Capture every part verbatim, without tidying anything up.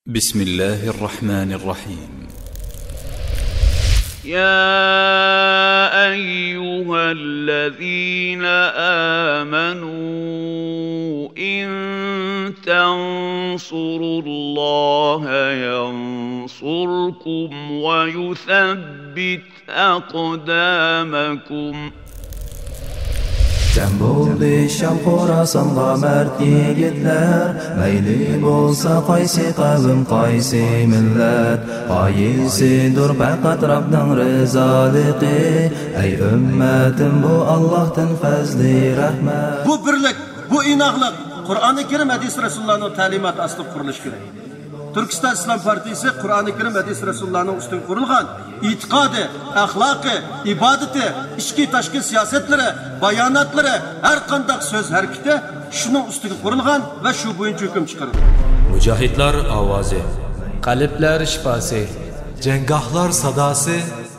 بسم الله الرحمن الرحيم. يا أيها الذين آمنوا إن تنصروا الله ينصركم ويثبت أقدامكم. جەم بولدى شام خوراسانغا مەرد يىگىتلەر، مەيلى بولسا قايسى قەۋم، قايسى مىللەت، غايىسىدۇر پەقەت رەبنىڭ رىزالىقى. ئەي ئۈممەتىم، بۇ ئاللاھتىن پەزلى رەھمەت. بۇ بىرلىك، بۇ ئىناقلىق قۇرئانى كەرىم، ھەدىس رەسۇلۇللانىڭ تەلىماتى ئاستىدا قۇرۇلۇشى كېرەك. تۈركىستان ئىسلام پارتىيىسى قۇرئانى كەرىم، ھەدىس رەسۇلۇللانىڭ ئۈستىگە قۇرۇلغان ئېتىقادى، ئەخلاقى، ئىبادىتى، ئىچكى تاشقى سىياسەتلىرى، باياناتلىرى، ھەر قانداق سۆز ھەرىكىتى شۇنىڭ ئۈستىگە قۇرۇلغان ۋە شۇ بويىچە ھۆكۈم چىقىرىدۇ. مۇجاھىدلار ئاۋازى. قەلبلەر شىپاسى. جەڭگاھلار ساداسى.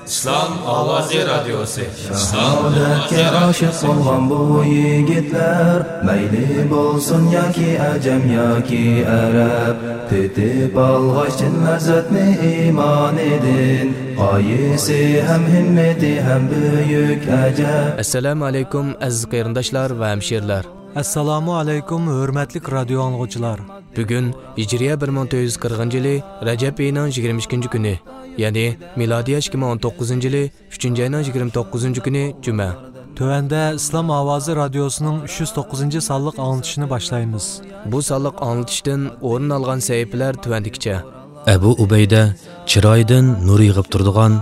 ئىسلام ئاۋازى رادىيوسى. شاھادەتكە ئاشىق بولغان بۇ يىگىتلەر، مەيلى بولسۇن ياكى ئەجەم ياكى ئەرەب، تېتىپ ئالغاچ چىن لەززەتنى ئىمانىدىن، غايىسى ھەم ھىممىتى ھەم بۈيۈك ئەجەب. ئەسسالامۇ ئەلەيكۇم، ئەزىز قېرىنداشلار ۋە ھەمشىرىلەر. ئەسسالامۇ ئەلەيكۇم، ھۆرمەتلىك رادىيو ئاڭلىغۇچىلار. بۈگۈن ھىجرىيە بىر مىڭ تۆت يۈز قىرىقىنچى يىلى رەجەب ئېيىنىڭ يىگىرمە ئىككىنچى كۈنى، يەنى مىلادىيە ئىككى مىڭ ئون توققۇزىنچى يىلى ئۈچىنچى ئاينىڭ يىگىرمە توققۇزىنچى كۈنى جۈمە. تۆۋەندە ئىسلام ئاۋازى رادىيوسىنىڭ ئۈچ يۈز توققۇزىنچى سانلىق ئاڭلىتىشىنى باشلايمىز. بۇ سانلىق ئاڭلىتىشتىن ئورۇن ئالغان سەھىپىلەر تۆۋەندىكىچە. ئەبۇ ئۇبەيدە چىرايىدىن نۇر يېغىپ تۇرىدىغان،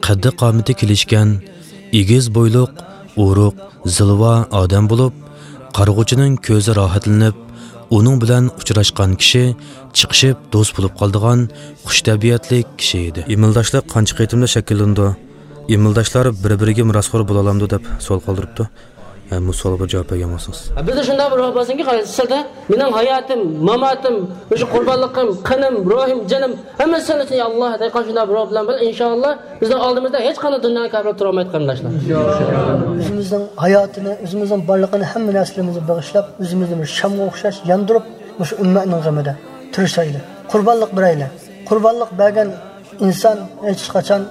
قەددى-قامىتى كېلىشكەن، ئېگىز بويلۇق، ئورۇق، زىلۋا ئادەم بولۇپ، قارىغۇچىنىڭ كۆزى راھەتلىنىپ، ئۇنىڭ بىلەن ئۇچراشقان كىشى چىقىشىپ دوست بولۇپ قالىدىغان خۇش تەبىئەتلىك كىشى ئىدى. ئىمىلداشلىق قانچە قېتىمدا شەكىللىنىدۇ؟ ئىمىلداشلار بىر-بىرىگە مىراسخور بولالامدۇ؟ دەپ سوئال قالدۇرۇپتۇ. ھە، بۇ سوئالغا بىر جاۋاب بەرگەن بولسىڭىز. بىزدە شۇنداق بىر روھ بولسۇنكى، قارايسىز، سىلدە مېنىڭ ھاياتىم، ماماتىم، مۇشۇ قۇربانلىقىم، قېنىم، روھۇم، جېنىم، ھەممىسى سەن ئۈچۈن، يا ئاللا، دەيدىغان شۇنداق بىر روھ بىلەن بىللە، ئىنشائاللا، بىزنىڭ ئالدىمىزدا ھېچقانداق دۇنيانىڭ كاپىرى تۇرالمايدۇ، قېرىنداشلار. ئۆزىمىزنىڭ ھاياتىنى، ئۆزىمىزنىڭ بارلىقىنى، ھەممە نەرسىلىرىمىزنى بېغىشلاپ، ئۆزىمىزنى بىر شامغا ئوخشاش ياندۇرۇپ، مۇشۇ ئۈممەتنىڭ غېمىدە تىرىشايلى، قۇربانلىق بېرەيلى. قۇربانلىق بەرگەن ئىنسان ھېچقاچان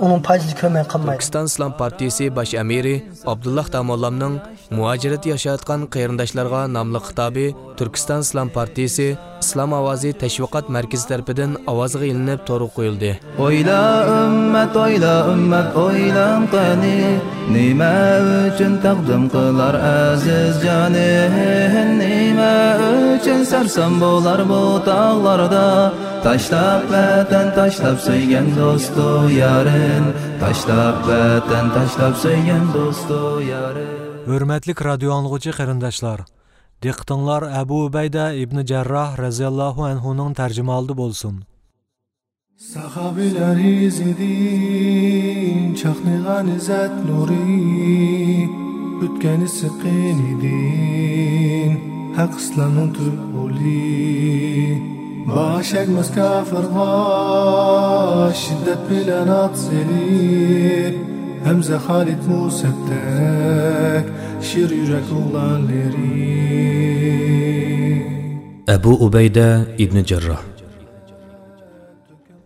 ئۇنىڭ پايدىسىنى كۆرمەي قالمايدۇ. تۈركىستان ئىسلام پارتىيىسى باش ئەمىرى ئابدۇللا داموللامنىڭ مۇھاجىرەتتە ياشاۋاتقان قېرىنداشلارغا ناملىق خىتابى تۈركىستان ئىسلام پارتىيىسى ئىسلام ئاۋازى تەشۋىقات مەركىزى تەرىپىدىن ئاۋازغا ئېلىنىپ تورغا قويۇلدى. ئويلا ئۈممەت، ئويلا ئۈممەت، ئويلاڭ قېنى، نېمە ئۈچۈن تەقدىم قىلار ئەزىز جانى؟ نېمە ئۈچۈن سەرسان بولار بۇ تاغلاردا؟ تاشلاپ ۋەتەن، تاشلاپ سۆيگەن دوستۇ يارىن، تاشلاپ ۋەتەن، تاشلاپ سۆيگەن دوستۇ يارىن. ھۆرمەتلىك رادىيو ئاڭلىغۇچى قېرىنداشلار، دىققىتىڭلار ئەبۇ ئۇبەيدە ئىبنى جەرراھ رەزىياللاھۇ ئەنھۇنىڭ تەرجىمىھالىدا بولسۇن. ساھابىلەر ئىزىدىن چاقنىغان ئىززەت نۇرى، ئۆتكەن ئىسسىق قېنىدىن ھەق ئىسلامنىڭ تۈپ غولى. باش ئەگمەس كاپىرغا شىددەت بىلەن ئات سېلىپ، ھەمزە، خالىد، مۇسەبدەك شىر يۈرەك ئوغلانلىرى. ئەبۇ ئۇبەيدە ئىبنى جەرراھ.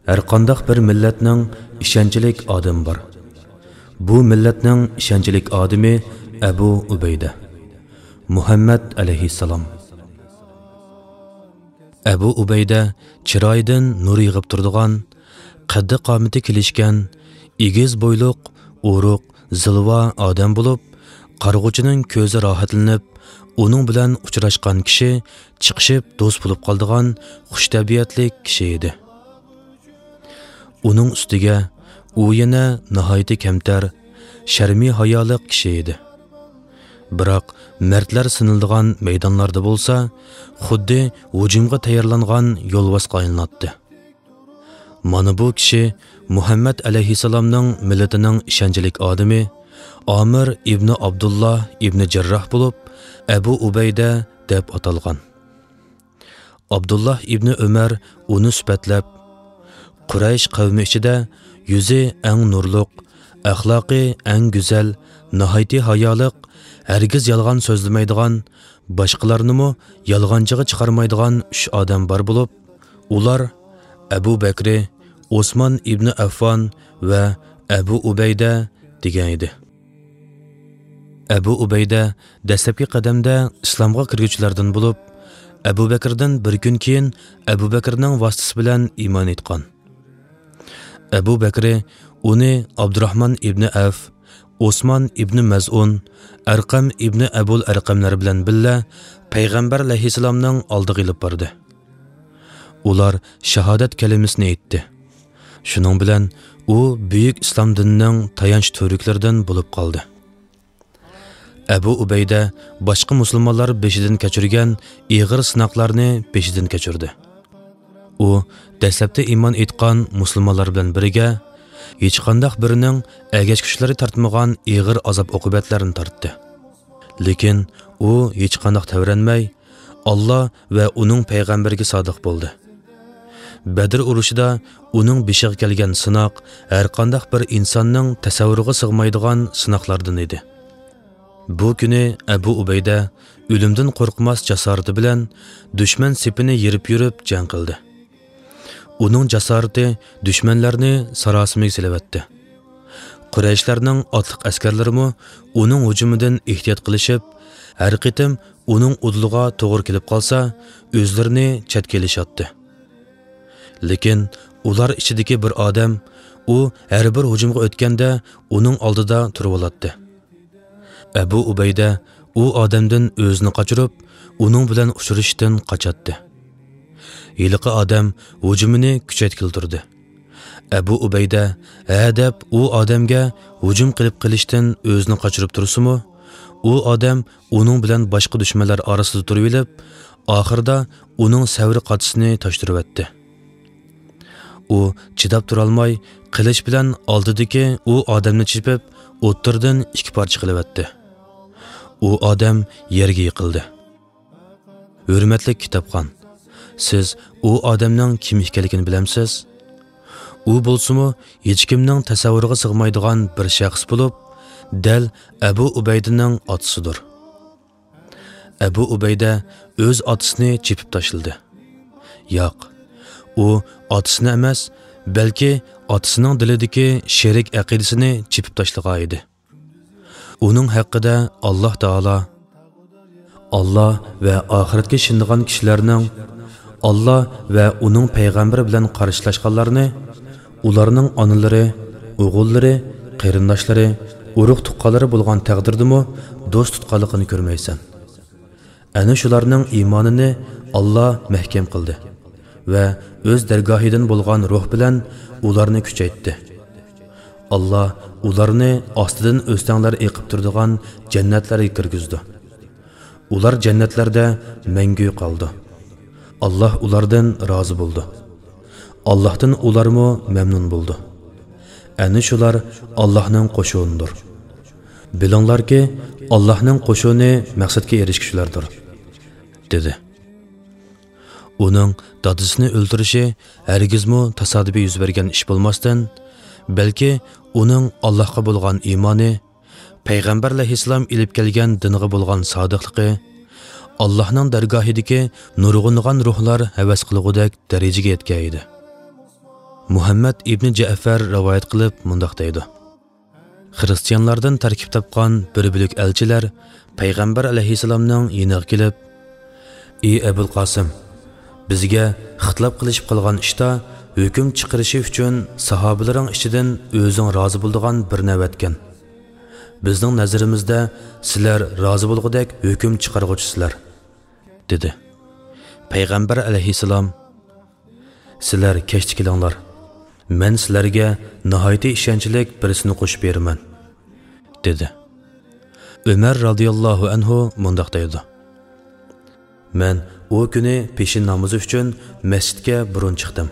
ھەرقانداق بىر مىللەتنىڭ ئىشەنچلىك ئادىمى بار. بۇ مىللەتنىڭ ئىشەنچلىك ئادىمى ئەبۇ ئۇبەيدە، مۇھەممەد ئەلەيھىسسالام. ئەبۇ ئۇبەيدە چىرايىدىن نۇر يېغىپ تۇرىدىغان، قەددى-قامىتى كېلىشكەن، ئېگىز بويلۇق، ئورۇق، زىلۋا ئادەم بولۇپ، قارىغۇچىنىڭ كۆزى راھەتلىنىپ، ئۇنىڭ بىلەن ئۇچراشقان كىشى چىقىشىپ دوست بولۇپ قالىدىغان خۇش تەبىئەتلىك كىشى ئىدى. ئۇنىڭ ئۈستىگە ئۇ يەنە ناھايىتى كەمتەر، شەرمى ھايالىق كىشى ئىدى. بىراق مەردلەر سىنىلىدىغان مەيدانلاردا بولسا، خۇددى ھۇجۇمغا تەييارلانغان يولۋاسقا ئايلىناتتى. مانا بۇ كىشى مۇھەممەد ئەلەيھىسسالامنىڭ مىللىتىنىڭ ئىشەنچلىك ئادىمى ئامىر ئىبنى ئابدۇللا ئىبنى جەرراھ بولۇپ، ئەبۇ ئۇبەيدە دەپ ئاتالغان. ئابدۇللا ئىبنى ئۆمەر ئۇنى سۈپەتلەپ، قۇرەيش قەۋمى ئىچىدە يۈزى ئەڭ نۇرلۇق، ئەخلاقى ئەڭ گۈزەل، ناھايىتى ھايالىق، ھەرگىز يالغان سۆزلىمەيدىغان، باشقىلارنىمۇ يالغانچىغا چىقارمايدىغان ئۈچ ئادەم بار بولۇپ، ئۇلار ئەبۇ بەكرى، ئوسمان ئىبنى ئەففان ۋە ئەبۇ ئۇبەيدە دېگەن ئىدى. ئەبۇ ئۇبەيدە دەسلەپكى قەدەمدە ئىسلامغا كىرگۈچىلەردىن بولۇپ، ئەبۇ بەكرىدىن بىر كۈن كېيىن ئەبۇ بەكرىنىڭ ۋاسىتىسى بىلەن ئىمان ئېيتقان. ئەبۇ بەكرى ئۇنى ئابدۇراھمان ئىبنى ئەۋف، ئوسمان ئىبنى مەزئۇن، ئەرقەم ئىبنى ئەبۇل ئەرقەملەر بىلەن بىللە پەيغەمبەر ئەلەيھىسسالامنىڭ ئالدىغا ئېلىپ باردى. ئۇلار شاھادەت كەلىمىسىنى ئېيتتى. شۇنىڭ بىلەن ئۇ بۈيۈك ئىسلام دىنىنىڭ تايانچ تۈۋرۈكلىرىدىن بولۇپ قالدى. ئەبۇ ئۇبەيدە باشقا مۇسۇلمانلار بېشىدىن كەچۈرگەن ئېغىر سىناقلارنى بېشىدىن كەچۈردى. ئۇ دەسلەپتە ئىمان ئېيتقان مۇسۇلمانلار بىلەن بىرگە ھېچقانداق بىرىنىڭ ئەگەشكۈچلىرى تارتمىغان ئېغىر ئازاب-ئوقۇبەتلەرنى تارتتى. لېكىن ئۇ ھېچقانداق تەۋرەنمەي، ئاللا ۋە ئۇنىڭ پەيغەمبىرىگە سادىق بولدى. بەدر ئۇرۇشىدا ئۇنىڭ بېشىغا كەلگەن سىناق ھەرقانداق بىر ئىنساننىڭ تەسەۋۋۇرىغا سىغمايدىغان سىناقلاردىن ئىدى. بۇ كۈنى ئەبۇ ئۇبەيدە ئۆلۈمدىن قورقماس جاسارىتى بىلەن دۈشمەن سېپىنى يېرىپ يۈرۈپ جەڭ قىلدى. ئۇنىڭ جاسارىتى دۈشمەنلەرنى ساراسىمىگە سېلىۋەتتى. قۇرەيشلەرنىڭ ئاتلىق ئەسكەرلىرىمۇ ئۇنىڭ ھۇجۇمىدىن ئېھتىيات قىلىشىپ، ھەر قېتىم ئۇنىڭ ئۇدۇلىغا توغرا كېلىپ قالسا، ئۆزلىرىنى چەتكە ئېلىشاتتى. لېكىن ئۇلار ئىچىدىكى بىر ئادەم، ئۇ ھەر بىر ھۇجۇمغا ئۆتكەندە ئۇنىڭ ئالدىدا تۇرۇۋالاتتى. ئەبۇ ئۇبەيدە ئۇ ئادەمدىن ئۆزىنى قاچۇرۇپ، ئۇنىڭ بىلەن ئۇچرىشىشتىن قاچاتتى. ھېلىقى ئادەم ھۇجۇمىنى كۈچەيتكىلى تۇردى. ئەبۇ ئۇبەيدە ھە دەپ ئۇ ئادەمگە ھۇجۇم قىلىپ قېلىشتىن ئۆزىنى قاچۇرۇپ تۇرسىمۇ، ئۇ ئادەم ئۇنىڭ بىلەن باشقا دۈشمەنلەر ئارىسىدا تۇرۇۋېلىپ، ئاخىرىدا ئۇنىڭ سەۋر قاچىسىنى تاشتۇرۇۋەتتى. ئۇ چىداپ تۇرالماي، قىلىچ بىلەن ئالدىدىكى ئۇ ئادەمنى چېپىپ، ئوتتۇرىدىن ئىككى پارچە قىلىۋەتتى. ئۇ ئادەم يەرگە يىقىلدى. ھۆرمەتلىك كىتابخان، سىز ئۇ ئادەمنىڭ كىم ئىكەنلىكىنى بىلەمسىز؟ ئۇ بولسىمۇ ھېچكىمنىڭ تەسەۋۋۇرىغا سىغمايدىغان بىر شەخس بولۇپ، دەل ئەبۇ ئۇبەيدىنىڭ ئاتىسىدۇر. ئەبۇ ئۇبەيدە ئۆز ئاتىسىنى چېپىپ تاشلىدى. ياق، ئۇ ئاتىسىنى ئەمەس، بەلكى ئاتىسىنىڭ دىلىدىكى شېرىك ئەقىدىسىنى چېپىپ تاشلىغان ئىدى. ئۇنىڭ ھەققىدە ئاللاھ تائالا، ئاللاھ ۋە ئاخىرەتكە ئىشىنىدىغان كىشىلەرنىڭ، ئاللاھ ۋە ئۇنىڭ پەيغەمبىرى بىلەن قارشىلاشقانلارنى، ئۇلارنىڭ ئانىلىرى، ئوغۇللىرى، قېرىنداشلىرى، ئۇرۇق-تۇغقانلىرى بولغان تەقدىردىمۇ دوست تۇتقانلىقىنى كۆرمەيسەن. ئەنە شۇلارنىڭ ئىمانىنى ئاللاھ مەھكەم قىلدى ۋە ئۆز دەرگاھىدىن بولغان روھ بىلەن ئۇلارنى كۈچەيتتى. ئاللاھ ئۇلارنى ئاستىدىن ئۆستەڭلەر ئېقىپ تۇرىدىغان جەننەتلەرگە كىرگۈزىدۇ. ئۇلار جەننەتلەردە مەڭگۈ قالىدۇ. ئاللاھ ئۇلاردىن رازى بولىدۇ. ئاللاھتىن ئۇلارمۇ مەمنۇن بولىدۇ. ئەنە شۇلار ئاللاھنىڭ قوشۇنىدۇر. بىلىڭلاركى، ئاللاھنىڭ قوشۇنى مەقسەتكە ئېرىشكۈچىلەردۇر، دېدى. ئۇنىڭ دادىسىنى ئۆلتۈرۈشى ھەرگىزمۇ تاسادىپىي يۈز بەرگەن ئىش بولماستىن، بەلكى ئۇنىڭ ئاللاھقا بولغان ئىمانى، پەيغەمبەر ئەلەيھىسسالام ئېلىپ كەلگەن دىنغا بولغان سادىقلىقى، ئاللاھنىڭ دەرگاھىدىكى نۇرغۇنلىغان روھلار ھەۋەس قىلغۇدەك دەرىجىگە يەتكەن ئىدى. مۇھەممەد ئىبنى جەئفەر رىۋايەت قىلىپ مۇنداق دەيدۇ: خىرىستىيانلاردىن تەركىب تاپقان بىر بۆلەك ئەلچىلەر پەيغەمبەر ئەلەيھىسسالامنىڭ يېنىغا كېلىپ، ئى ئەبۇل قاسىم، بىزگە ئىختىلاپ قىلىشىپ قالغان ئىشتا ھۆكۈم چىقىرىشى ئۈچۈن ساھابىلىرىڭ ئىچىدىن ئۆزۈڭ رازى بولىدىغان بىرنى ئەۋەتكىن. بىزنىڭ نەزىرىمىزدە سىلەر رازى بولغۇدەك ھۆكۈم چىقارغۇچىسىلەر، دېدى. پەيغەمبەر ئەلەيھىسسالام، سىلەر كەچتە كېلىڭلار، مەن سىلەرگە ناھايىتى ئىشەنچلىك بىرسىنى قوشۇپ بېرىمەن، دېدى. ئۆمەر رازىياللاھۇ ئەنھۇ مۇنداق دەيدۇ: مەن ئۇ كۈنى پېشىن نامىزى ئۈچۈن مەسچىتكە بۇرۇن چىقتىم.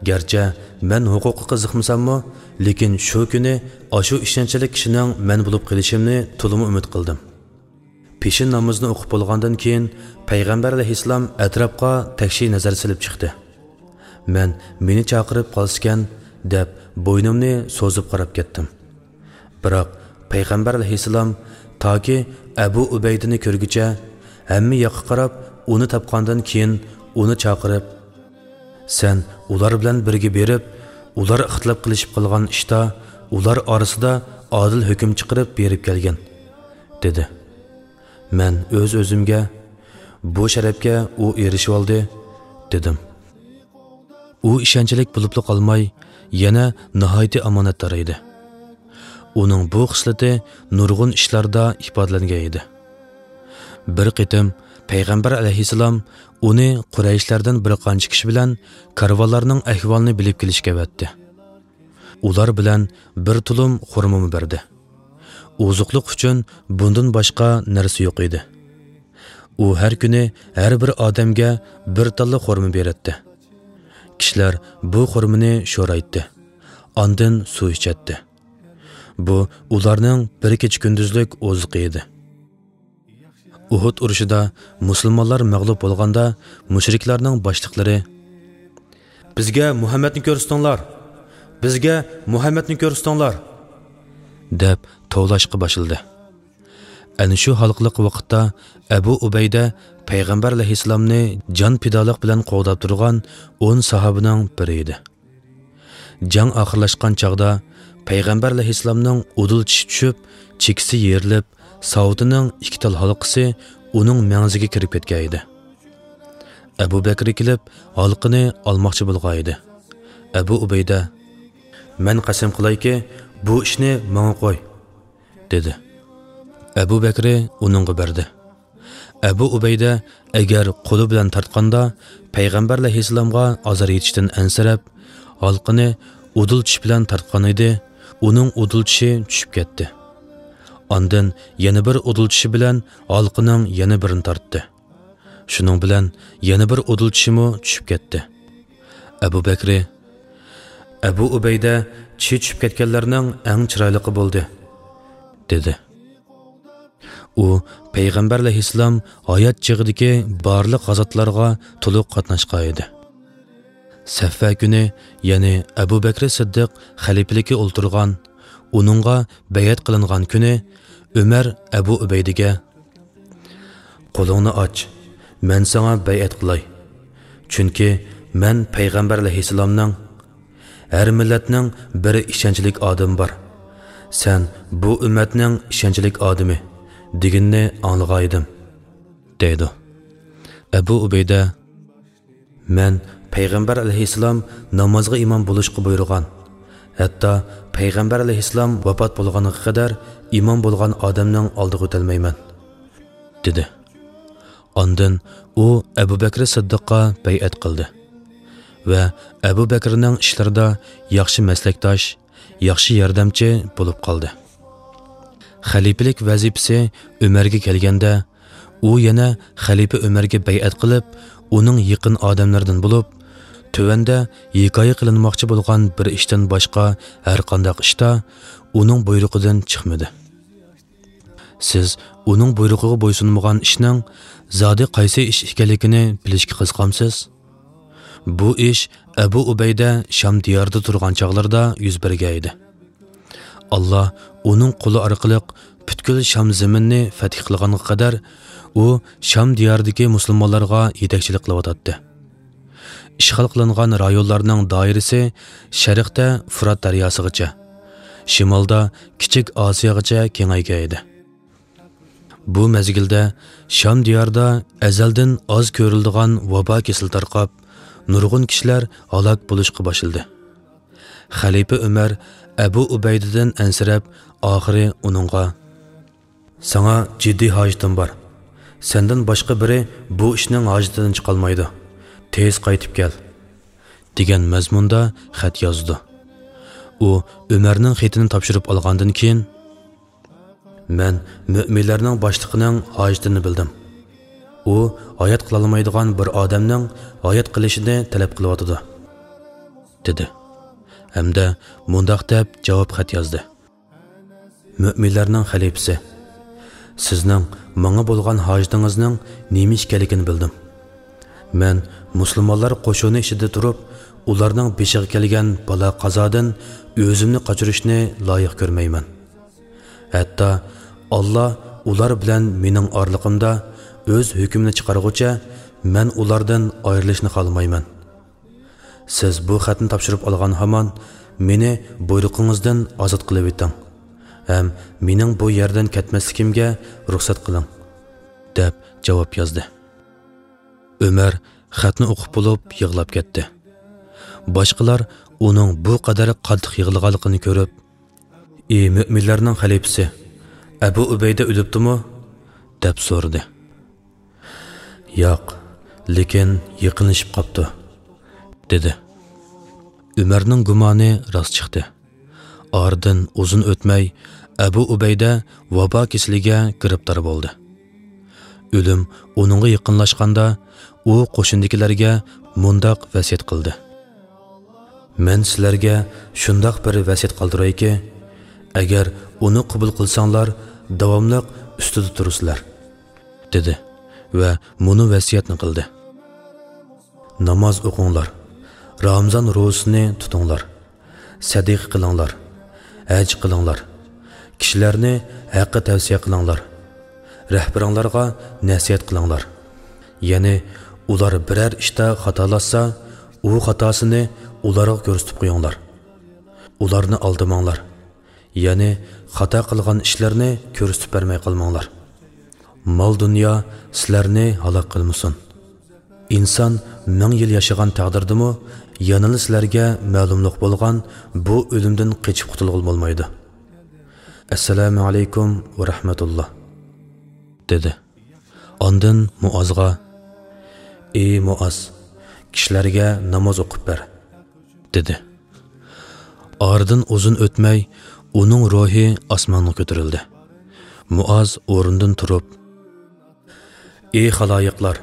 گەرچە مەن ھوقۇققا قىزىقمىساممۇ، لېكىن شۇ كۈنى ئاشۇ ئىشەنچلىك كىشىنىڭ مەن بولۇپ قېلىشىمنى تولىمۇ ئۈمىد قىلدىم. پېشىن نامىزىنى ئوقۇپ بولغاندىن كېيىن، پەيغەمبەر ئەلەيھىسسالام ئەتراپقا تەكشى نەزەر سېلىپ چىقتى. مەن مېنى چاقىرىپ قالسىكەن، دەپ بوينۇمنى سوزۇپ قاراپ كەتتىم. بىراق پەيغەمبەر ئەلەيھىسسالام تاكى ئەبۇ ئۇبەيدىنى كۆرگۈچە ھەممە ياققا قاراپ، ئۇنى تاپقاندىن كېيىن ئۇنى چاقىرىپ، سەن ئۇلار بىلەن بىرگە بېرىپ، ئۇلار ئىختىلاپ قىلىشىپ قالغان ئىشتا ئۇلار ئارىسىدا ئادىل ھۆكۈم چىقىرىپ بېرىپ كەلگىن، دېدى. مەن ئۆز-ئۆزۈمگە، بۇ شەرەپكە ئۇ ئېرىشىۋالدى، دېدىم. ئۇ ئىشەنچلىك بولۇپلا قالماي، يەنە ناھايىتى ئامانەتدار ئىدى. ئۇنىڭ بۇ خىسلىتى نۇرغۇن ئىشلاردا ئىپادىلەنگەن ئىدى. بىر قېتىم پەيغەمبەر ئەلەيھىسسالام ئۇنى قۇرەيشلەردىن بىر قانچە كىشى بىلەن كارۋانلارنىڭ ئەھۋالىنى بىلىپ كېلىشكە ئەۋەتتى. ئۇلار بىلەن بىر تۇلۇم خورمىمۇ بەردى. ئوزۇقلۇق ئۈچۈن بۇندىن باشقا نەرسە يوق ئىدى. ئۇ ھەر كۈنى ھەر بىر ئادەمگە بىر تاللا خورما بېرەتتى. كىشىلەر بۇ خورمىنى شورايتتى. ئاندىن سۇ ئىچەتتى. بۇ ئۇلارنىڭ بىر كېچە-كۈندۈزلۈك ئوزۇقى ئىدى. ئۇھۇد ئۇرۇشىدا مۇسۇلمانلار مەغلۇپ بولغاندا، مۇشرىكلارنىڭ باشلىقلىرى، «بىزگە مۇھەممەدنى كۆرسىتىڭلار! بىزگە مۇھەممەدنى كۆرسىتىڭلار!» دەپ توۋلاشقا باشلىدى. ئەنە شۇ ھالقىلىق ۋاقىتتا ئەبۇ ئۇبەيدە پەيغەمبەر ئەلەيھىسسالامنى جان پىدالىق بىلەن قوغداپ تۇرغان ئون ساھابىنىڭ بىرى ئىدى. جەڭ ئاخىرلاشقان چاغدا پەيغەمبەر ئەلەيھىسسالامنىڭ ئۇدۇل چىشى چۈشۈپ، چېكىسى يېرىلىپ، ساۋۇتىنىڭ ئىككى تال ھالقىسى ئۇنىڭ مەڭزىگە كىرىپ كەتكەن ئىدى. ئەبۇ بەكرى كېلىپ، ھالقىنى ئالماقچى بولغان ئىدى. ئەبۇ ئۇبەيدە، «مەن قەسەم قىلايكى، بۇ ئىشنى ماڭا قوي» دېدى. ئەبۇ بەكرى ئۇنىڭغا بەردى. ئەبۇ ئۇبەيدە ئەگەر قولى بىلەن تارتقاندا، پەيغەمبەر ئەلەيھىسسالامغا ئازار يېتىشتىن ئەنسىرەپ، ھالقىنى ئۇدۇل چىش بىلەن تارتقان ئىدى، ئۇنىڭ ئۇدۇل چىشى چۈشۈپ كەتتى. ئاندىن يەنە بىر ئۇدۇل چىشى بىلەن ھالقىنىڭ يەنە بىرىنى تارتتى. شۇنىڭ بىلەن يەنە بىر ئۇدۇل چىشىمۇ چۈشۈپ كەتتى. ئەبۇ بەكرى، «ئەبۇ ئۇبەيدە چىشى چۈشۈپ كەتكەنلەرنىڭ ئەڭ چىرايلىقى بولدى» دېدى. ئۇ پەيغەمبەر ئەلەيھىسسالام ھايات چېغىدىكى بارلىق غازاتلارغا تولۇق قاتناشقان ئىدى. سەففە كۈنى، يەنى ئەبۇ بەكرى سىددىق خەلىپىلىككە ئولتۇرغان، ئۇنىڭغا بەيئەت قىلىنغان كۈنى، ئۆمەر ئەبۇ ئۇبەيدىگە، «قولۇڭنى ئاچ، مەن ساڭا بەيئەت قىلاي. چۈنكى مەن پەيغەمبەر ئەلەيھىسسالامنىڭ، ھەر مىللەتنىڭ بىر ئىشەنچلىك ئادىمى بار. سەن بۇ ئۈممەتنىڭ ئىشەنچلىك ئادىمى» دېگىنىنى ئاڭلىغانىدىم، دەيدۇ. ئەبۇ ئۇبەيدە، «مەن پەيغەمبەر ئەلەيھىسسالام نامازغا ئىمام بولۇشقا بۇيرۇغان، ھەتتا پەيغەمبەر ئەلەيھىسسالام ۋاپات بولغانغا قەدەر ئىمام بولغان ئادەمنىڭ ئالدىغا ئۆتەلمەيمەن» دېدى. ئاندىن ئۇ ئەبۇ بەكرى سىددىققا بەيئەت قىلدى ۋە ئەبۇ بەكرىنىڭ ئىشلىرىدا ياخشى مەسلەكداش، ياخشى ياردەمچى بولۇپ قالدى. خەلىپىلىك ۋەزىپىسى ئۆمەرگە كەلگەندە، ئۇ يەنە خەلىپە ئۆمەرگە بەيئەت قىلىپ، ئۇنىڭ يېقىن ئادەملىرىدىن بولۇپ، تۆۋەندە ھېكايە قىلىنماقچى بولغان بىر ئىشتىن باشقا ھەرقانداق ئىشتا ئۇنىڭ بۇيرۇقىدىن چىقمىدى. سىز ئۇنىڭ بۇيرۇقىغا بويسۇنمىغان ئىشنىڭ زادى قايسى ئىش ئىكەنلىكىنى بىلىشكە قىزىقامسىز؟ بۇ ئىش ئەبۇ ئۇبەيدە شام دىيارىدا تۇرغان چاغلىرىدا يۈز بەرگەن ئىدى. ئاللا ئۇنىڭ قولى ئارقىلىق پۈتكۈل شام زېمىنىنى فەتھ قىلغانغا قەدەر، ئۇ شام دىيارىدىكى مۇسۇلمانلارغا يېتەكچىلىك قىلىۋاتاتتى. ئىشغال قىلىنغان رايونلارنىڭ دائىرىسى شەرقتە فۇرات دەرياسىغىچە، شىمالدا كىچىك ئاسىياغىچە كېڭەيگەن ئىدى. بۇ مەزگىلدە شام دىيارىدا ئەزەلدىن ئاز كۆرۈلىدىغان ۋابا كېسىلى تارقاپ، نۇرغۇن كىشىلەر ھالاك بولۇشقا باشلىدى. خەلىپە ئۆمەر ئەبۇ ئۇبەيدىدىن ئەنسىرەپ، ئاخىرى ئۇنىڭغا، «ساڭا جىددىي ھاجىتىم بار. سەندىن باشقا بىرى بۇ ئىشنىڭ ھاجىتىدىن چىقالمايدۇ. تېز قايتىپ كەل» دېگەن مەزمۇندا خەت يازىدۇ. ئۇ ئۆمەرنىڭ خېتىنى تاپشۇرۇپ ئالغاندىن كېيىن، «مەن مۆمىنلەرنىڭ باشلىقىنىڭ ھاجىتىنى بىلدىم. ئۇ ھايات قىلالمايدىغان بىر ئادەمنىڭ ھايات قىلىشىنى تەلەپ قىلىۋاتىدۇ» دېدى. ھەمدە مۇنداق دەپ جاۋاب خەت يازدى: «مۆمىنلەرنىڭ خەلىپىسى، سىزنىڭ ماڭا بولغان ھاجىتىڭىزنىڭ نېمە ئىكەنلىكىنى بىلدىم. مەن مۇسۇلمانلار قوشۇنى ئىچىدە تۇرۇپ، ئۇلارنىڭ بېشىغا كەلگەن بالا-قازادىن ئۆزۈمنى قاچۇرۇشنى لايىق كۆرمەيمەن. ھەتتا ئاللا ئۇلار بىلەن مېنىڭ ئارىلىقىمدا ئۆز ھۆكمىنى چىقارغۇچە، مەن ئۇلاردىن ئايرىلىشنى خالىمايمەن. سىز بۇ خەتنى تاپشۇرۇپ ئالغان ھامان مېنى بۇيرۇقىڭىزدىن ئازاد قىلىۋېتىڭ ھەم مېنىڭ بۇ يەردىن كەتمەسلىكىمگە رۇخسەت قىلىڭ، دەپ جاۋاب يازدى. ئۆمەر خەتنى ئوقۇپ بولۇپ يىغلاپ كەتتى. باشقىلار ئۇنىڭ بۇ قەدەر قاتتىق يىغلىغانلىقىنى كۆرۈپ، «ئى مۆمىنلەرنىڭ خەلىپىسى، ئەبۇ ئۇبەيدە ئۆلۈپتۇمۇ؟» دەپ سورىدى. «ياق، لېكىن يېقىنلىشىپ قاپتۇ»، دېدى. ئۆمەرنىڭ گۇمانى راست چىقتى. ئارىدىن ئۇزۇن ئۆتمەي، ئەبۇ ئۇبەيدە ۋابا كېسىلىگە گىرىپتار بولدى. ئۆلۈم ئۇنىڭغا يېقىنلاشقاندا، ئۇ قوشۇندىكىلەرگە مۇنداق ۋەسىيەت قىلدى: «مەن سىلەرگە شۇنداق بىر ۋەسىيەت قالدۇرايكى، ئەگەر ئۇنى قوبۇل قىلساڭلار، داۋاملىق ئۈستىدە تۇرىسىلەر»، دېدى ۋە مۇنۇ ۋەسىيەتنى قىلدى: «ناماز ئوقۇڭلار، رامىزان روزىسىنى تۇتۇڭلار، سەدىقە قىلىڭلار، ھەج قىلىڭلار، كىشىلەرنى ھەققە تەۋسىيە قىلىڭلار، رەھبىرىڭلارغا نەسىھەت قىلىڭلار. يەنى ئۇلار بىرەر ئىشتا خاتالاشسا، ئۇ خاتاسىنى ئۇلارغا كۆرسىتىپ قويۇڭلار. ئۇلارنى ئالدىماڭلار. يەنى خاتا قىلغان ئىشلىرىنى كۆرسىتىپ بەرمەي قالماڭلار. مال-دۇنيا سىلەرنى ھالاك قىلمىسۇن. ئىنسان مىڭ يىل ياشىغان تەقدىردىمۇ، يەنىلا سىلەرگە مەلۇملۇق بولغان بۇ ئۆلۈمدىن قېچىپ قۇتۇلغىلى بولمايدۇ. ئەسسالامۇ ئەلەيكۇم ۋە رەھمەتۇللا»، دېدى. ئاندىن مۇئازغا: «ئى مۇئاز، كىشىلەرگە ناماز ئوقۇپ بەر»، دېدى. ئارىدىن ئۇزۇن ئۆتمەي، ئۇنىڭ روھى ئاسمانغا كۆتۈرۈلدى. مۇئاز ئورنىدىن تۇرۇپ: «ئى خالايىقلار،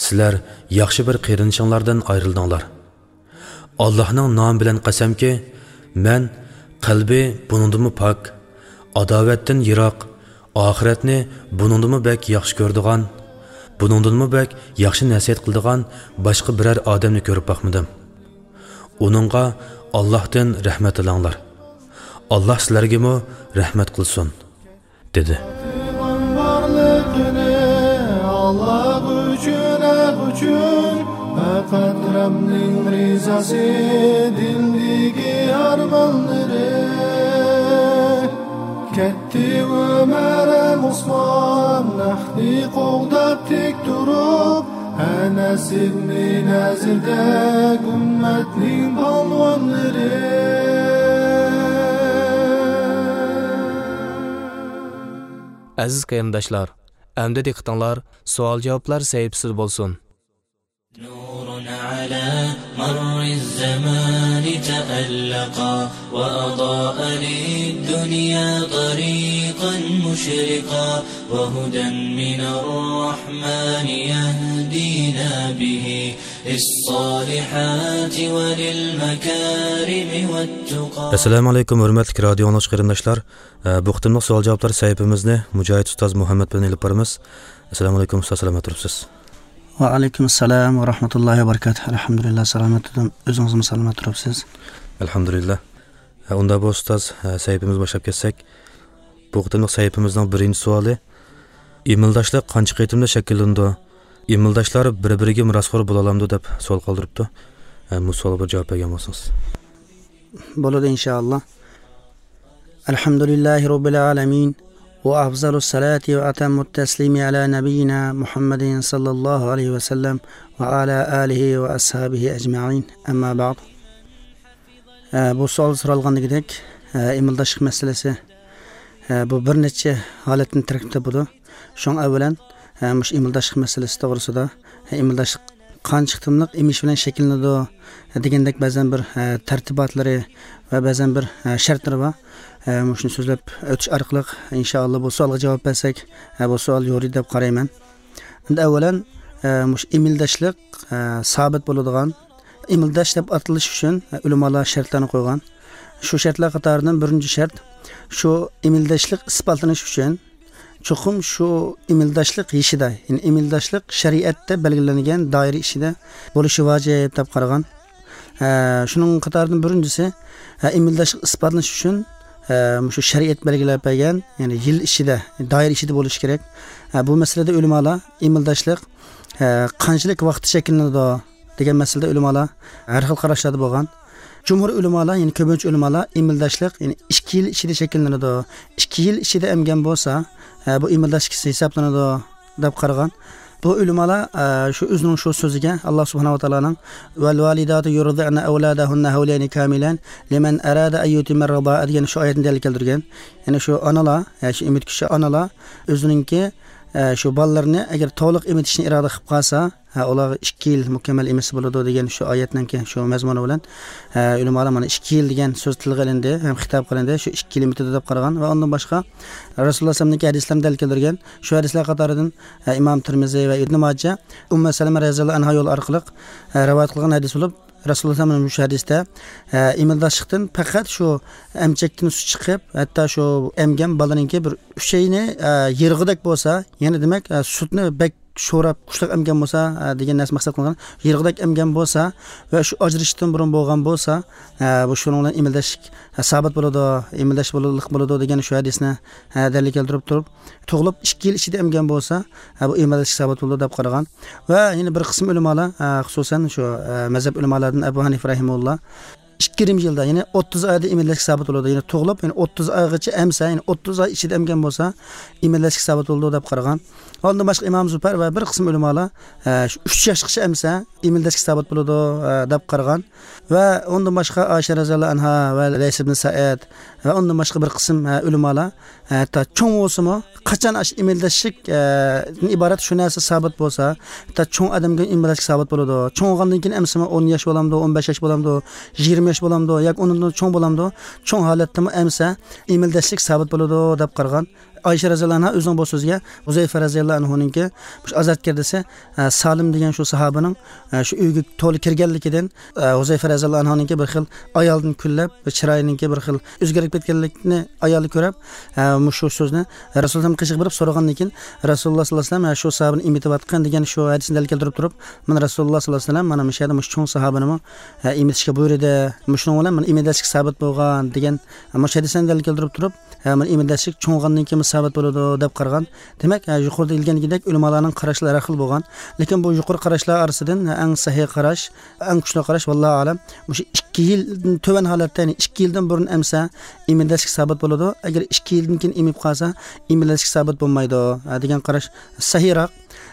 سىلەر ياخشى بىر قېرىندىشىڭلاردىن ئايرىلدىڭلار. ئاللاھنىڭ نامى بىلەن قەسەمكى، مەن قەلبى بۇنىڭدىنمۇ پاك، ئاداۋەتتىن يىراق، ئاخىرەتنى بۇنىڭدىنمۇ بەك ياخشى كۆرىدىغان، بۇنىڭدىنمۇ بەك ياخشى نەسىھەت قىلىدىغان باشقا بىرەر ئادەمنى كۆرۈپ باقمىدىم. ئۇنىڭغا ئاللاھتىن رەھمەت تىلەڭلار. ئاللاھ سىلەرگىمۇ رەھمەت قىلسۇن»، دېدى. بارلىقىنى ئاللاھ ئۈچۈن، ھەق ئۈچۈن، پەقەت رەبنىڭ رىزاسى، دىلدىكى ئارمانلىرى. كەتتى ئۆمەر ھەم ئوسمان، ھەقنى قوغداپ تىك تۇرۇپ، ئەنەس ئىبنى نەزىردەك ئۈممەتنىڭ پالۋانلىرى. ئەزىز قېرىنداشلار، ئەمدى دىققىتىڭلار سوئال-جاۋابلار سەھىپىسىدە بولسۇن. نور على مر الزمان تألقا، وأضاء للدنيا طريقا مشرقا، وهدى من الرحمن يهدينا به للصالحات وللمكارم والتقى. ئەسسالامۇ ئەلەيكۇم، ھۆرمەتلىك رادىيو ئاڭلىغۇچى قېرىنداشلار. ئە، بۇ قېتىملىق سوئال-جاۋابلار سەھىپىمىزنى مۇجاھىد ئۇستاز مۇھەممەد بىلەن ئېلىپ بارىمىز. ئەسسالامۇ ئەلەيكۇم ئۇستاز، سالامەت تۇرۇپسىز؟ ۋەئەلەيكۇم ئەسسالام ۋە رەھمەتۇللاھى ۋە بەرىكاتۇھ. ئەلھەمدۇلىللا، سالامەت تۇردۇم. ئۆزىڭىزمۇ سالامەت تۇرۇپسىز؟ ئەلھەمدۇلىللا. ھە، ئۇنداق بولسا ئۇستاز، ھە، سەھىپىمىزنى باشلاپ كەتسەك. بۇ قېتىملىق سەھىپىمىزنىڭ بىرىنچى سوئالى: ئىمىلداشلىق قانچە قېتىمدا شەكىللىنىدۇ؟ ئىمىلداشلار بىر-بىرىگە مىراسخور بولالامدۇ؟ دەپ سوئال قالدۇرۇپتۇ. ھە، بۇ سوئالغا بىر جاۋاب بەرگەن بولسىڭىز. بولىدۇ، ئىنشائاللا. الحمد لله رب العالمين، وأفضل الصلاة وأتم التسليم على نبينا محمد صلى الله عليه وسلم وعلى آله وأصحابه أجمعين. أما بعد. ئە، بۇ سوئال سورالغاندىكىدەك، ئە، ئىمىلداشلىق مەسىلىسى، ئە، بۇ بىر نەچچە ھالەتتىن تەركىب تاپىدۇ. شۇڭا ئەۋۋەلەن، ئە، مۇشۇ ئىمىلداشلىق مەسىلىسى توغرىسىدا، ئە، ئىمىلداشلىق قانچە قېتىملىق ئېمىش بىلەن شەكىللىنىدۇ دېگەندەك بەزەن بىر، ئە، تەرتىباتلىرى ۋە بەزەن بىر، ئە، شەرتلىرى بار. ئە، مۇشۇنى سۆزلەپ ئۆتۈش ئارقىلىق، ئىنشائاللا، بۇ سوئالغا جاۋاب بەرسەك، ئە، بۇ سوئال يورۇيدۇ دەپ قارايمەن. ئەمدى ئەۋۋەلەن، ئە، مۇشۇ ئىمىلداشلىق، ئە، سابىت بولىدىغان، ئىمىلداش دەپ ئاتىلىش ئۈچۈن، ئە، ئۆلىمالار شەرتلەرنى قويغان. شۇ شەرتلەر قاتارىدىن بىرىنچى شەرت، شۇ ئىمىلداشلىق ئىسپاتلىنىش ئۈچۈن چوقۇم شۇ ئىمىلداشلىق يېشىدا، يەنى ئىمىلداشلىق شەرىئەتتە بەلگىلەنگەن دائىرە ئىچىدە بولۇشى ۋاجىپ دەپ قارىغان. ئە، شۇنىڭ قاتارىدىن بىرىنچىسى، ئە، ئىمىلداشلىق ئىسپاتلىنىش ئۈچۈن، ئە، مۇشۇ شەرىئەت بەلگىلەپ بەرگەن، يەنى يىل ئىچىدە، دائىرە ئىچىدە بولۇشى كېرەك. ئە، بۇ مەسىلىدە ئۆلىمالار ئىمىلداشلىق، ئە، قانچىلىك ۋاقىتتا شەكىللىنىدۇ؟ دېگەن مەسىلىدە ئۆلىمالار ھەر خىل قاراشلاردا بولغان. جۇمھۇر ئۆلىمالار، يەنى كۆپىنچە ئۆلىمالار ئىمىلداشلىق، يەنى ئىككى يىل ئىچىدە شەكىللىنىدۇ. ئىككى يىل ئىچىدە ئەمگەن بولسا، ئە، بۇ ئىمىلداشلىق ھېسابلىنىدۇ، دەپ قارىغان. بۇ ئۆلىمالار، ئە، شۇ ئۆزىنىڭ شۇ سۆزىگە، ئاللا سۇبھانەھۇ ۋە تائالانىڭ، «والوالدات يرضعن أولادهن حولين كاملين لمن أراد أن يتم الرضاعة» دېگەن شۇ ئايەتنى دەلىل كەلتۈرگەن. يەنى شۇ ئانىلار، يا شۇ ئېمىتكۈچى ئانىلار ئۆزىنىڭكى، ئە، شۇ بالىلىرىنى ئەگەر تولۇق ئېمىتىشنى ئىرادە قىلىپ قالسا، ھە، ئۇلارغا ئىككى يىل مۇكەممەل ئېمىتسە بولىدۇ دېگەن شۇ ئايەتنىڭكى شۇ مەزمۇنى بىلەن، ھە، ئۆلىمالار مانا ئىككى يىل دېگەن سۆز تىلغا ئېلىندى ھەم خىتاب قىلىندى، شۇ ئىككى يىل ئېمىتىدۇ دەپ قارىغان. ۋە ئۇندىن باشقا رەسۇلۇللا سەللەمنىڭكى ھەدىسلىرىنى دەلىل كەلتۈرگەن. شۇ ھەدىسلەر قاتارىدىن، ھە، ئىمام تىرمىزى ۋە ئىبنى ماجە ئۇممۇ سەلەمە رەزىياللاھۇ ئەنھا يولى ئارقىلىق، ھە، رىۋايەت قىلغان ھەدىس بولۇپ، رەسۇلۇللا سەللەم مۇشۇ ھەدىستە، ئە، ئىمىلداشلىقتىن پەقەت شۇ ئەمچەكتىن سۈت چىقىپ، ھەتتا شۇ ئەمگەن بالىنىڭكى بىر ئۈچەينى، ئە، يىرغۇدەك بولسا، يەنى دېمەك، ئە، سۈتنى بەك شوراپ، كۈچلۈك ئەمگەن بولسا، ئە، دېگەن نەرسە مەقسەت قىلغان. يىرغۇدەك ئەمگەن بولسا ۋە شۇ ئاجرىشىشتىن بۇرۇن بولغان بولسا، ئە، بۇ شۇنىڭ بىلەن ئىمىلداشلىق، ئە، سابىت بولىدۇ، ئىمىلداش بولۇلۇق بولىدۇ دېگەن شۇ ھەدىسنى، ئە، دەلىل كەلتۈرۈپ تۇرۇپ، تۇغۇلۇپ ئىككى يىل ئىچىدە ئەمگەن بولسا، ھە، بۇ ئىمىلداشلىق سابىت بولىدۇ دەپ قارىغان. ۋە يەنە بىر قىسىم ئۆلىمالار، ھە، خۇسۇسەن شۇ، ھە، مەزھەپ ئۆلىمالاردىن ئەبۇ ھەنىفە رەھىمەھۇللا ئىككى يېرىم يىلدا، يەنى ئوتتۇز ئايدا ئىمىلداشلىق سابىت بولىدۇ. يەنى تۇغۇلۇپ، يەنى ئوتتۇز ئايغىچە ئەمسە، يەنى ئوتتۇز ئاي ئىچىدە ئەمگەن بولسا، ئىمىلداشلىق سابىت بولىدۇ دەپ قارىغان. ئۇندىن باشقا ئىمام زۇپەر ۋە بىر قىسىم ئۆلىمالار، ھە، شۇ ئۈچ ياشقىچە ئەمسە، ئىمىلداشلىق سابىت بولىدۇ، ھە، دەپ قارىغان. ۋە ئۇندىن باشقا ئائىشە رەزىياللاھۇ ئەنھا ۋە لەيس ئىبن سەئەد ۋە ئۇندىن باشقا بىر قىسىم، ھە، ئۆلىمالار، ھە، ھەتتا چوڭ بولسىمۇ، قاچان ئاشۇ ئىمىلداشلىق، ھە، دىن ئىبارەت شۇ نەرسە سابىت بولسا، ھەتتا چوڭ ئادەمگە ئىمىلداشلىق سابىت بولىدۇ. چوڭ بولغاندىن كېيىن ئەمسىمۇ ئون ياش بولامدۇ، ئون بەش ياش بولامدۇ، يىگىرمە ياش بولامدۇ ياكى ئۇنىڭدىن چوڭ بولامدۇ، چوڭ ھالەتتىمۇ ئەمسە ئىمىلداشلىق سابىت بولىدۇ دەپ قارىغان. ئائىشە رەزىياللاھۇ ئەنھا ئۆزىنىڭ بۇ سۆزىگە ھۇزەيفە رەزىياللاھۇ ئەنھۇنىڭكى مۇشۇ ئازاد كىردىسى، ئە، سالىم دېگەن شۇ ساھابىنىڭ، ئە، شۇ ئۆيگە تولا كىرگەنلىكىدىن، ئە، ھۇزەيفە رەزىياللاھۇ ئەنھۇنىڭكى بىر خىل ئايالدىن كۈنلەپ، بىر چىرايىنىڭكى بىر خىل ئۆزگىرىپ كەتكەنلىكىنى ئايالى كۆرۈپ، ئە، مۇشۇ سۆزنى رەسۇلۇللانىڭ قېشىغا بېرىپ سورىغاندىن كېيىن، رەسۇلۇللا ساللاللاھۇ ئەلەيھى ۋەسەللەم، ئە، شۇ ساھابىنى ئېمىتىۋاتقان دېگەن شۇ ھەدىسنى دەلىل كەلتۈرۈپ تۇرۇپ، مانا رەسۇلۇللا ساللاللاھۇ ئەلەيھى ۋەسەللەم مانا مۇشۇ يەردە مۇشۇ چوڭ ساھابىنىمۇ، ئە، ئېمىتىشكە بۇيرۇدى. مۇشۇنىڭ بىلەن مانا ئىمىلداشلىق سابىت بولغان دېگەن، ئە، مۇشۇ ھەدىسنى دەلىل كەلتۈرۈپ تۇرۇپ، ھە، مانا ئىمىلداشلىق چوڭ بولغاندىن كېيىن سابىت بولىدۇ دەپ قارىغان. دېمەك، ھە، يۇقىرىدا دېيىلگەندەك ئۆلىمالارنىڭ قاراشلىرى ھەر خىل بولغان. لېكىن بۇ يۇقىرى قاراشلار ئارىسىدىن، ھە، ئەڭ سەھىھ قاراش، ئەڭ كۈچلۈك قاراش، ۋاللاھۇ ئەلەم، مۇشۇ ئىككى يىلدىن تۆۋەن ھالەتتە، يەنى ئىككى يىلدىن بۇرۇن ئەمسە ئىمىلداشلىق سابىت بولىدۇ. ئەگەر ئىككى يىلدىن كېيىن ئېمىپ قالسا، ئىمىلداشلىق سابىت بولمايدۇ، ھە، دېگەن قاراش سەھىھراق.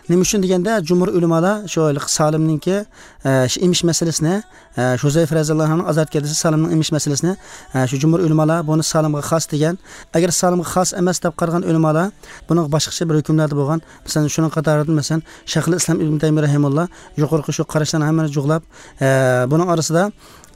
نېمە ئۈچۈن دېگەندە، جۇمھۇر ئۆلىمالار شۇ ھېلىقى سالىمنىڭكى، ئە، شۇ ئېمىش مەسىلىسىنى، ئە، شۇ ھۇزەيفە رەزىياللاھۇ ئەنھۇنىڭ ئازاد كىردىسى سالىمنىڭ ئېمىش مەسىلىسىنى، ئە، شۇ جۇمھۇر ئۆلىمالار بۇنى سالىمغا خاس دېگەن. ئەگەر سالىمغا خاس ئەمەس دەپ قارىغان ئۆلىمالار بۇنىڭغا باشقىچە بىر ھۆكۈملەردە بولغان. مەسىلەن، شۇنىڭ قاتارىدىن، مەسىلەن، شەيخۇل ئىسلام ئىبن تەيمىيە رەھىمەھۇللا يۇقىرىقى شۇ قاراشلارنى ھەممىنى جۇغلاپ، ئە، بۇنىڭ ئارىسىدا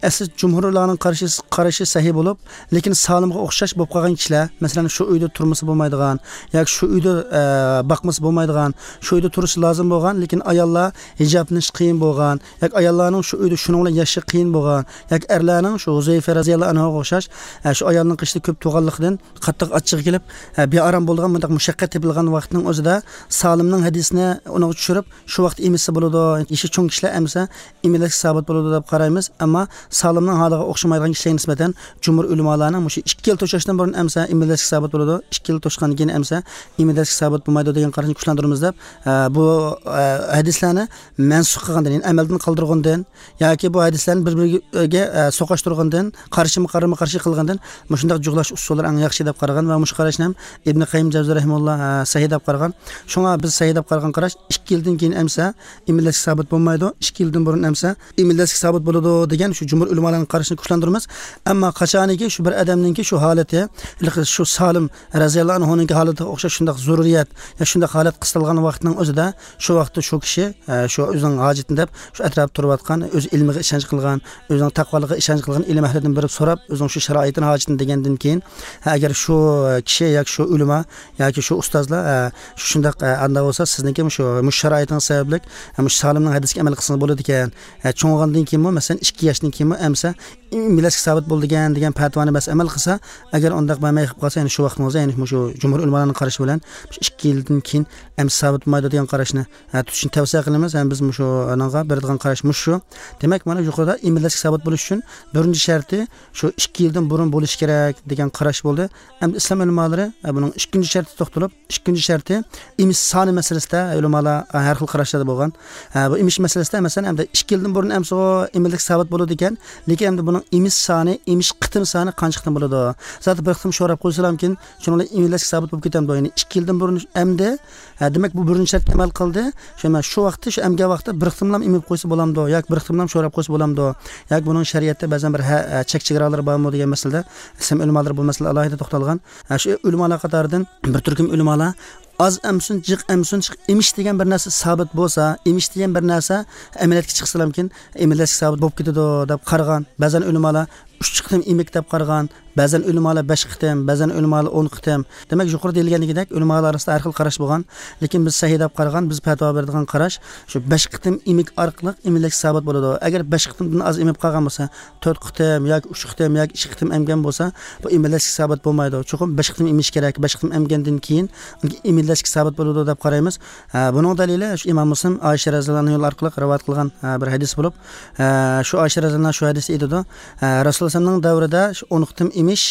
ئەسلى جۇمھۇرلارنىڭ قارىشى، قارىشى سەھىھ بولۇپ، لېكىن سالىمغا ئوخشاش بولۇپ قالغان كىشىلەر، مەسىلەن، شۇ ئۆيدە تۇرمىسا بولمايدىغان ياكى شۇ ئۆيدە، ئە، باقمىسا بولمايدىغان، شۇ ئۆيدە تۇرۇشى لازىم بولغان، لېكىن ئاياللار ھىجابلىنىش قىيىن بولغان ياكى ئاياللارنىڭ شۇ ئۆيدە شۇنىڭ بىلەن ياشىشى قىيىن بولغان ياكى ئەرلەرنىڭ شۇ ھۇزەيفە رەزىياللاھۇ ئەنھۇغا ئوخشاش، ئە، شۇ ئايالنىڭ قېشىدا كۆپ تۇرغانلىقىدىن قاتتىق ئاچچىقى كېلىپ، ئە، بىئارام بولىدىغان مۇنداق مۇشەققەت تېپىلغان ۋاقىتنىڭ ئۆزىدە سالىمنىڭ ھەدىسىنى ئۇنىڭغا چۈشۈرۈپ، شۇ ۋاقىتتا ئېمىتسە بولىدۇ، يېشى چوڭ كىشىلەر ئەمسە ئىمىلداشلىق سابىت بولىدۇ دەپ قارايمىز. ئەمما سالىمنىڭ ھالىغا ئوخشىمايدىغان كىشىلەرگە نىسبەتەن جۇمھۇر ئۆلىمالارنىڭ مۇشۇ ئىككى يىل توشاشتىن بۇرۇن ئەمسە ئىمىلداشلىق سابىت بولىدۇ، ئىككى يىل توشقاندىن كېيىن ئەمسە ئىمىلداشلىق سابىت بولمايدۇ دېگەن قاراشنى كۈچلەندۈرىمىز دەپ، ئە، بۇ، ئە، ھەدىسلەرنى مەنسۇخ قىلغاندىن، يەنى ئەمەلدىن قالدۇرغاندىن ياكى بۇ ھەدىسلەرنى بىر-بىرىگە، ئە، سوقاشتۇرغاندىن، قارشىمۇ قارىمۇ قارشى قىلغاندىن مۇشۇنداق جۇغلاش ئۇسۇللىرى ئەڭ ياخشى دەپ قارىغان ۋە مۇشۇ قاراشنى ھەم ئىبنى قەييىم جەۋزى رەھىمەھۇللا، ئە، سەھىھ دەپ قارىغان. شۇڭا بىز سەھىھ دەپ قارىغان قاراش ئىككى يىلدىن كېيىن ئەمسە ئىمىلداشلىق سابىت بولمايدۇ، ئىككى يىلدىن بۇرۇن ئەمسە ئىمىلداشلىق سابىت بولىدۇ دېگەن شۇ جۇمھۇر ئۆلىمالارنىڭ قارىشىنى كۈچلەندۈرىمىز. ئەمما قاچانىكى شۇ بىر ئادەمنىڭكى شۇ ھالىتى، ھېلىقى شۇ سالىم رەزىياللاھۇ ئەنھۇنىڭكى ھالىتىگە ئوخشاش شۇنداق زۆرۈرىيەت يا شۇنداق ھالەت قىستالغان ۋاقىتنىڭ ئۆزىدە، شۇ ۋاقىتتا شۇ كىشى، ئە، شۇ ئۆزىنىڭ ھاجىتىنى دەپ، شۇ ئەتراپتا تۇرۇۋاتقان، ئۆز ئىلمىغا ئىشەنچ قىلغان، ئۆزىنىڭ تەقۋالىقىغا ئىشەنچ قىلغان ئىلىم ئەھلىدىن بېرىپ سوراپ، ئۆزىنىڭ شۇ شارائىتىنى، ھاجىتىنى دېگەندىن كېيىن، ھە، ئەگەر شۇ كىشى ياكى شۇ ئۆلىما ياكى شۇ ئۇستازلار، ئە، شۇنداق، ئە، ئاندا بولسا سىزنىڭكى مۇشۇ، مۇشۇ شارائىتىڭىز سەۋەبلىك، ئە، مۇشۇ سالىمنىڭ ھەدىسىگە ئەمەل قىلسىڭىز بولىدىكەن. ئە، چوڭ بولغاندىن كېيىنمۇ، مەسىلەن، ئىككى ياشتىن كېيىن ئەمسە ئىمىلەشكە سابىت بولىدىكەن دېگەن پەتىۋانى بەس ئەمەل قىلسا، ئەگەر ئۇنداق بەرمەي قېلىپ قالسا، يەنى شۇ ۋاقىتنىڭ ئۆزى، يەنى مۇشۇ جۇمھۇر ئۆلىمالارنىڭ قارىشى بىلەن مۇشۇ ئىككى يىلدىن كېيىن ئەمسە سابىت بولمايدۇ دېگەن قاراشنى، ھە، تۇتۇشنى تەۋسىيە قىلىمىز. ھەم بىز مۇشۇنىڭغا بېرىدىغان قاراش مۇشۇ. دېمەك، مانا يۇقىرىدا ئىمىلەشكە سابىت بولۇش ئۈچۈن بىرىنچى شەرتى شۇ ئىككى يىلدىن بۇرۇن بولۇشى كېرەك دېگەن قاراش بولدى. ئەمدى ئىسلام ئۆلىمالىرى، ئە، بۇنىڭ ئىككىنچى شەرتىگە توختىلىپ، ئىككىنچى شەرتى ئېمىش سانى مەسىلىسىدە ئۆلىمالار، ئە، ھەر خىل قاراشلاردا بولغان. ئە، بۇ ئېمىش مەسىلىسىدە، مەسىلەن، ئەمدى ئىككى يىلدىن بۇرۇن ئەمسىغۇ ئىمىنلىك سابىت بولىدىكەن، لېكىن ئەمدى بۇنىڭ ئېمىش سانى، ئېمىش قېتىم سانى قانچە قېتىم بولىدۇ؟ زادى بىر قېتىم شوراپ قويسىلامكىن، شۇنىڭ بىلەن ئىمىنلەشكە سابىت بولۇپ كېتەمدۇ؟ يەنى ئىككى يىلدىن بۇرۇن ئەمدى، ئە، دېمەك، بۇ بىرىنچى شەرتكە ئەمەل قىلدى. شۇ، مەن شۇ ۋاقىتتا، شۇ ئەمگەن ۋاقىتتا بىر قېتىملام ئېمىپ قويسا بولامدۇ؟ ياكى بىر قېتىملام شوراپ قويسا بولامدۇ؟ ياكى بۇنىڭ شەرىئەتتە بەزەن بىر ھە-، ئە، چەك چېگرالىرى بارمۇ دېگەن مەسىلىدە ئىسلام ئۆلىمالىرى بۇ مەسىلىدە ئالاھىدە توختالغان. ھە، شۇ ئۆلىمالار قاتارىدىن بىر تۈركۈم ئۆلىمالار ئاز ئەمسۇن، جىق ئەمسۇن، جىق ئېمىش دېگەن بىر نەرسە سابىت بولسا، ئېمىش دېگەن بىر نەرسە ئەمەلىيەتكە چىقسىلامكىن، ئىمىنلەشكە سابىت بولۇپ كېتىدۇ دەپ قارىغان. بەزەن ئۆلىمالار ئۈچ قېتىم ئېمىك دەپ قارىغان، بەزەن ئۆلىمالار بەش قېتىم، بەزەن ئۆلىمالار ئون قېتىم. دېمەك، يۇقىرىدا دېيىلگەندىكىدەك، ئۆلىمالار ئارىسىدا ھەر خىل قاراش بولغان. لېكىن بىز سەھىھ دەپ قارىغان، بىز پەتىۋا بېرىدىغان قاراش شۇ بەش قېتىم ئېمىك ئارقىلىق ئىمىنلەشكە سابىت بولىدۇ. ئەگەر بەش قېتىمدىن ئاز ئېمىپ قالغان بولسا، تۆت قېتىم ياكى ئۈچ قېتىم ياكى ئىككى قېتىم ئەمگەن بولسا، بۇ ئىمىنلەشكە سابىت بولمايدۇ. چوقۇم بەش قېتىم ئېمىش كېرەك. بەش قېتىم ئەمگەندىن كېيىن ئىمىنلەشكە سابىت بولىدۇ دەپ قارايمىز. ھە، بۇنىڭ دەلىلى شۇ ئىمام مۇسلىم ئائىشە رەزىياللاھۇ ئەنھا ئارقىلىق رىۋايەت قىلغان، ھە، بىر ھەدىس بولۇپ، ھە، شۇ ئائىشە رەزىياللاھۇ ئەنھا شۇ ھەدىستە ئېيتىدۇ، ھە، رەسۇلۇللاھ ئەلەيھىسسالامنىڭ دەۋرىدە شۇ ئون قېتىم ئېمىش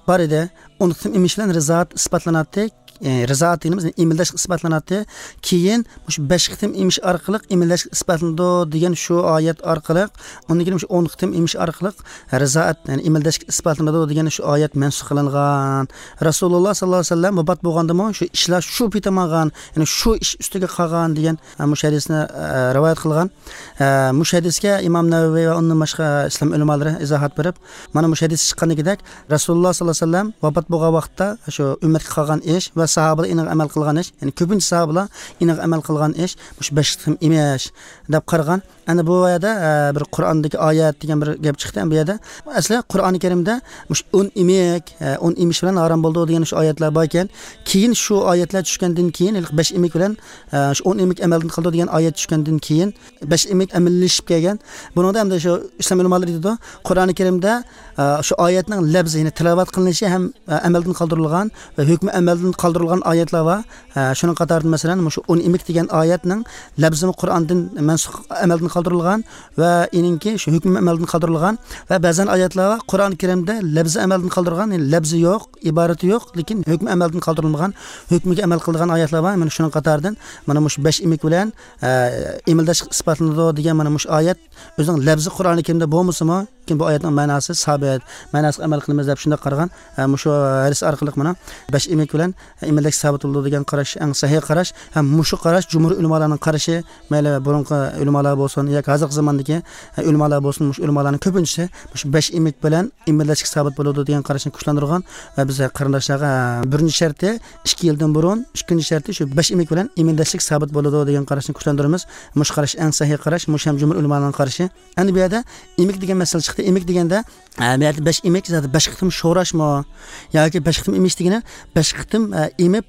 بار ئىدى. ئون قېتىم ئېمىش بىلەن رىزائەت ئىسپاتلىناتتى. ئى، رىزائەت دېگىنىمىز ئىمىلداش ئىسپاتلىناتتى. كېيىن مۇشۇ بەش قېتىم ئېمىش ئارقىلىق ئىمىلداش ئىسپاتلىنىدۇ دېگەن شۇ ئايەت ئارقىلىق، ئۇندىن كېيىن مۇشۇ ئون قېتىم ئېمىش ئارقىلىق رىزائەت، يەنى ئىمىلداش ئىسپاتلىنىدۇ دېگەن شۇ ئايەت مەنسۇخ قىلىنغان. رەسۇلۇللاھ ساللاللاھۇ ئەلەيھى ۋەسەللەم ۋاپات بولغاندىمۇ شۇ ئىشلار شۇ پېتى ماڭغان، يەنى شۇ ئىش ئۈستىگە قالغان دېگەن، ھە، مۇشۇ ھەدىسنى، ھە، رىۋايەت قىلغان. ھە، مۇشۇ ھەدىسكە ئىمام نەۋەۋى ۋە ئۇندىن باشقا ئىسلام ئۆلىمالىرى ئىزاھات بېرىپ، مانا مۇشۇ ھەدىس چىققاندىكىدەك، رەسۇلۇللاھ ساللاللاھۇ ئەلەيھى ۋەسەللەم ۋاپات بولغان ۋاقىتتا شۇ ئۈممەتكە قالغان ئىش ۋە ساھابىلەر ئېنىق ئەمەل قىلغان ئىش، يەنى كۆپىنچە ساھابىلەر ئېنىق ئەمەل قىلغان ئىش مۇشۇ بەش قېتىم ئېمىش دەپ قارىغان. ئەنە بۇ يەردە، ئە، بىر قۇرئاندىكى ئايەت دېگەن بىر گەپ چىقتى. بۇ يەردە ئەسلى قۇرئانى كەرىمدە مۇشۇ ئون ئېمىك، ئە، ئون ئېمىش بىلەن ھارام بولىدۇ دېگەن شۇ ئايەتلەر بار ئىكەن. كېيىن شۇ ئايەتلەر چۈشكەندىن كېيىن، ھېلىقى بەش ئېمىك بىلەن، ئە، شۇ ئون ئېمىك ئەمەلدىن قالىدۇ دېگەن ئايەت چۈشكەندىن كېيىن، بەش ئېمىك ئەمەلىيلىشىپ كەلگەن. بۇنىڭدا ئەمدى شۇ ئىسلام ئۆلىمالىرى ئېيتىدۇ، قۇرئانى كەرىمدە، ئە، شۇ ئايەتنىڭ لەپزى، يەنى تىلاۋەت قىلىنىشى ھەم، ئە، ئەمەلدىن قالدۇرۇلغان ۋە ھۆكمى ئەمەلدىن قالدۇرۇلغان ئايەتلەر بار. ئە، شۇنىڭ قاتارىدا، مەسىلەن، مۇشۇ ئون ئېمىك دېگەن ئايەتنىڭ لەپزىمۇ قۇرئاندىن مەنسۇخ، ئەمەلدىن قالدۇرۇلغان ۋە ئېنىڭكى شۇ ھۆكمى ئەمەلدىن قالدۇرۇلغان ۋە بەزەن ئايەتلەر بار، قۇرئانى كەرىمدە لەپزى ئەمەلدىن قالدۇرۇلغان، يەنى لەپزى يوق، ئىبارىتى يوق، لېكىن ھۆكمى ئەمەلدىن قالدۇرۇلمىغان، ھۆكمىگە ئەمەل قىلىدىغان ئايەتلەر بار. مانا شۇنىڭ قاتارىدىن مانا مۇشۇ بەش ئېمىك بىلەن، ئە، ئىمىلداش ئىسپاتلىنىدۇ دېگەن مانا مۇشۇ ئايەت ئۆزىنىڭ لەپزى قۇرئانى كەرىمدە بولمىسىمۇ، لېكىن بۇ ئايەتنىڭ مەناسى سابىت، مەناسىغا ئەمەل قىلىمىز دەپ شۇنداق قارىغان. ئە، مۇشۇ ھەدىس ئارقىلىق مانا بەش ئېمىك بىلەن ئىمىلداش سابىت بولىدۇ دېگەن قاراش ئەڭ سەھىھ قاراش. ھەم مۇشۇ قاراش جۇمھۇر ئۆلىمالارنىڭ قارىشى، مەيلى بۇرۇنقى ئۆلىمالار بولسۇن ياكى ھازىرقى زاماندىكى، ئە، ئۆلىمالار بولسۇن، مۇشۇ ئۆلىمالارنىڭ كۆپىنچىسى مۇشۇ بەش ئېمىك بىلەن ئىمىلداشقا سابىت بولىدۇ دېگەن قاراشنى كۈچلەندۈرگەن ۋە بىز قېرىنداشلارغا، ئە، بىرىنچى شەرتى ئىككى يىلدىن بۇرۇن، ئىككىنچى شەرتى شۇ بەش ئېمىك بىلەن ئىمىلداشلىق سابىت بولىدۇ دېگەن قاراشنى كۈچلەندۈرىمىز. مۇشۇ قاراش ئەڭ سەھىھ قاراش، مۇشۇ ھەم جۇمھۇر ئۆلىمالارنىڭ قارىشى. ئەمدى بۇ يەردە ئېمىك دېگەن مەسىلە چىقتى. ئېمىك دېگەندە، ئە، بۇ يەردە بەش ئېمىك، زادى بەش قېتىم شوراشمۇ ياكى بەش قېتىم ئېمىش دېگىنى بەش قېتىم، ئە، ئېمىپ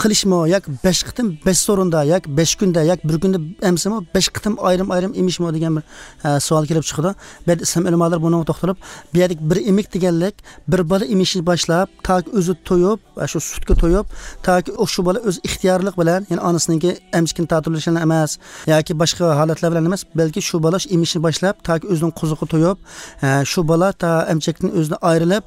قىلىشمۇ ياكى بەش قېتىم بەش سورۇندا ياكى بەش كۈندە ياكى بىر كۈندە ئەمسىمۇ بەش قېتىم ئايرىم-ئايرىم ئېمىشمۇ دېگەن بىر، ئە، سوئال كېلىپ چىقىدۇ. بۇ يەردە ئىسلام ئۆلىمالىرى بۇنىڭغا توختىلىپ، بۇ يەردىكى بىر ئېمىك دېگەنلىك بىر بالا ئېمىشنى باشلاپ تاكى ئۆزى تويۇپ، ئە، شۇ سۈتكە تويۇپ، تاكى ئۇ شۇ بالا ئۆز ئىختىيارلىقى بىلەن، يەنى ئانىسىنىڭكى ئەمچىكىنى تارتىۋېلىش بىلەن ئەمەس ياكى باشقا ھالەتلەر بىلەن ئەمەس، بەلكى شۇ بالا شۇ ئېمىشنى باشلاپ تاكى ئۆزىنىڭ قوزۇقى تويۇپ، ئە، شۇ بالا تا ئەمچەكتىن ئۆزىنى ئايرىلىپ،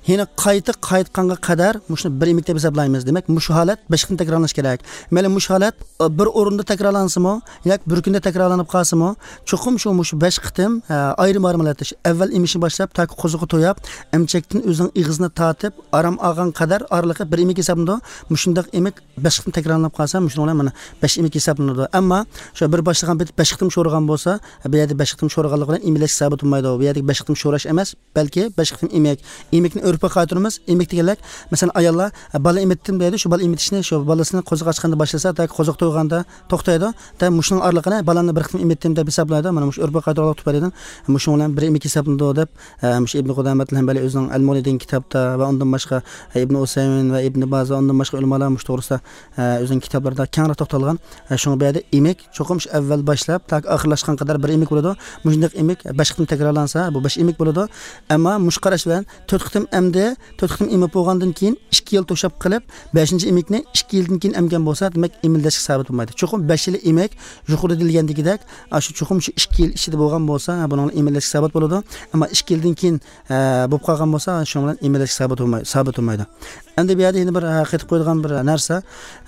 يەنە قايتا قايتقانغا قەدەر مۇشۇنى بىر ئېمىك دەپ ھېسابلايمىز. دېمەك، مۇشۇ ھالەت بەش قېتىم تەكرارلىنىشى كېرەك. مەيلى، مۇشۇ ھالەت، ئە، بىر ئورۇندا تەكرارلانسىمۇ ياكى بىر كۈندە تەكرارلىنىپ قالسىمۇ، چوقۇم شۇ مۇشۇ بەش قېتىم، ئە، ئايرىم-ئايرىم ھالەتتە، شۇ ئەۋۋەل ئېمىشنى باشلاپ تاكى قوزۇقى تويۇپ، ئەمچەكتىن ئۆزىنىڭ ئېغىزىنى تارتىپ ئارام ئالغان قەدەر ئارىلىقى بىر ئېمىك ھېسابلىنىدۇ. مۇشۇنداق ئېمىك بەش قېتىم تەكرارلىنىپ قالسا، مۇشۇنىڭ بىلەن مانا بەش ئېمىك ھېسابلىنىدۇ. ئەمما شۇ بىر باشلىغان پېتى بەش قېتىم شورىغان بولسا، بۇ يەردە بەش قېتىم شورىغانلىقى بىلەن ئىمىلەش سابىت بولمايدۇ. بۇ يەردىكى بەش قېتىم شوراش ئەمەس، بەلكى بەش قېتىم ئېمىك. ئېمىك ئۆرپكە قايتۇرىمىز. ئېمىك دېگەنلەر، مەسىلەن، ئاياللار، ئە، بالا ئېمىتتىم دەيدۇ، شۇ بالا ئېمىتىشنى شۇ بالىسىنى قوزۇق ئاچقاندا باشلىسا، تاكى قوزۇق تويغاندا توختايدۇ. دە، مۇشۇنىڭ ئارىلىقىنى بالامنى بىر قېتىم ئېمىتتىم دەپ ھېسابلايدۇ. مانا مۇشۇ ئۆرپكە قايتۇرغانلىق تۈپەيلىدىن مۇشۇنىڭ بىلەن بىر ئېمىك ھېسابلىنىدۇ دەپ، ئە، مۇشۇ ئىبن قۇدامەتىل ھەمبەلى ئۆزىنىڭ ئەل مۇغنى دېگەن كىتابتا ۋە ئۇندىن باشقا، ئە، ئىبن ئۇسەيمىن ۋە ئىبن باز ۋە ئۇندىن باشقا ئۆلىمالار مۇشۇ توغرىسىدا، ئە، ئۆزىنىڭ كىتابلىرىدا كەڭرەك توختالغان. ئە، شۇڭا بۇ يەردە ئېمىك چوقۇم شۇ ئەۋۋەل باشلاپ تاكى ئاخىرلاشقان قەدەر بىر ئېمىك بولىدۇ. مۇشۇنداق ئېمىك بەش قېتىم تەكرارلانسا، بۇ بەش ئېمىك بولىدۇ. ئەمما مۇشۇ قاراش بىلەن تۆت قېتىم ئەمدى، تۆت قېتىم ئېمىپ بولغاندىن كېيىن ئىككى يىل توشاپ قېلىپ، بەشىنچى ئېمىكنى ئىككى يىلدىن كېيىن ئەمگەن بولسا، دېمەك، ئېمىلدەشلىك سابىت بولمايدۇ. چوقۇم بەش يىل ئېمىك، يۇقىرىدا دېيىلگەندىكىدەك، ئاشۇ چوقۇم شۇ ئىككى يىل ئىچىدە بولغان بولسا، بۇنىڭ ئېمىلدەشلىك سابىت بولىدۇ. ئەمما ئىككى يىلدىن كېيىن، ئە، بولۇپ قالغان بولسا، شۇنىڭ بىلەن ئېمىلدەشلىك سابىت بولماي-، سابىت بولمايدۇ. ئەمدى بۇ يەردە يەنە بىر، ئە، قېتىپ قويىدىغان بىر نەرسە،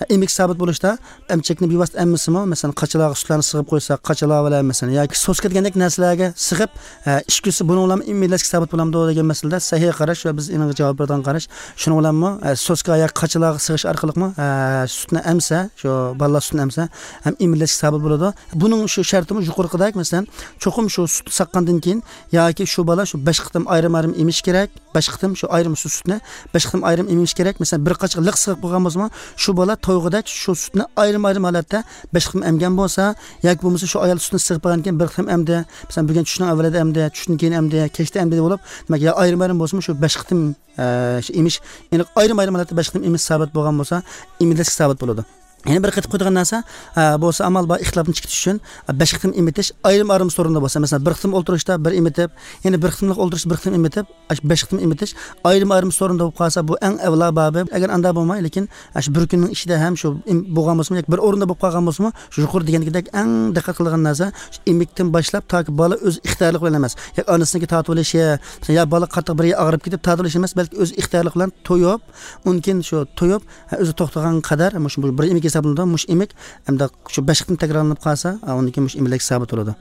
ئە، ئېمىك سابىت بولۇشتا ئەمچەكنى بىۋاسىتە ئەممىسىمۇ، مەسىلەن، قاچىلارغا سۈتلەرنى سىغىپ قويسا، قاچىلار بىلەن، مەسىلەن، ياكى سوسكا دېگەندەك نەرسىلەرگە سىغىپ، ئە، ئىچكۈزسە، بۇنىڭ بىلەن ئېمىلدەشلىك سابىت بولامدۇ دېگەن مەسىلىدە سەھىھ قاراش ۋە بىز ئېنىڭغا جاۋاب بېرىدىغان قاراش، شۇنىڭ بىلەنمۇ، ئە، سوسكا ياكى قاچىلارغا سىغىش ئارقىلىقمۇ، ئە، سۈتنى ئەمسە، شۇ بالىلار سۈتىنى ئەمسە، ھەم ئېمىلدەشلىك سابىت بولىدۇ. بۇنىڭ شۇ شەرتىمۇ يۇقىرىقىدەك، مەسىلەن، چوقۇم شۇ سۈتنى ساغقاندىن كېيىن ياكى شۇ بالا شۇ بەش قېتىم ئايرىم-ئايرىم ئېمىش كېرەك. بەش قېتىم شۇ ئايرىم شۇ سۈتنى بەش قېتىم ئايرىم ئېمىش كېرەك. مەسىلەن، بىر قاچىغا لىق سىغىپ قالغان بولسىمۇ، شۇ بالا تويغۇدەك شۇ سۈتنى ئايرىم-ئايرىم ھالەتتە بەش قېتىم ئەمگەن بولسا، ياكى بولمىسا شۇ ئايال سۈتنى سىغىپ بەرگەندىن كېيىن بىر قېتىم ئەمدى، مەسىلەن، بۈگۈن چۈشنىڭ ئەۋۋىلىدە ئەمدى، چۈشتىن كېيىن ئەمدى، كەچتە ئەمدى بولۇپ، دېمەك، يا ئايرىم-ئايرىم بولسىمۇ، شۇ بەش قېتىم، ئە، شۇ ئېمىش، يەنى ئايرىم-ئايرىم ھالەتتە بەش قېتىم ئېمىش سابىت بولغان بولسا، ئېمىلدەشلىك سابىت بولىدۇ. يەنە بىر قېتىپ قويىدىغان نەرسە، ئە، بولسا ئامال بار ئىختىلاپنى چىقىتىش ئۈچۈن، ئە، بەش قېتىم ئېمىتىش ئايرىم-ئايرىم سورۇندا بولسا، مەسىلەن، بىر قېتىم ئولتۇرۇشتا بىر ئېمىتىپ، يەنە بىر قېتىملىق ئولتۇرۇشتا بىر قېتىم ئېمىتىپ، ئاشۇ بەش قېتىم ئېمىتىش ئايرىم-ئايرىم سورۇندا بولۇپ قالسا، بۇ ئەڭ ئەۋلا بابى. ئەگەر ئاندا بولماي، لېكىن ئاشۇ بىر كۈننىڭ ئىچىدە ھەم شۇ ئېم-، بولغان بولسىمۇ، ياكى بىر ئورۇندا بولۇپ قالغان بولسىمۇ، شۇ يۇقىرىدا دېگەندىكىدەك ئەڭ دىققەت قىلىدىغان نەرسە، شۇ ئېمىكتىن باشلاپ تاكى بالا ئۆز ئىختىيارلىقى بىلەن ئەمەس. ياكى ئانىسىنىڭكى تارتىۋېلىشى، يا بالا قاتتىق بىر يېرى ئاغرىپ كېتىپ تارتىۋېلىشى ئەمەس، بەلكى ئۆز ئىختىيارلىقى بىلەن تويۇپ، ئۇنىڭ كېيىن شۇ تويۇپ، ھە، ئۆزى توختىغان قەدەر، مۇشۇ بۇ بىر ئېمىك ھېسابلىنىدۇ، مۇشۇ ئېمىك ئەمدى شۇ بەش قېتىم تەكرارلىنىپ قالسا، ھە، ئۇنىڭ كېيىن مۇشۇ ئېمىلدەك سابىت بولىدۇ.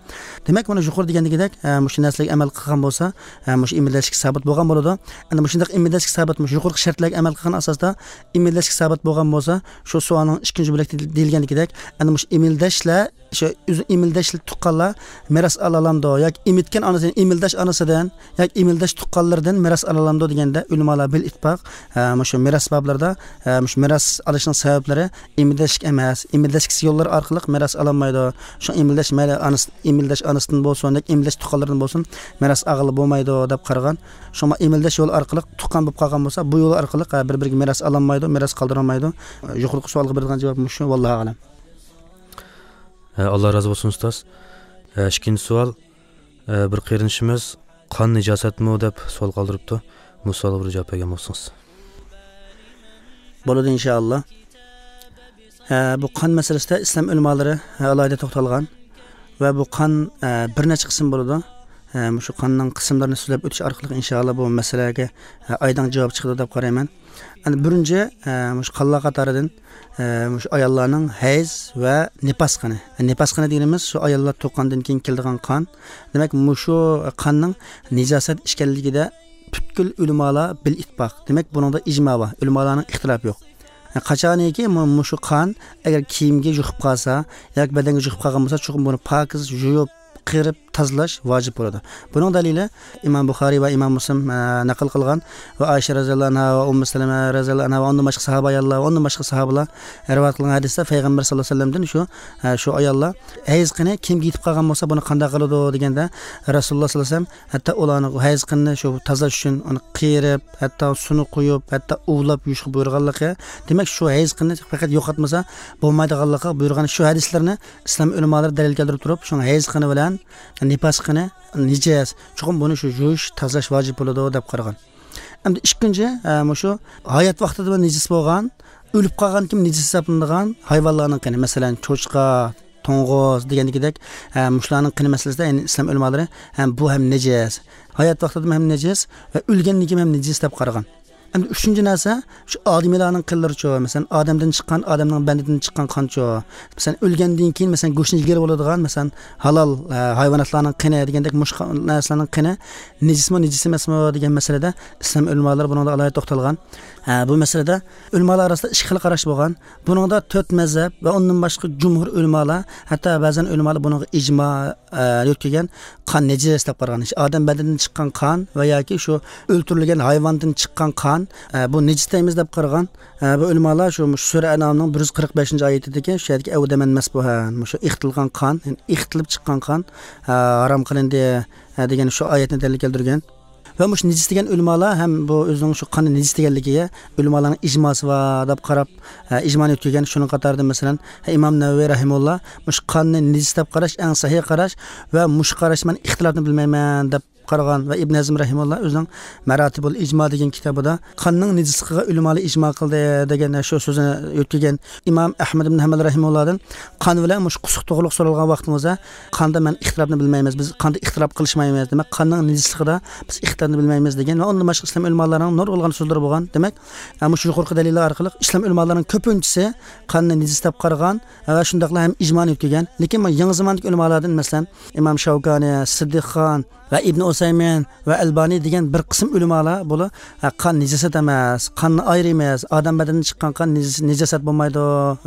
دېمەك، مانا يۇقىرىدا دېگەندىكىدەك، ھە، مۇشۇ نەرسىلەرگە ئەمەل قىلغان بولسا، ھە، مۇشۇ ئېمىلدەشلىك سابىت بولغان بولىدۇ. ئەمدى مۇشۇنداق ئېمىلدەشلىك سابىت، مۇشۇ يۇقىرىقى شەرتلەرگە ئەمەل قىلغان ئاساستا ئېمىلدەشلىك سابىت بولغان بولسا، شۇ سوئالنىڭ ئىككىنچى بۆلەكتە دېيىلگەندىكىدەك، ئەنە مۇشۇ ئېمىلدەشلەر شۇ ئۆزى ئېمىلدەش تۇغقانلار مىراس ئالالامدۇ ياكى ئېمىتكەن ئانىسى، ئېمىلدەش ئانىسىدىن ياكى ئېمىلدەش تۇغقانلىرىدىن مىراس ئالالامدۇ دېگەندە، ئۆلىمالار بىل ئىتتىپاق، ھە، مۇشۇ مىراس بابلىرىدا، ھە، مۇشۇ مىراس ئالىشنىڭ سەۋەبلىرى ئېمىلدەشلىك ئەمەس، ئېمىلدەشلىك يوللىرى ئارقىلىق مىراس ئالالمايدۇ. شۇ ئېمىلدەش مەيلى ئانىسى، ئېمىلدەش ئانىسىدىن بولسۇن ياكى ئېمىلدەش تۇغقانلىرىدىن بولسۇن، مىراس ئالغىلى بولمايدۇ دەپ قارىغان. شۇڭا ئېمىلدەش يولى ئارقىلىق تۇغقان بولۇپ قالغان بولسا، بۇ يول ئارقىلىق، ھە، بىر-بىرىگە مىراس ئالالمايدۇ، مىراس قالدۇرالمايدۇ. يۇقىرىقى سوئالغا بېرىدىغان جاۋاب مۇشۇ، ۋاللاھۇ ئەلەم. ھە، ئاللا رازى بولسۇن، ئۇستاز. ھە، ئىككىنچى سوئال. ھە، بىر قېرىندىشىمىز «قان نىجاسەتمۇ؟» دەپ سوئال قالدۇرۇپتۇ. بۇ سوئالغا بىر جاۋاب بەرگەن بولسىڭىز. بولىدۇ، ئىنشائاللا. ھە، بۇ قان مەسىلىسىدە ئىسلام ئۆلىمالىرى، ھە، ئالاھىدە توختالغان ۋە بۇ قان، ھە، بىر نەچچە قىسىم بولىدۇ. ھە، مۇشۇ قاننىڭ قىسىملىرىنى سۆزلەپ ئۆتۈش ئارقىلىق، ئىنشائاللا، بۇ مەسىلىگە، ھە، ئايدىڭ جاۋاب چىقىدۇ دەپ قارايمەن. ئەنە بىرىنچى، ئە، مۇشۇ قانلار قاتارىدىن، ئە، مۇشۇ ئاياللارنىڭ ھەيز ۋە نىپاس قېنى. نىپاس قېنى دېگىنىمىز شۇ ئاياللار تۇغقاندىن كېيىن كېلىدىغان قان. دېمەك، مۇشۇ قاننىڭ نىجاسەت ئىكەنلىكىدە پۈتكۈل ئۆلىمالار بىل ئىتتىپاق. دېمەك، بۇنىڭدا ئىجما بار. ئۆلىمالارنىڭ ئىختىلاپى يوق. قاچانكى مۇ-، مۇشۇ قان ئەگەر كىيىمگە يۇقۇپ قالسا ياكى بەدەنگە يۇقۇپ قالغان بولسا، چوقۇم بۇنى پاكىز يۇيۇپ، قىرىپ تازىلاش ۋاجىپ بولىدۇ. بۇنىڭ دەلىلى ئىمام بۇخارىي ۋە ئىمام مۇسلىم، ئە، نەقىل قىلغان ۋە ئائىشە رەزىياللاھۇ ئەنھا ۋە ئۇممۇ سەلەمە رەزىياللاھۇ ئەنھا ۋە ئۇندىن باشقا ساھابە ئاياللار ۋە ئۇندىن باشقا ساھابىلار رىۋايەت قىلغان ھەدىستە پەيغەمبەر ساللاللاھۇ ئەلەيھى ۋەسەللەمدىن شۇ، ئە، شۇ ئاياللار ھەيز قېنى كىيىمگە يېتىپ قالغان بولسا، بۇنى قانداق قىلىدۇ دېگەندە، رەسۇلۇللاھ ساللاللاھۇ ئەلەيھى ۋەسەللەم ھەتتا ئۇلارنىڭ ھەيز قېنىنى شۇ تازىلاش ئۈچۈن ئۇنى قىرىپ، ھەتتا سۇنى قۇيۇپ، ھەتتا ئۇۋىلاپ يۇيۇشقا بۇيرۇغانلىقى، دېمەك، شۇ ھەيز قېنىنى پەقەت يوقاتمىسا بولمايدىغانلىقىغا بۇيرۇغان شۇ ھەدىسلەرنى ئىسلام ئۆلىمالىرى دەلىل كەلتۈرۈپ تۇرۇپ، شۇڭا ھەيز قېنى بىلەن نىپاس قېنى نىجىس. چوقۇم بۇنى شۇ يۇيۇش، تازىلاش ۋاجىپ بولىدۇ دەپ قارىغان. ئەمدى ئىككىنچى، ئە، مۇشۇ ھايات ۋاقتىدا نىجىس بولغان، ئۆلۈپ قالغاندىن كېيىن نىجىس ھېسابلىنىدىغان ھايۋانلارنىڭ قېنى، مەسىلەن، چوشقا، توڭغۇز دېگەندىكىدەك، ئە، مۇشۇلارنىڭ قېنى مەسىلىسىدە، يەنى ئىسلام ئۆلىمالىرى ھەم بۇ ھەم نىجىس. ھايات ۋاقتىدىمۇ ھەم نىجىس ۋە ئۆلگەندىن كېيىن ھەم نىجىس دەپ قارىغان. ئەمدى ئۈچىنچى نەرسە، شۇ ئادىمىيلارنىڭ قېنلىرىچۇ؟ مەسىلەن، ئادەمدىن چىققان، ئادەمنىڭ بەدىنىدىن چىققان قانچۇ؟ مەسىلەن، ئۆلگەندىن كېيىن، مەسىلەن، گۆشنى يېگىلى بولىدىغان، مەسىلەن، ھالال، ئە، ھايۋاناتلارنىڭ قېنى دېگەندەك مۇشۇ نەرسىلەرنىڭ قېنى نىجىسمۇ، نىجىس ئەمەسمۇ دېگەن مەسىلىدە ئىسلام ئۆلىمالىرى بۇنىڭدا ئالاھىدە توختالغان. ئە، بۇ مەسىلىدە ئۆلىمالار ئارىسىدا ئىككى خىل قاراش بولغان. بۇنىڭدا تۆت مەزھەپ ۋە ئۇندىن باشقا جۇمھۇر ئۆلىمالار، ھەتتا بەزەن ئۆلىمالار بۇنىڭغا ئىجما، ئە، يۆتكىگەن، قان نىجىس دەپ قارىغان. ئادەم بەدىنىدىن چىققان قان ۋە ياكى شۇ ئۆلتۈرۈلگەن ھايۋاندىن چىققان قان، ئە، بۇ نىجىس دەيمىز دەپ قارىغان. ئە، بۇ ئۆلىمالار شۇ، مۇشۇ سۈرە ئەنئامنىڭ بىر يۈز قىرىق بەشىنچى ئايىتىدىكى شۇ يەردىكى ئەۋدەمەن مەس بۇ، ھە، مۇشۇ ئېقىتىلغان قان، يەنى ئېقىتىلىپ چىققان قان، ئە، ھارام قىلىندى، ئە، دېگەن شۇ ئايەتنى دەلىل كەلتۈرگەن. ۋە مۇشۇ نىجىس دېگەن ئۆلىمالار ھەم بۇ ئۆزىنىڭ شۇ قاننى نىجىس دېگەنلىكىگە ئۆلىمالارنىڭ ئىجماسى بار دەپ قاراپ، ئە، ئىجمانى يۆتكىگەن. شۇنىڭ قاتارىدا، مەسىلەن، ئىمام نەۋەۋى رەھىمۇللا مۇشۇ قاننى نىجىس دەپ قاراش ئەڭ سەھىھ قاراش ۋە مۇشۇ قاراشتا مەن ئىختىلاپنى بىلمەيمەن دەپ قارىغان. ۋە ئىبن ھەزم رەھىمۇللا ئۆزىنىڭ مەراتىبۇل ئىجما دېگەن كىتابىدا قاننىڭ نىجىسلىقىغا ئۆلىمالار ئىجما قىلدى دېگەن شۇ سۆزنى يۆتكىگەن. ئىمام ئەھمەد ئىبن ھەمبەل رەھىمۇللادىن قان بىلەن مۇشۇ قۇسۇق توغرىلىق سورالغان ۋاقتىڭىزدا، قاندا مەن ئىختىلاپنى بىلمەيمىز، بىز قاندا ئىختىلاپ قىلىشمايمىز، دېمەك، قاننىڭ نىجىسلىقىدا بىز ئىختىلاپنى بىلمەيمىز دېگەن ۋە ئۇندىن باشقا ئىسلام ئۆلىمالارنىڭ نۇرغۇنلىغان سۆزلىرى بولغان. دېمەك، مۇشۇ يۇقىرىقى دەلىللەر ئارقىلىق ئىسلام ئۆلىمالارنىڭ كۆپىنچىسى قاننى نىجىس دەپ قارىغان ۋە شۇنداقلا ھەم ئىجمانى يۆتكىگەن. لېكىن بۇ يېڭى زاماندىكى ئۆلىمالاردىن، مەسىلەن، ئىمام شاۋكانى، سىددىق خان ۋە ئىبن ئۇسەيمىن ۋە ئەلبانى دېگەن بىر قىسىم ئۆلىمالار بۇلار، ھە، قان نىجاسەت ئەمەس، قاننى ئايرىيمىز، ئادەم بەدىنىدىن چىققان قان نىجاس-، نىجاسەت بولمايدۇ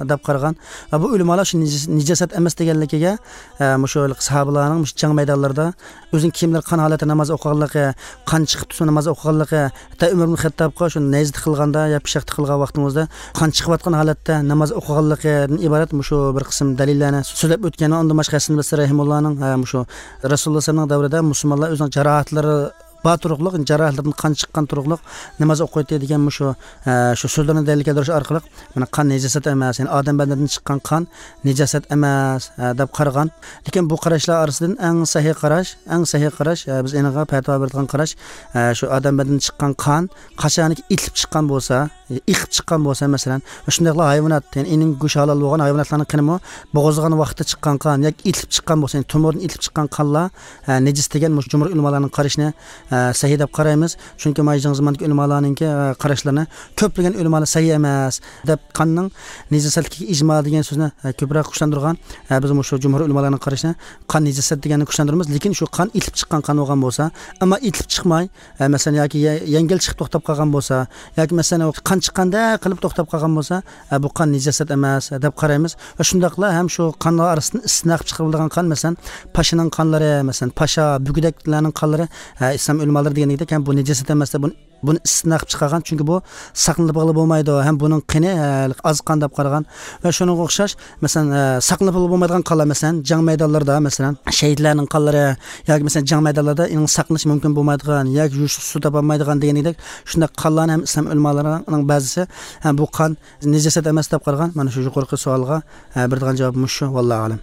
دەپ قارىغان. ۋە بۇ ئۆلىمالار شۇ نىجاس-، نىجاسەت ئەمەس دېگەنلىكىگە، ھە، مۇشۇ ساھابىلارنىڭ مۇشۇ جەڭ مەيدانلىرىدا ئۆزىنىڭ كىيىملىرى قان ھالەتتە ناماز ئوقۇغانلىقى، قان چىقىپ تۇرسىمۇ ناماز ئوقۇغانلىقى، ھەتتا ئۆمەر ئىبن خەتتابقا شۇ نەيزە تىقىلغاندا يا پىچاق تىقىلغان ۋاقتىڭىزدا قان چىقىۋاتقان ھالەتتە ناماز ئوقۇغانلىقىدىن ئىبارەت مۇشۇ بىر قىسىم دەلىللەرنى سۆزلەپ ئۆتكەن. ئۇندىن باشقا ھەسەن بەسرى رەھىمۇللانىڭ، ھە، مۇشۇ رەسۇلۇللا سەللەللاھۇ ئەلەيھى ۋەسەللەمنىڭ دەۋرىدە مۇسۇلمانلار ئۆزىنىڭ جاراھەتلىرى بار تۇرۇقلۇق، جاراھەتلىرىدىن قان چىققان تۇرۇقلۇق ناماز ئوقۇيتتى دېگەن مۇشۇ، ھە، شۇ سۆزلەرنى دەلىل كەلتۈرۈش ئارقىلىق، مانا، قان نىجاسەت ئەمەس، يەنى ئادەم بەدىنىدىن چىققان قان نىجاسەت ئەمەس، ھە، دەپ قارىغان. لېكىن بۇ قاراشلار ئارىسىدىن ئەڭ سەھىھ قاراش، ئەڭ سەھىھ قاراش، ھە، بىز ئېنىغا پەتىۋا بېرىدىغان قاراش، ھە، شۇ ئادەم بەدىنىدىن چىققان قان قاچانكى ئېتىلىپ چىققان بولسا، ئېقىپ چىققان بولسا، مەسىلەن، ۋە شۇنداقلا ھايۋانات، يەنى ئېنىڭ گۆشى ھالال بولغان ھايۋاناتلارنىڭ قېنىمۇ بوغۇزلىغان ۋاقتىدا چىققان قان ياكى ئېتىلىپ چىققان بولسا، يەنى تومۇردىن ئېتىلىپ چىققان قانلار، ھە، نىجىس دېگەن مۇشۇ جۇمھۇر ئۆلىمالارنىڭ قارىشىنى، ھە، سەھىھ دەپ قارايمىز. چۈنكى مانا يېڭى زاماندىكى ئۆلىمالارنىڭكى، ھە، قاراشلىرىنى كۆپلىگەن ئۆلىمالار سەھىھ ئەمەس دەپ، قاننىڭ نىجاسەتلىكىگە ئىجما دېگەن سۆزنى، ھە، كۆپرەك كۈچلەندۈرگەن. ھە، بىز مۇشۇ جۇمھۇر ئۆلىمالارنىڭ قارىشىنى قان نىجاسەت دېگەننى كۈچلەندۈرىمىز. لېكىن شۇ قان ئېتىلىپ چىققان قان بولغان بولسا، ئەمما ئېتىلىپ چىقماي، ئە، مەسىلەن، ياكى يە-، يەڭگىل چىقىپ توختاپ قالغان بولسا، ياكى، مەسىلەن، قان چىققاندەك قىلىپ توختاپ قالغان بولسا، ئە، بۇ قان نىجاسەت ئەمەس، ئە، دەپ قارايمىز. ۋە شۇنداقلا ھەم شۇ قانلار ئارىسىدىن ئىستىسنا قىلىپ چىقىرىلىدىغان قان، مەسىلەن، پاشىنىڭ قانلىرى، مەسىلەن، پاشا، بۈگدەكلەرنىڭ قانلىرى، ئە، ئىسلام ئۆلىمالىرى دېگەندەك، ھەم بۇ نىجاسەت ئەمەس دەپ بۇنى، بۇنى ئىستىسنا قىلىپ چىقارغان. چۈنكى بۇ ساقلىنىپ بولمايدۇ، ھەم بۇنىڭ قېنى، ئە، ئاز قان دەپ قارىغان. ۋە شۇنىڭغا ئوخشاش، مەسىلەن، ئە، ساقلىنىپ بولمايدىغان قانلار، مەسىلەن، جەڭ مەيدانلىرىدا، مەسىلەن، شەھىدلەرنىڭ قانلىرى ياكى، مەسىلەن، جەڭ مەيدانلىرىدا ئېنىڭ ساقلىنىش مۇمكىن بولمايدىغان ياكى يۇيۇشلۇق سۇ تاپالمايدىغان دېگەندەك، شۇنداق قانلارنى ھەم ئىسلام ئۆلىمالىرىنىڭ بەزىسى، ھە، بۇ قان نىجاسەت ئەمەس دەپ قارىغان. مانا شۇ يۇقىرىقى سوئالغا، ھە، بېرىدىغان جاۋاب مۇشۇ، ۋاللاھۇ ئەلەم.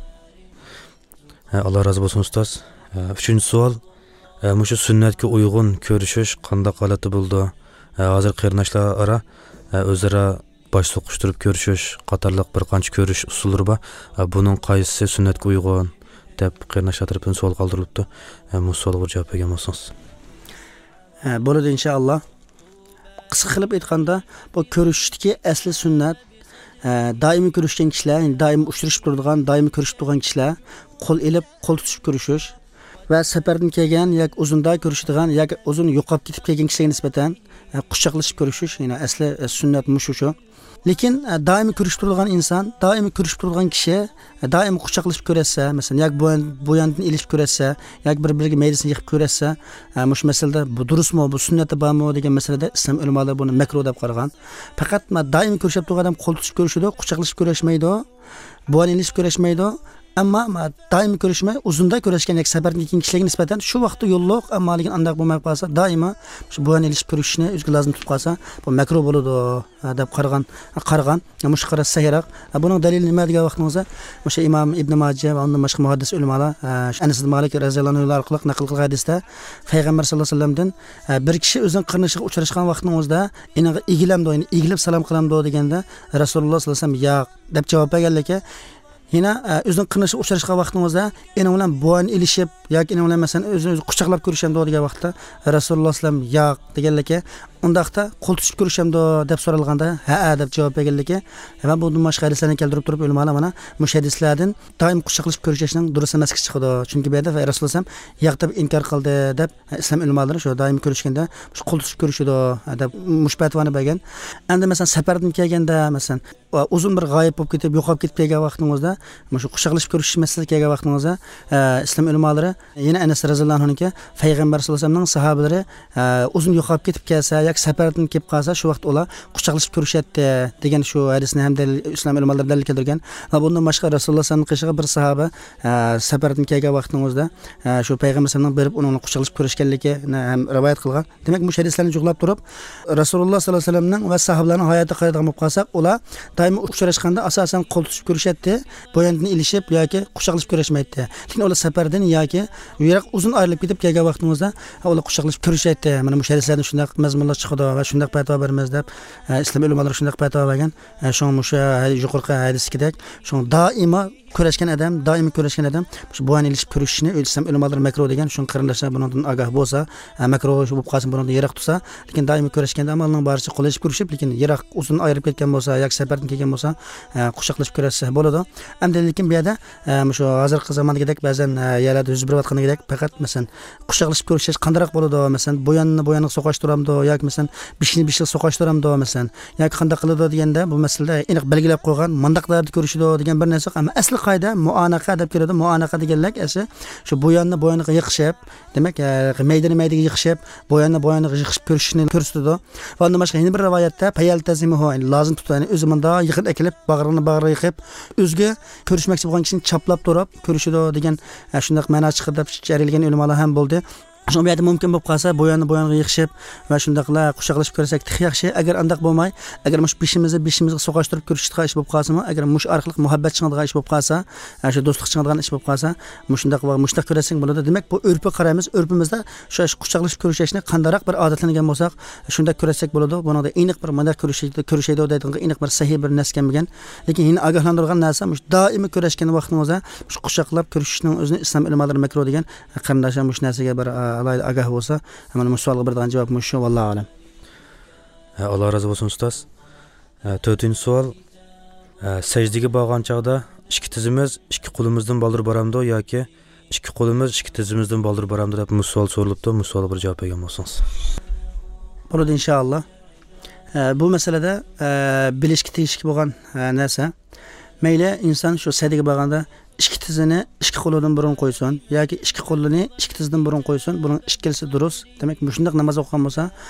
ھە، ئاللا رازى بولسۇن، ئۇستاز. ھە، ئۈچىنچى سوئال، ھە، مۇشۇ سۈننەتكە ئۇيغۇن كۆرۈشۈش قانداق ھالەتتە بولىدۇ؟ ھە، ھازىر قېرىنداشلار ئارا، ھە، ئۆزئارا باش سوقۇشتۇرۇپ كۆرۈشۈش قاتارلىق بىر قانچە كۆرۈش ئۇسۇللىرى بار. ھە، بۇنىڭ قايسىسى سۈننەتكە ئۇيغۇن دەپ قېرىنداشلار تەرىپىدىن سوئال قالدۇرۇلۇپتۇ. ھە، مۇشۇ سوئالغا بىر جاۋاب بەرگەن بولسىڭىز. ھە، بولىدۇ، ئىنشائاللا. قىسقا قىلىپ ئېيتقاندا، بۇ كۆرۈشۈشتىكى ئەسلى سۈننەت، ھە، دائىمىي كۆرۈشكەن كىشىلەر، يەنى دائىم ئۇچرىشىپ تۇرىدىغان، دائىمىي كۆرۈشۈپ تۇرغان كىشىلەر قول ئېلىپ، قول تۇتۇشۇپ كۆرۈشۈش ۋە سەپەردىن كەلگەن ياكى ئۇزۇندا كۆرۈشىدىغان ياكى ئۇزۇن يوقاپ كېتىپ كەلگەن كىشىلەرگە نىسبەتەن، ھە، قۇچاقلىشىپ كۆرۈشۈش، يەنى ئەسلى، ھە، سۈننەت مۇشۇ شۇ. لېكىن، ئە، دائىمىي كۆرۈشۈپ تۇرىدىغان ئىنسان، دائىمىي كۆرۈشۈپ تۇرىدىغان كىشى، ئە، دائىم قۇچاقلىشىپ كۆرۈشسە، مەسىلەن، ياكى بۇ يان-، بۇ ياندىن ئېلىشىپ كۆرۈشسە، ياكى بىر-بىرىگە مەيدىسىنى يېقىپ كۆرۈشسە، ئە، مۇشۇ مەسىلىدە بۇ دۇرۇسمۇ، بۇ سۈننەتتە بارمۇ دېگەن مەسىلىدە ئىسلام ئۆلىمالىرى بۇنى مەكرۇھ دەپ قارىغان. پەقەت مانا دائىم كۆرۈشۈپ تۇرغان ئادەم قول تۇتۇشۇپ كۆرۈشىدۇ، قۇچاقلىشىپ كۆرۈشمەيدۇ. بۇ يان ئېلىشىپ كۆرۈشمەيدۇ. ئەمما، ئەمما دائىم كۆرۈشمەي، ئۇزۇندا كۆرۈشكەن ياكى سەپەردىن كېيىن كىشىلەرگە نىسبەتەن شۇ ۋاقىتتا يوللۇق، ئەمما لېكىن ئانداق بولماي قالسا، دائىما شۇ بۇ يان ئېلىشىپ كۆرۈشۈشنى ئۆزىگە لازىم تۇتۇپ قالسا، بۇ مەكرۇھ بولىدۇ، ھە، دەپ قارىغان، قارىغان. مۇشۇ قاراش سەھىھراق. ھە، بۇنىڭ دەلىلى نېمە دېگەن ۋاقتىڭىزدا، مۇشۇ ئىمام ئىبن ماجە ۋە ئۇندىن باشقا مۇھەددىس ئۆلىمالار، ھە، شۇ ئەنەس ئىبن مالىك رەزىياللاھۇ ئەنھۇ ئارقىلىق نەقىل قىلغان ھەدىستە، پەيغەمبەر ساللاللاھۇ ئەلەيھى ۋەسەللەمدىن، ھە، بىر كىشى ئۆزىنىڭ قېرىندىشىغا ئۇچراشقان ۋاقتىنىڭ ئۆزىدە ئېنىڭغا ئېگىلەمدۇ، يەنى ئېگىلىپ سالام قىلامدۇ دېگەندە، رەسۇلۇللاھ ساللاللاھۇ ئەلەيھى ۋەسەللەم ياق دەپ جاۋاب بەرگەنلىكى، يەنە، ئە، ئۆزىنىڭ قېرىندىشىغا ئۇچراشقان ۋاقتىڭىزدا، ئېنىڭ بىلەن بويۇن ئېلىشىپ ياكى ئېنىڭ بىلەن، مەسىلەن، ئۆزىنى ئۆزى قۇچاقلاپ كۆرۈشەمدۇ دېگەن ۋاقىتتا، رەسۇلۇللا ئەلەيھىسسالام ياق دېگەنلىكى، ئۇنداقتا قول تۇتۇشۇپ كۆرۈشەمدۇ دەپ سورالغاندا، ھەئە دەپ جاۋاب بەرگەنلىكى ۋە بۇندىن باشقا ھەدىسلەرنى كەلتۈرۈپ تۇرۇپ، ئۆلىمالار مانا مۇشۇ ھەدىسلەردىن دائىم قۇچاقلىشىپ كۆرۈشۈشنىڭ دۇرۇس ئەمەسلىكى چىقىدۇ. چۈنكى بۇ يەردە رەسۇلۇللا ئەلەيھىسسالام ياق دەپ ئىنكار قىلدى دەپ، ئىسلام ئۆلىمالىرى شۇ دائىم كۆرۈشكەندە شۇ قول تۇتۇشۇپ كۆرۈشىدۇ دەپ مۇشۇ پەتىۋانى بەرگەن. ئەمدى، مەسىلەن، سەپەردىن كەلگەندە، مەسىلەن، ئۇزۇن بىر غايىب بولۇپ كېتىپ، يوقاپ كېتىپ كەلگەن ۋاقتىڭىزدا، مۇشۇ قۇچاقلىشىپ كۆرۈشۈش مەسىلىسىگە كەلگەن ۋاقتىڭىزدا، ئە، ئىسلام ئۆلىمالىرى يەنە ئەنەس رەزىياللاھۇ ئەنھۇنىڭكى، پەيغەمبەر ساللاللاھۇ ئەلەيھى ۋەسەللەمنىڭ ساھابىلىرى، ئە، ئۇزۇن يوقاپ كېتىپ كەلسە ياكى سەپەردىن كېلىپ قالسا، شۇ ۋاقىت ئۇلار قۇچاقلىشىپ كۆرۈشەتتى دېگەن شۇ ھەدىسنى ھەم دەلىل، ئىسلام ئۆلىمالىرى دەلىل كەلتۈرگەن. ۋە بۇندىن باشقا رەسۇلۇللا ساللاللاھۇ ئەلەيھى ۋەسەللەمنىڭ قېشىغا بىر ساھابە، ئە، سەپەردىن كەلگەن ۋاقتىڭىزدا، ئە، شۇ پەيغەمبەر ساللاللاھۇ ئەلەيھى ۋەسەللەم بېرىپ ئۇنىڭ بىلەن قۇچاقلىشىپ كۆرۈشكەنلىكىنى ھەم رىۋايەت قىلغان. دېمەك، مۇشۇ ھەدىسلەرنى جۇغلاپ تۇرۇپ، رەسۇلۇللا ساللاللاھۇ ئەلەيھى ۋەسەللەمنىڭ ۋە ساھابىلەرنىڭ ھاياتىغا قارايدىغان بولۇپ قالساق، ئۇلار دائىم ئۇچراشقاندا ئاساسەن قول تۇتۇشۇپ كۆرۈشەتتى. بويۇندىن ئېلىشىپ ياكى قۇچاقلىشىپ كۆرۈشمەيتتى. لېكىن ئۇلار سەپەردىن ياكى يىراق ئۇزۇن ئايرىلىپ كېتىپ كەلگەن ۋاقتىڭىزدا، ئۇلار قۇچاقلىشىپ كۆرۈشەيتتى. مانا مۇشۇ ھەدىسلەردىن شۇنداق مەزمۇنلار چىقىدۇ ۋە شۇنداق پەتىۋا بېرىمىز دەپ، ئە، ئىسلام ئۆلىمالىرى شۇنداق پەتىۋا بەرگەن. ئە، شۇڭا مۇشۇ ھە-، يۇقىرىقى ھەدىسكىدەك، شۇڭا دائىما كۆرۈشكەن ئادەم، دائىما كۆرۈشكەن ئادەم شۇ بويۇن ئېلىشىپ كۆرۈشۈشنى ئىسلام ئۆلىمالىرى مەكرۇھ دېگەن. شۇڭا قېرىنداشلار بۇنىڭدىن ئاگاھ بولسا، ئە، مەكرۇھ بولۇپ قالسا، بۇنىڭدىن يىراق تۇرسا، لېكىن دائىما كۆرۈشكەندە ئامالنىڭ بارىچە قول ئېلىشىپ كۆرۈشۈپ، لېكىن يىراق ئۇزۇن ئايرىپ كەتكەن بولسا ياكى سەپەردىن كەلگەن بولسا، ئە، قۇچاقلىشىپ كۆرۈشسە بولىدۇ. ئەمدى لېكىن بۇ يەردە، ئە، مۇشۇ ھازىرقى زاماندىكىدەك بەزەن، ئە، يەرلەردە يۈز بېرىۋاتقاندىكىدەك پەقەت، مەسىلەن، قۇچاقلىشىپ كۆرۈشۈش قانداقراق بولىدۇ؟ مەسىلەن، بويۇننى بويۇنغا سوقاشتۇرامدۇ ياكى، مەسىلەن، بېشىنى بېشىغا سوقاشتۇرامدۇ، مەسىلەن، ياكى قانداق قىلىدۇ دېگەندە، بۇ مەسىلىدە ئېنىق بەلگىلەپ قويغان، مۇنداق دەردە كۆرۈشىدۇ دېگەن بىر نەرسە يوق. ئەمما ئەسلى قائىدە مۇئانەقە دەپ كېلىدۇ. مۇئانەقە دېگەنلىك ئەسلى شۇ بويۇننى بويۇنغا يېقىشىپ، دېمەك، ئە، مەيدىنى مەيدىگە يېقىشىپ، بويۇننى بويۇنغا يېقىشىپ كۆرۈشۈشنى كۆرسىتىدۇ. ۋە ئۇندىن باشقا يەنە بىر رىۋايەتتە پەيەلتەزىمۇھۇ، يەنى لازىم تۇتۇپ، يەنى ئۆزى مۇنداق يېقىن ئەكېلىپ، باغرىنى باغرىغا يېقىپ، ئۆزىگە كۆرۈشمەكچى بولغان كىشىنى چاپلاپ تۇرۇپ كۆرۈشىدۇ دېگەن، ئە، شۇنداق مەنا چىقىدۇ دەپ ئىچەرىلىگەن ئۆلىمالار ھەم بولدى. شۇڭا بۇ يەردە مۇمكىن بولۇپ قالسا، بويۇننى بويۇنغا يېقىشىپ ۋە شۇنداقلا قۇچاقلىشىپ كۆرسەك تېخى ياخشى. ئەگەر ئانداق بولماي، ئەگەر مۇشۇ بېشىمىزنى بېشىمىزغا سوقاشتۇرۇپ كۆرۈشىدىغان ئىش بولۇپ قالسىمۇ، ئەگەر مۇشۇ ئارقىلىق مۇھەببەت چىڭىدىغان ئىش بولۇپ قالسا، ئە، شۇ دوستلۇق چىڭىدىغان ئىش بولۇپ قالسا، مۇشۇنداق ۋە مۇشۇنداق كۆرسەك بولىدۇ. دېمەك، بۇ ئۆرپكە قارايمىز. ئۆرپىمىزدە شۇ قۇچاقلىشىپ كۆرۈشۈشنى قانداقراق بىر ئادەتلەنگەن بولساق، شۇنداق كۆرسەك بولىدۇ. بۇنىڭدا ئېنىق بىر مۇنداق كۆرۈشىدۇ، كۆرۈشىدۇ دەيدىغان ئېنىق بىر سەھىھ بىر نەرسە كەلمىگەن. لېكىن يەنە ئاگاھلاندۇرغان نەرسە، مۇشۇ دائىمىي كۆرۈشكەن ۋاقتىڭىزدا مۇشۇ قۇچاقلاپ كۆرۈشۈشنىڭ ئۆزىنى ئىسلام ئۆلىمالىرى مەكرۇھ دېگەن. قېرىنداشلار مۇشۇ نەرسىگە بىر، ئە، ئالاھىدە ئاگاھ بولسا، مانا مۇشۇ سوئالغا بېرىدىغان جاۋاب مۇشۇ، ۋاللاھۇ ئەلەم. ھە، ئاللا رازى بولسۇن، ئۇستاز. ھە، تۆتىنچى سوئال. ھە، سەجدىگە بارغان چاغدا ئىككى تىزىمىز ئىككى قولىمىزدىن بالدۇر بارامدۇ ياكى ئىككى قولىمىز ئىككى تىزىمىزدىن بالدۇر بارامدۇ دەپ مۇشۇ سوئال سورىلىپتۇ. مۇشۇ سوئالغا بىر جاۋاب بەرگەن بولسىڭىز. بولىدۇ، ئىنشائاللا. ئە، بۇ مەسىلىدە، ئە، بىلىشكە تېگىشلىك بولغان، ئە، نەرسە. مەيلى ئىنسان شۇ سەجدىگە بارغاندا ئىككى تىزىنى ئىككى قولىدىن بۇرۇن قويسۇن ياكى ئىككى قولىنى ئىككى تىزىدىن بۇرۇن قويسۇن، بۇنىڭ ئىككىلىسى دۇرۇس. دېمەك، مۇشۇنداق ناماز ئوقۇغان بولسا،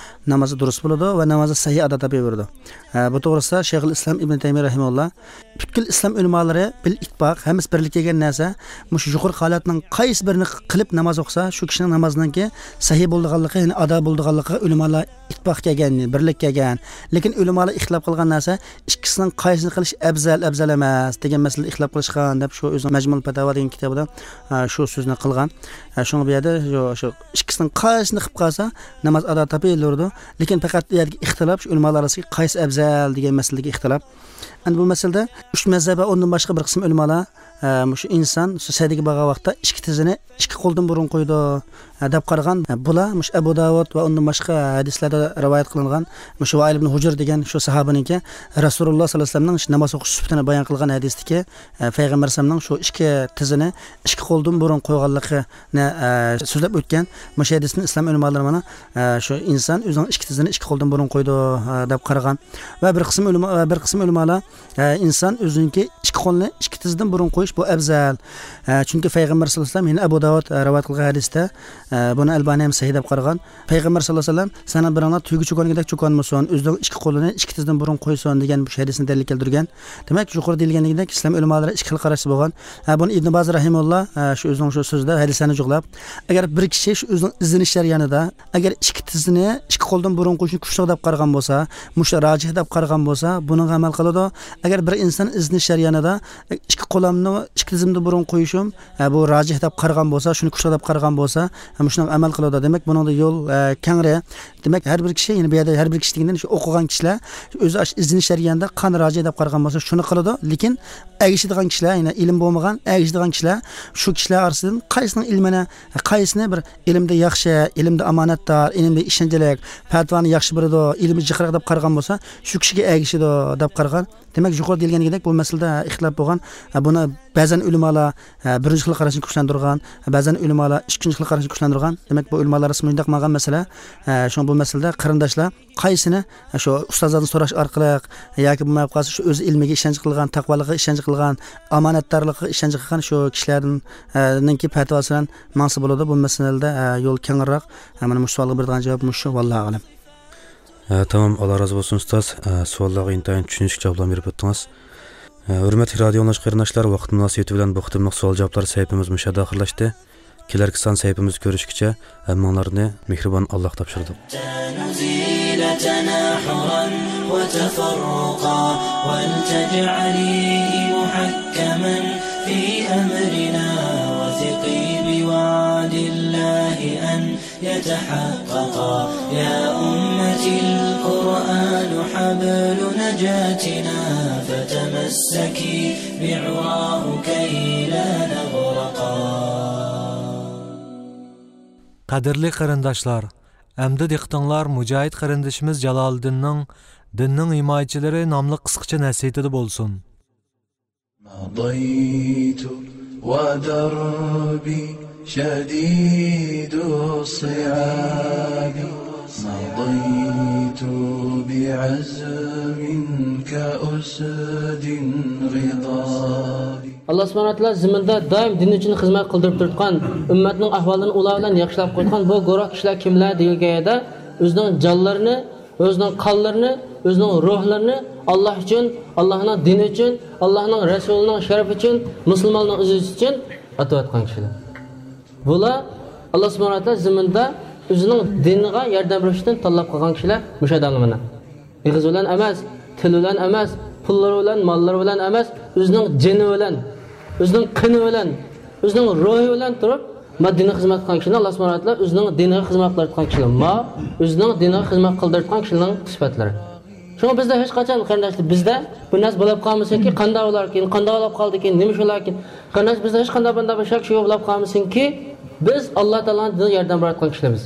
نامازى دۇرۇس بولىدۇ ۋە نامازى سەھىھ ئادا تاپىۋېرىدۇ. ئە، بۇ توغرىسىدا شەيخۇل ئىسلام ئىبن تەيمىيە رەھىمەھۇللا، پۈتكۈل ئىسلام ئۆلىمالىرى بىل ئىتتىپاق، ھەممىسى بىرلىككە كەلگەن نەرسە، مۇشۇ يۇقىرىقى ھالەتنىڭ قايسى بىرىنى قىلىپ ناماز ئوقۇسا، شۇ كىشىنىڭ نامازىنىڭكى سەھىھ بولىدىغانلىقى، يەنى ئادا بولىدىغانلىقىغا ئۆلىمالار ئىتتىپاق كەلگەن، بىرلىك كەلگەن. لېكىن ئۆلىمالار ئىختىلاپ قىلغان نەرسە، ئىككىسىنىڭ قايسىنى قىلىش ئەۋزەل، ئەۋزەل ئەمەس دېگەن مەسىلىدە ئىختىلاپ قىلىشقان دەپ، شۇ ئۆزىنىڭ مەجمۇل پەتاۋا دېگەن كىتابىدا، ئە، شۇ سۆزنى قىلغان. ئە، شۇڭا بۇ يەردە شۇ، شۇ ئىككىسىنىڭ قايسىنى قىلىپ قالسا، ناماز ئادا تاپىلىۋېرىدۇ. لېكىن پەقەت بۇ يەردىكى ئىختىلاپ شۇ ئۆلىمالار ئارىسىدىكى قايسى ئەۋزەل دېگەن مەسىلىدىكى ئىختىلاپ. ئەمدى بۇ مەسىلىدە ئۈچ مەزھەپ ۋە ئۇندىن باشقا بىر قىسىم ئۆلىمالار، ئە، مۇشۇ ئىنسان شۇ سەجدىگە بارغان ۋاقىتتا ئىككى تىزىنى ئىككى قولدىن بۇرۇن قويىدۇ، ئە، دەپ قارىغان. ئە، بۇلار مۇشۇ ئەبۇ داۋۇد ۋە ئۇندىن باشقا ھەدىسلەردە رىۋايەت قىلىنغان مۇشۇ ۋائىل ئىبن ھۇجر دېگەن شۇ ساھابىنىڭكى رەسۇلۇللا ساللاللاھۇ ئەلەيھى ۋەسەللەمنىڭ ناماز ئوقۇش سۈپىتىنى بايان قىلغان ھەدىستىكى، ئە، پەيغەمبەر ئەلەيھىسسالامنىڭ شۇ ئىككى تىزىنى ئىككى قولدىن بۇرۇن قويغانلىقىنى، ئە، سۆزلەپ ئۆتكەن. مۇشۇ ھەدىستىن ئىسلام ئۆلىمالىرى مانا، ئە، شۇ ئىنسان ئۆزىنىڭ ئىككى تىزىنى ئىككى قولدىن بۇرۇن قويىدۇ، ئە، دەپ قارىغان. ۋە بىر قىسىم ئۆلىما-، ۋە بىر قىسىم ئۆلىمالار، ئە، ئىنسان ئۆزىنىڭكى ئىككى قولىنى ئىككى تىزىدىن بۇرۇن قويۇش بۇ ئەۋزەل. ئە، چۈنكى پەيغەمبەر ساللاللاھۇ ئەلەيھى ۋەسەللەم، يەنە ئەبۇ داۋۇد، ئە، رىۋايەت قىلغان ھەدىستە، ئە، بۇنى ئەلبانى ھەم سەھىھ دەپ قارىغان. پەيغەمبەر ساللاللاھۇ ئەلەيھى ۋەسەللەم، سەنە بىرىڭلار تۈگە چوكانغىدەك چوكانمىسۇن، ئۆزىنىڭ ئىككى قولىنى ئىككى تىزىدىن بۇرۇن قويسۇن دېگەن بۇ ھەدىسنى دەلىل كەلتۈرگەن. دېمەك، يۇقىرىدا دېيىلگەندىكىدەك، ئىسلام ئۆلىمالىرى ئىككى خىل قاراشتا بولغان. ھە، بۇنى ئىبن باز رەھىمۇللا، ھە، شۇ ئۆزىنىڭ شۇ سۆزىدە ھەدىسلەرنى جۇغلاپ، ئەگەر بىر كىشى شۇ ئۆزىنىڭ ئىزدىنىش جەريانىدا، ئەگەر ئىككى تىزىنى ئىككى قولدىن بۇرۇن قويۇشنى كۈچلۈك دەپ قارىغان بولسا، مۇشۇ راجىھ دەپ قارىغان بولسا، بۇنىڭغا ئەمەل قىلىدۇ. ئەگەر بىر ئىنسان ئىزدىنىش جەريانىدا ئىككى قولامنى ئىككى تىزىمدا بۇرۇن قويۇشۇم، ھە، بۇ راجىھ دەپ قارىغان بولسا، شۇنى كۈچلۈك دەپ قارىغان بولسا، ھە، مۇشۇنىڭغا ئەمەل قىلىدۇ. دېمەك، بۇنىڭدا يول، ھە، كەڭرى. دېمەك، ھەر بىر كىشى، يەنى بۇ يەردە ھەر بىر كىشى دېگەندە شۇ ئوقۇغان كىشىلەر ئۆزى ئاش-، ئىزدىنىش جەريانىدا قانۇن راجىھ دەپ قارىغان بولسا، شۇنى قىلىدۇ. لېكىن ئەگىشىدىغان كىشىلەر، يەنى ئىلىم بولمىغان، ئەگىشىدىغان كىشىلەر شۇ كىشىلەر ئارىسىدىن قايسىنىڭ ئىلمىنى، قايسىنى بىر ئىلىمدە ياخشى، ئىلىمدە ئامانەتدار، ئىلىمدە ئىشەنچلىك، پەتىۋانى ياخشى بېرىدۇ، ئىلمى جىقراق دەپ قارىغان بولسا، شۇ كىشىگە ئەگىشىدۇ دەپ قارىغان. دېمەك، يۇقىرىدا دېيىلگەنگىدەك، بۇ مەسىلىدە ئىختىلاپ بولغان. ھە، بۇنى بەزەن ئۆلىمالار، ھە، بىرىنچى خىل قاراشنى كۈچلەندۈرگەن، بەزەن ئۆلىمالار ئىككىنچى خىل قاراشنى كۈچلەندۈرگەن. دېمەك، بۇ ئۆلىمالار ئارىسىدا مۇنداق ماڭغان مەسىلە. ھە، شۇڭا بۇ مەسىلىدە قېرىنداشلار قايسىنى، ھە، شۇ ئۇستازلاردىن سوراش ئارقىلىق ياكى بولماي قالسا شۇ ئۆز ئىلمىگە ئىشەنچ قىلغان، تەقۋالىققا ئىشەنچ قىلغان، ئامانەتدارلىققا ئىشەنچ قىلغان شۇ كىشىلەردىن، ھە، نىڭكى پەتىۋاسى بىلەن ماڭسا بولىدۇ. بۇ مەسىلىدە، ھە، يول كەڭرىراق. ھە، مانا مۇشۇ سوئالغا بېرىدىغان جاۋاب مۇشۇ، ۋاللاھۇ ئەلەم. ھە، تامام، ئاللا رازى بولسۇن، ئۇستاز. ھە، سوئاللارغا ئىنتايىن چۈشىنىشلىك جاۋابلارنى بېرىپ ئۆتتىڭىز. ھە، ھۆرمەتلىك رادىيو ئاڭلىغۇچى قېرىنداشلار، ۋاقىت مۇناسىۋىتى بىلەن بۇ قېتىملىق سوئال-جاۋابلار سەھىپىمىز مۇشۇ يەردە ئاخىرلاشتى. كېلەركى سان سەھىپىمىزدە كۆرۈشكىچە، ھەممىڭلارنى مېھرىبان ئاللاغا تاپشۇردۇق. حتى نزيل تناحرا وتفرقا، ولتجعليه محكما في أمرنا، وثقي بوعد الله أن يتحققا. يا أمتي القرآن حبل نجاتنا، فتمسكي بعراه كي لا نغرقا. قەدىرلىك قېرىنداشلار، ئەمدى دىققىتىڭلار مۇجاھىد قېرىندىشىمىز جالالىدىننىڭ دىننىڭ ھىمايىچىلىرى ناملىق قىسقىچە نەسىھىتىدە بولسۇن. مضيت ودربي شديد الصعاب، مضيت بعزم كأسد غضاب. ئاللا سۇبھانەھۇ ۋە تائالا زېمىندا دائىم دىن ئۈچۈن خىزمەت قىلدۇرۇپ تۇرۇتقان، ئۈممەتنىڭ ئەھۋالىنى ئۇلار بىلەن ياخشىلاپ قويغان بۇ گۇرۇھ كىشىلەر كىملەر دېگەن يەردە ئۆزىنىڭ جانلىرىنى، ئۆزىنىڭ قانلىرىنى، ئۆزىنىڭ روھلىرىنى ئاللا ئۈچۈن، ئاللانىڭ دىنى ئۈچۈن، ئاللانىڭ رەسۇلىنىڭ شەرىپى ئۈچۈن، مۇسۇلمانلارنىڭ ئىززىتى ئۈچۈن ئاتىۋاتقان كىشىلەر. بۇلار ئاللا سۇبھانەھۇ ۋە تائالا زېمىندا ئۆزىنىڭ دىنىغا ياردەم بېرىش ئۈچۈن تاللاپ قىلغان كىشىلەر مۇشۇ ئادەملەر مانا. ئېغىز بىلەن ئەمەس، تىل بىلەن ئەمەس، پۇللىرى بىلەن، ماللىرى بىلەن ئەمەس، ئۆزىنىڭ جېنى بىلەن، ئۆزىنىڭ قېنى بىلەن، ئۆزىنىڭ روھى بىلەن تۇرۇپ، ما دىنغا خىزمەت قىلغان كىشىنى ئاللا سۇبھانەھۇ ۋە تائالا ئۆزىنىڭ دىنىغا خىزمەت قىلىۋاتقان كىشىلەر. ما ئۆزىنىڭ دىنىغا خىزمەت قىلدۇرۇۋاتقان كىشىلەرنىڭ سۈپەتلىرى. شۇڭا بىزدە ھېچقاچان، قېرىنداشلار، بىزدە بۇ نەرسە بولۇپ قالمىسۇنكى، قانداق بولاركىن، قانداق بولۇپ قالدىكىن، نېمە شۇلاركىن؟ قېرىنداش، بىزدە ھېچقانداق بۇنداق بىر شەك شۈبھە بولۇپ قالمىسۇنكى، بىز ئاللا تائالانىڭ دىنىغا ياردەم بېرىۋاتقان كىشىلەر بىز.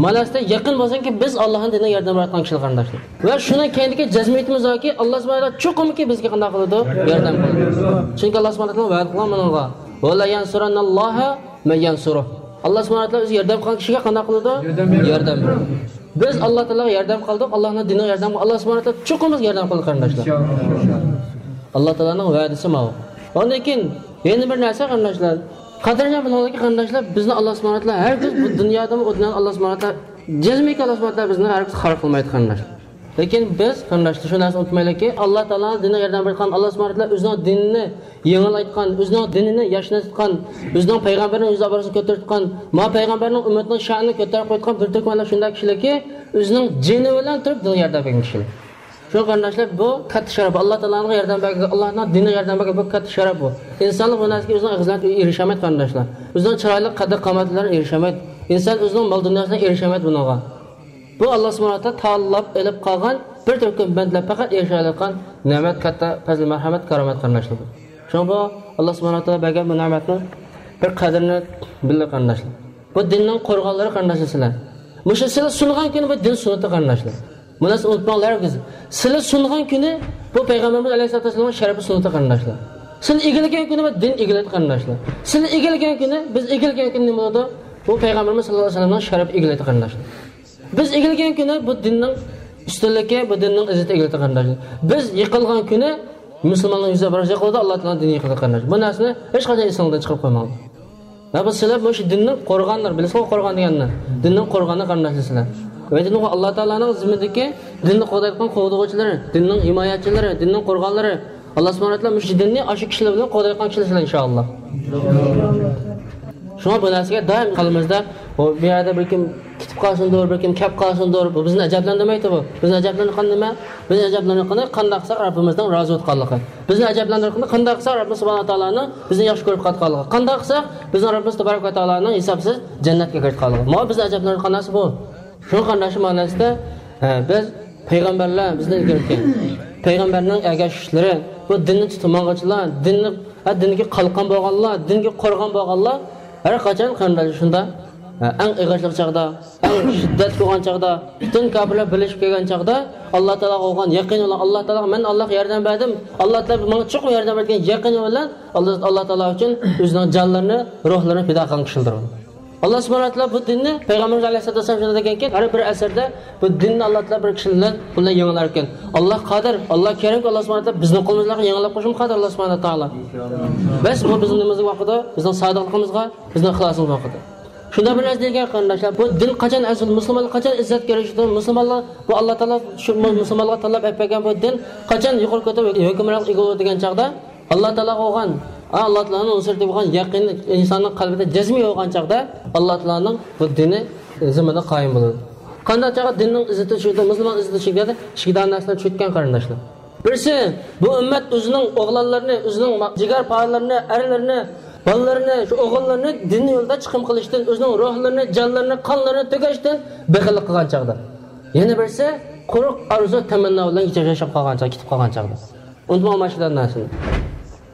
مانا سىزدە يېقىن بولسۇنكى، بىز ئاللانىڭ دىنىغا ياردەم بېرىۋاتقان كىشىلەر، قېرىنداشلار. ۋە شۇنىڭ كەينىدىكى جەزمىيىتىمىز باركى، ئاللا سۇبھانەھۇ ۋە تائالا چوقۇمكى بىزگە قانداق قىلىدۇ؟ ياردەم قىلىدۇ. چۈنكى ئاللا سۇبھانەھۇ ۋە تائالا ۋەدە قىلغان بۇنىڭغا. ۋە لا يەنسۇرەننەللاھۇ مەن يەنسۇرۇھ. ئاللا سۇبھانەھۇ ۋە تائالا ئۆزى ياردەم قىلغان كىشىگە قانداق قىلىدۇ؟ ياردەم بېرىدۇ. ياردەم بېرىدۇ. بىز ئاللا تائالاغا ياردەم قىلدۇق، ئاللانىڭ دىنىغا ياردەم قىلدۇق، ئاللا سۇبھانەھۇ ۋە تائالا چوقۇم بىزگە ياردەم قىلىدۇ، قېرىنداشلار. ئىنشائاللا. ئاللا تائالانىڭ ۋەدىسى ماۋۇ. ئاندىن كېيىن يەنە بىر نەرسە، قېرىنداشلار، قەدىرىنى بىلىڭلاركى، قېرىنداشلار، بىزنى ئاللا سۇبھانەھۇ ۋە تائالا ھەرگىز بۇ دۇنيادىمۇ، ئۇ دۇنيانى ئاللا سۇبھانەھۇ ۋە تائالا، جەزمىنكى ئاللا سۇبھانەھۇ ۋە تائالا بىزنى ھەرگىز خار قىلمايدۇ، قېرىنداشلار. لېكىن بىز، قېرىنداشلار، شۇ نەرسىنى ئۇنتۇمايلىكى، ئاللا تائالانىڭ دىنىغا ياردەم بېرىۋاتقان، ئاللا سۇبھانەھۇ ۋە تائالا ئۆزىنىڭ دىنىنى يېڭىلايتقان، ئۆزىنىڭ دىنىنى ياشنىتىۋاتقان، ئۆزىنىڭ پەيغەمبىرىنىڭ يۈز ئابرۇسىنى كۆتۈرۈۋاتقان، ما پەيغەمبەرنىڭ ئۈممىتىنىڭ شانىنى كۆتۈرۈپ قويۇۋاتقان بىر تۈركۈملەر شۇنداق كىشىلەركى، ئۆزىنىڭ جېنى بىلەن تۇرۇپ دىنغا ياردەم بەرگەن كىشىلەر. شۇ قېرىنداشلار، بۇ كاتتا شەرەپ. ئاللا تائالانىڭغا ياردەم بەرگەن، ئاللانىڭ دىنىغا ياردەم بەرگەن، بۇ كاتتا شەرەپ بۇ. ئىنسانلار بۇ نەرسىگە ئۆزىنىڭ ئېغىزى بىلەن ئېرىشەلمەيدۇ، قېرىنداشلار. ئۆزىنىڭ چىرايلىق قەددى قامىتى بىلەن ئېرىشەلمەيدۇ. ئىنسان ئۆزىنىڭ مال دۇنياسى بىلەن ئېرىشەلمەيدۇ بۇنىڭغا. بۇ ئاللا سۇبھانەھۇ ۋە تائالا تاللاپ ئېلىپ قالغان بىر تۈركۈم بەندىلەر پەقەت ئېرىشەلەيدىغان نېمەت، كاتتا پەزىل، مەرھەمەت، كارامەت، قېرىنداشلار. شۇڭا بۇ ئاللا سۇبھانەھۇ ۋە تائالا بەرگەن بۇ نېمەتنىڭ بىر قەدرىنى بىلىڭ، قېرىنداشلار. بۇ دىننىڭ قورغانلىرى، قېرىنداشلار، سىلەر. مۇشۇ سىلەر سۇنغان كۈنى بۇ دىن سۇنىدۇ، قېرىنداشلار. بۇ نەرسىنى ئۇنتۇماڭلار ھەرگىز. سىلەر سۇنغان كۈنى بۇ پەيغەمبىرىمىز ئەلەيھىسسالاتۇ ۋەسسالامنىڭ شەرىپى سۇنىدۇ، قېرىنداشلار. سىلەر ئىگىلىگەن كۈنى بۇ دىن ئىگىلەيدۇ، قېرىنداشلار. سىلەر ئىگىلىگەن كۈنى، بىز ئىگىلىگەن كۈنى نېمە بولىدۇ؟ بۇ پەيغەمبىرىمىز ساللاللاھۇ ئەلەيھى ۋەسەللەمنىڭ شەرىپى ئىگىلەيدۇ، قېرىنداشلار. بىز ئىگىلىگەن كۈنى بۇ دىننىڭ ئۈستۈنلۈكى، بۇ دىننىڭ ئىززىتى ئىگىلەيدۇ، قېرىنداشلار. بىز يىقىلغان كۈنى مۇسۇلماننىڭ يۈزى ئابرايسىز يوقىلىدۇ، ئاللا تائالانىڭ دىنى يىقىلىدۇ، قېرىنداشلار. بۇ نەرسىنى ھېچقاچان ئېسىڭىزدىن چىقىرىپ قويماڭلار. ۋە بۇ سىلەر مۇشۇ دىننىڭ قورغانلىرى، بىلىسىزغۇ قورغان دېگەننى؟ دىننىڭ قورغانى، قېرىنداشلار، سىلەر. ۋە دىنغۇ ئاللا تائالانىڭ زېمىنىدىكى دىننى قوغدايدىغان قوغدىغۇچىلىرى، دىننىڭ ھىمايەتچىلىرى، دىننىڭ قورغانلىرى. ئاللا سۇبھانەھۇ ۋە تائالا مۇشۇ دىننى ئاشۇ كىشىلەر بىلەن قوغدايدىغان كىشىلەر سىلەر، ئىنشائاللا. شۇڭا بۇ نەرسىگە دائىم قەلبىمىزدە، ئۇ بۇ يەردە بىر كىم كېتىپ قالسۇندۇر، بىر كىم كەپ قالسۇندۇر، بۇ بىزنى ئەجەبلەندۈرمەيدۇ بۇ. بىزنى ئەجەبلەندۈرگەن نېمە؟ بىزنى ئەجەبلەندۈرگىنى قانداق قىلساق رەببىمىزنىڭ رازى بولۇۋاتقانلىقى. بىزنى ئەجەبلەندۈرگىنى قانداق قىلساق رەببىمىز سۇبھانەھۇ ۋە تائالانىڭ بىزنى ياخشى كۆرۈپ قالغانلىقى. قانداق قىلساق بىزنىڭ رەببىمىز تابارەك ۋە تائالانىڭ ھېسابسىز جەننەتكە كىرىپ قالغانلىقى. مانا بىزنى ئەجەبلەندۈرگەن نەرسە بۇ. شۇ قېرىنداشلار مەنىسىدە، ئە، بىز پەيغەمبەرلەر بىزدىن ئىلگىرىكى پەيغەمبەرنىڭ ئەگەشكۈچىلىرى، بۇ دىننى تۇتۇپ ماڭغۇچىلار، دىننى، ھە، دىنگە قالقان بولغانلار، دىنگە قورغان بولغانلار ھەر قاچان قېرىنداشلار شۇنداق، ھە، ئەڭ ئېغىرچىلىق چاغدا، ئەڭ شىددەتلىك بولغان چاغدا، پۈتۈن كاپىرلار بىرلىشىپ كەلگەن چاغدا ئاللا تائالاغا بولغان يېقىنى بىلەن، ئاللا تائالاغا مەن ئاللاغا ياردەم بەردىم، ئاللا تائالا ماڭا چوقۇم ياردەم بەردى دېگەن يېقىنى بىلەن ئاللا، ئاللا تائالا ئۈچۈن ئۆزىنىڭ جانلىرىنى، روھلىرىنى پىدا قىلغان كىشىلەردۇر. ئاللا سۇبھانەھۇ ۋە تائالا بۇ دىننى پەيغەمبىرىمىز ئەلەيھىسسالاتۇ ۋەسسالام شۇنداق دېگەنكى، ھەر بىر ئەسىردە بۇ دىننى ئاللا تائالا بىر كىشى بىلەن، بۇ بىلەن يېڭىلاركەن. ئاللا قادىر، ئاللا كەرىمكى، ئاللا سۇبھانەھۇ ۋە تائالا بىزنىڭ قولىمىزدىن يېڭىلىپ قويۇشىمۇ قادىر ئاللا سۇبھانەھۇ ۋە تائالا. بەس، بۇ بىزنىڭ نېمىمىزگە باقىدۇ؟ بىزنىڭ سادىقلىقىمىزغا، بىزنىڭ ئىخلاسىمىزغا باقىدۇ. شۇنداق بىر نەرسە دېگەن قېرىنداشلار، بۇ دىن قاچان ئەزىز، مۇسۇلمانلار قاچان ئىززەتكە ئېرىشىدۇ؟ مۇسۇلمانلار، بۇ ئاللا تائالا شۇ مۇسۇلمانلارغا تاللاپ ئەپ بەرگەن بۇ دىن قاچان يۇقىرى كۆتۈرۈپ ھۆكۈمرانلىق ئىگە بولىدۇ دېگەن چاغدا، ئاللا تائالاغا بولغان، ھە، ئاللا تائالانىڭ نۇسرىتىگە بولغان يەقىن ئىنساننىڭ قەلبىدە جەزمى بولغان چاغدا، ئاللا تائالانىڭ بۇ دىنى زېمىندا قايىم بولىدۇ. قانداق چاغدا دىننىڭ ئىززىتى چۈشىدۇ، مۇسۇلمان ئىززىتى چۈشىدۇ دېگەندە، ئىككى دانە نەرسىدىن چۈشىدىكەن قېرىنداشلار. بىرسى، بۇ ئۈممەت ئۆزىنىڭ ئوغلانلىرىنى، ئۆزىنىڭ ما-، جىگەرپارىلىرىنى، ئەرلىرىنى، بالىلىرىنى، شۇ ئوغۇللىرىنى دىن يولىدا چىقىم قىلىشتىن، ئۆزىنىڭ روھلىرىنى، جانلىرىنى، قانلىرىنى تۆكۈشتىن بېخىللىق قىلغان چاغدا. يەنە بىرسى، قۇرۇق ئارزۇ تەمەننا بىلەن ياشاپ قالغان چاغ، كېتىپ قالغان چاغدا. ئۇنتۇماڭ ماشۇنداق نەرسىنى.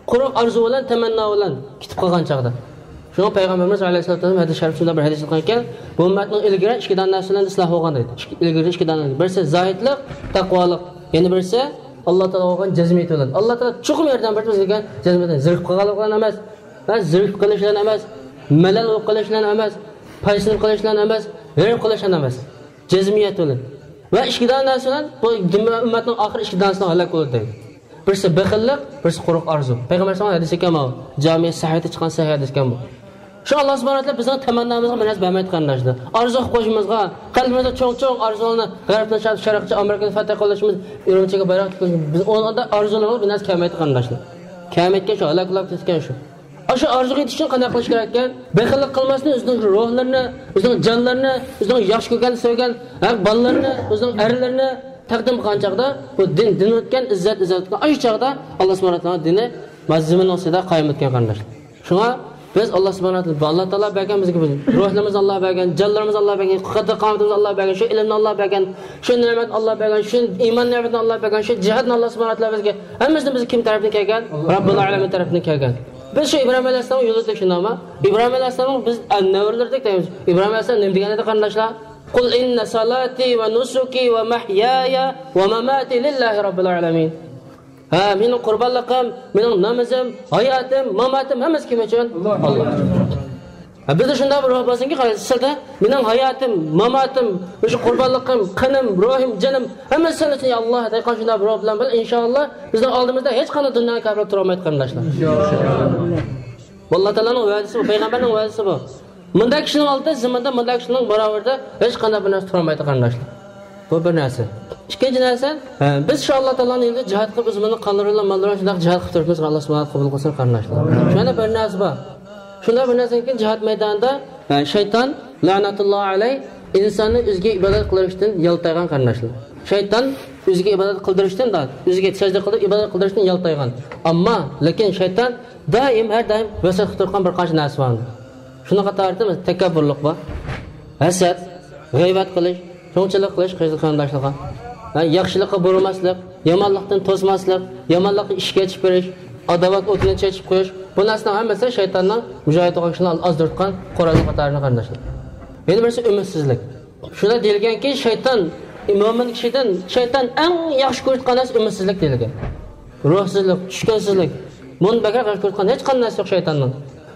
قۇرۇق ئارزۇ بىلەن، تەمەننا بىلەن كېتىپ قالغان چاغدا. شۇڭا پەيغەمبىرىمىز ئەلەيھىسسالاتۇ ۋەسسالام ھەدىس شەرىپ شۇنداق بىر ھەدىس قىلغانكەن، بۇ ئۈممەتنىڭ ئىلگىرى ئىككى دانە نەرسە بىلەن ئىسلاھ بولغان دەيدۇ. ئىككى، ئىلگىرى ئىككى دانە. بىرسى زاھىدلىق، تەقۋالىق. يەنە بىرسى ئاللا تائالاغا بولغان جەزمىيىتى بىلەن. ئاللا تائالا چوقۇم ياردەم بېرىدۇ بىزگە جەزمىيەتنى. زېرىكىپ قالغانلىق بىلەن ئەمەس، ھە، زېرىكىپ قېلىش بىلەن ئەمەس، مەلەل بولۇپ قېلىش بىلەن ئەمەس، پايسىزلىنىپ قېلىش بىلەن ئەمەس، غېرىب قېلىش بىلەن ئەمەس. جەزمىيەت بىلەن. ۋە ئىككى دانە نەرسە بىلەن بۇ ئۈممەتنىڭ ئاخىرى ئىككى دانىسىنىڭ ھالاك بولىدۇ دەيدۇ. بىرسى بېخىللىق، بىرسى قۇرۇق ئارزۇ. پەيغەمبەر ئەلەيھىسسالام ھەدىسى ئىكەن ماۋۇ. جامىئە سەھىھتە چىققان سەھىھ ھەدىس ئىكەن بۇ. شۇ ئاللا سۇبھانەھۇ ۋە تائالا بىزنىڭ تەمەننامىزغا بىر نەرسە بەرمەيدۇ قېرىنداشلار. ئارزۇ قىلىپ قويۇشىمىزغا، قەلبىمىزدە چوڭ-چوڭ ئارزۇلارنى، غەربنى شەرققە، شەرققە، ئامېرىكىنى فەتھ قىلىشىمىز، ئۈرۈمچىگە بايراق تىكىشىمىز، بىز ئۇندا ئارزۇلىرىمىز بىر نەرسە كەلمەيدۇ قېرىنداشلار. كەلمەيدىكەن شۇ، ھالاك بولاپ كېتىدىكەن شۇ. ئاشۇ ئارزۇغا يېتىش ئۈچۈن قانداق قىلىش كېرەككەن؟ بېخىللىق قىلماستىن، ئۆزىنىڭ روھلىرىنى، ئۆزىنىڭ جانلىرىنى، ئۆزىنىڭ ياخشى كۆرگەن، سۆيگەن، ھە، بالىلىرىنى، ئۆزىنىڭ ئەرلىرىنى تەقدىم قىلغان چاغدا، بۇ دىن، دىن ئۆتكەن، ئىززەت، ئىززەت ئۆتكەن، ئاشۇ چاغدا ئاللا سۇبھانەھۇ ۋە تائالا دىنى مانا زېمىننىڭ ئۈستىدە قايىم ئۆتكەن قېرىنداشلار. شۇڭا بىز ئاللا سۇبھانەھۇ ۋە تائالا، ئاللا تائالا بەرگەن بىزگە بۇ روھلىرىمىزنى ئاللا بەرگەن، جانلىرىمىزنى ئاللا بەرگەن، قەددى قامىتىمىزنى ئاللا بەرگەن، شۇ ئىلىمنى ئاللا بەرگەن، شۇ نېمەتنى ئاللا بەرگەن، شۇ ئىمان نېمىتىنى ئاللا بەرگەن، شۇ جىھادنى ئاللا سۇبھانەھۇ ۋە تائالا بىزگە، ھەممىسىدىن بىزگە كىم تەرەپتىن كەلگەن؟ رەببۇل ئالەمىن تەرەپتىن كەلگەن. بىز شۇ ئىبراھىم ئەلەيھىسسالامنىڭ يولىدا شۇنداقمۇ؟ ئىبراھىم ئەلەيھىسسالامنىڭ بىز نەۋرىلىرىدەك دەيمىز. ئىبراھىم ئەلەيھىسسالام نېمە دېگەن ئىدى قېرىنداشلار؟ قۇل ئىننە سالاتى ۋە نۇسۇكى ۋە مەھيايە ۋە ماماتى لىللاھى رەببىل ئالەمىن. ھە، مېنىڭ قۇربانلىقىم، مېنىڭ نامىزىم، ھاياتىم، ماماتىم ھەممىسى كىم ئۈچۈن؟ ئاللا. ھە، بىزدە شۇنداق بىر روھ بولسۇنكى، قارايسىز، سىلدە مېنىڭ ھاياتىم، ماماتىم، مۇشۇ قۇربانلىقىم، قېنىم، روھۇم، جېنىم ھەممىسى سەن ئۈچۈن، يا ئاللا، دەيدىغان شۇنداق بىر روھ بىلەن بىلەن، ئىنشائاللا، بىزنىڭ ئالدىمىزدا ھېچقانداق دۇنيانىڭ كاپىرى تۇرالمايدۇ قېرىنداشلار. بۇ ئاللا تائالانىڭ ۋەدىسى بۇ، پەيغەمبەرنىڭ ۋەدىسى بۇ. مۇنداق كىشىنىڭ ئالدىدا زېمىندا مۇنداق كىشىنىڭ باراۋىرىدا ھېچقانداق بىر نەرسە تۇرالمايدۇ قېرىنداشلار. بۇ بىر نەرسە. ئىككىنچى نەرسە، ھە، بىز شۇ ئاللا تائالانىڭ يولىدا جىھاد قىلىپ، ئۆزىمىزنىڭ قانلىرى بىلەن، ماللىرى بىلەن شۇنداق جىھاد قىلىپ تۇرۇپمىز، ئاللا سۇبھانەھۇ قوبۇل قىلسۇن قېرىنداشلار. شۇ يەنە بىر نەرسە بار. شۇنداق بىر نەرسىدىن كېيىن جىھاد مەيدانىدا، ھە، شەيتان لەنەتۇللاھى ئەلەيھ ئىنساننى ئۆزىگە ئىبادەت قىلدۇرۇشتىن يالتايغان قېرىنداشلار. شەيتان ئۆزىگە ئىبادەت قىلدۇرۇشتىن، ئۆزىگە سەجدە قىلىپ ئىبادەت قىلدۇرۇشتىن يالتايغان. ئەمما، لېكىن شەيتان دائىم، ھەر دائىم ۋەسۋەسە قىلىپ تۇرغان بىر قانچە نەرسە بار. شۇنىڭ قاتارىدا تەكەببۇرلۇق بار، ھەسەت، غەيۋەت قىلىش، چوڭچىلىق قىلىش قېرىنداشلارغا. ھە، ياخشىلىققا بۇرىماسلىق، يامانلىقتىن توسماسلىق، يامانلىققا ئىشىك ئېچىپ بېرىش، ئاداۋەت ئوتىنى چېچىپ قويۇش، بۇ نەرسىنىڭ ھەممىسى شەيتاننىڭ مۇجاھىد بولغان كىشىلەرنى ئازدۇرتقان قورالنىڭ قاتارىدا قېرىنداشلار. يەنە بىرسى ئۈمىدسىزلىك. شۇنداق دېيىلگەنكى، شەيتان، مۆمىن كىشىدىن شەيتان ئەڭ ياخشى كۆرىدىغان نەرسە ئۈمىدسىزلىك دېيىلگەن. روھسىزلىق، چۈشكۈنسىزلىك. بۇنى بەكرەك ياخشى كۆرىدىغان ھېچقانداق نەرسە يوق شەيتاننىڭ.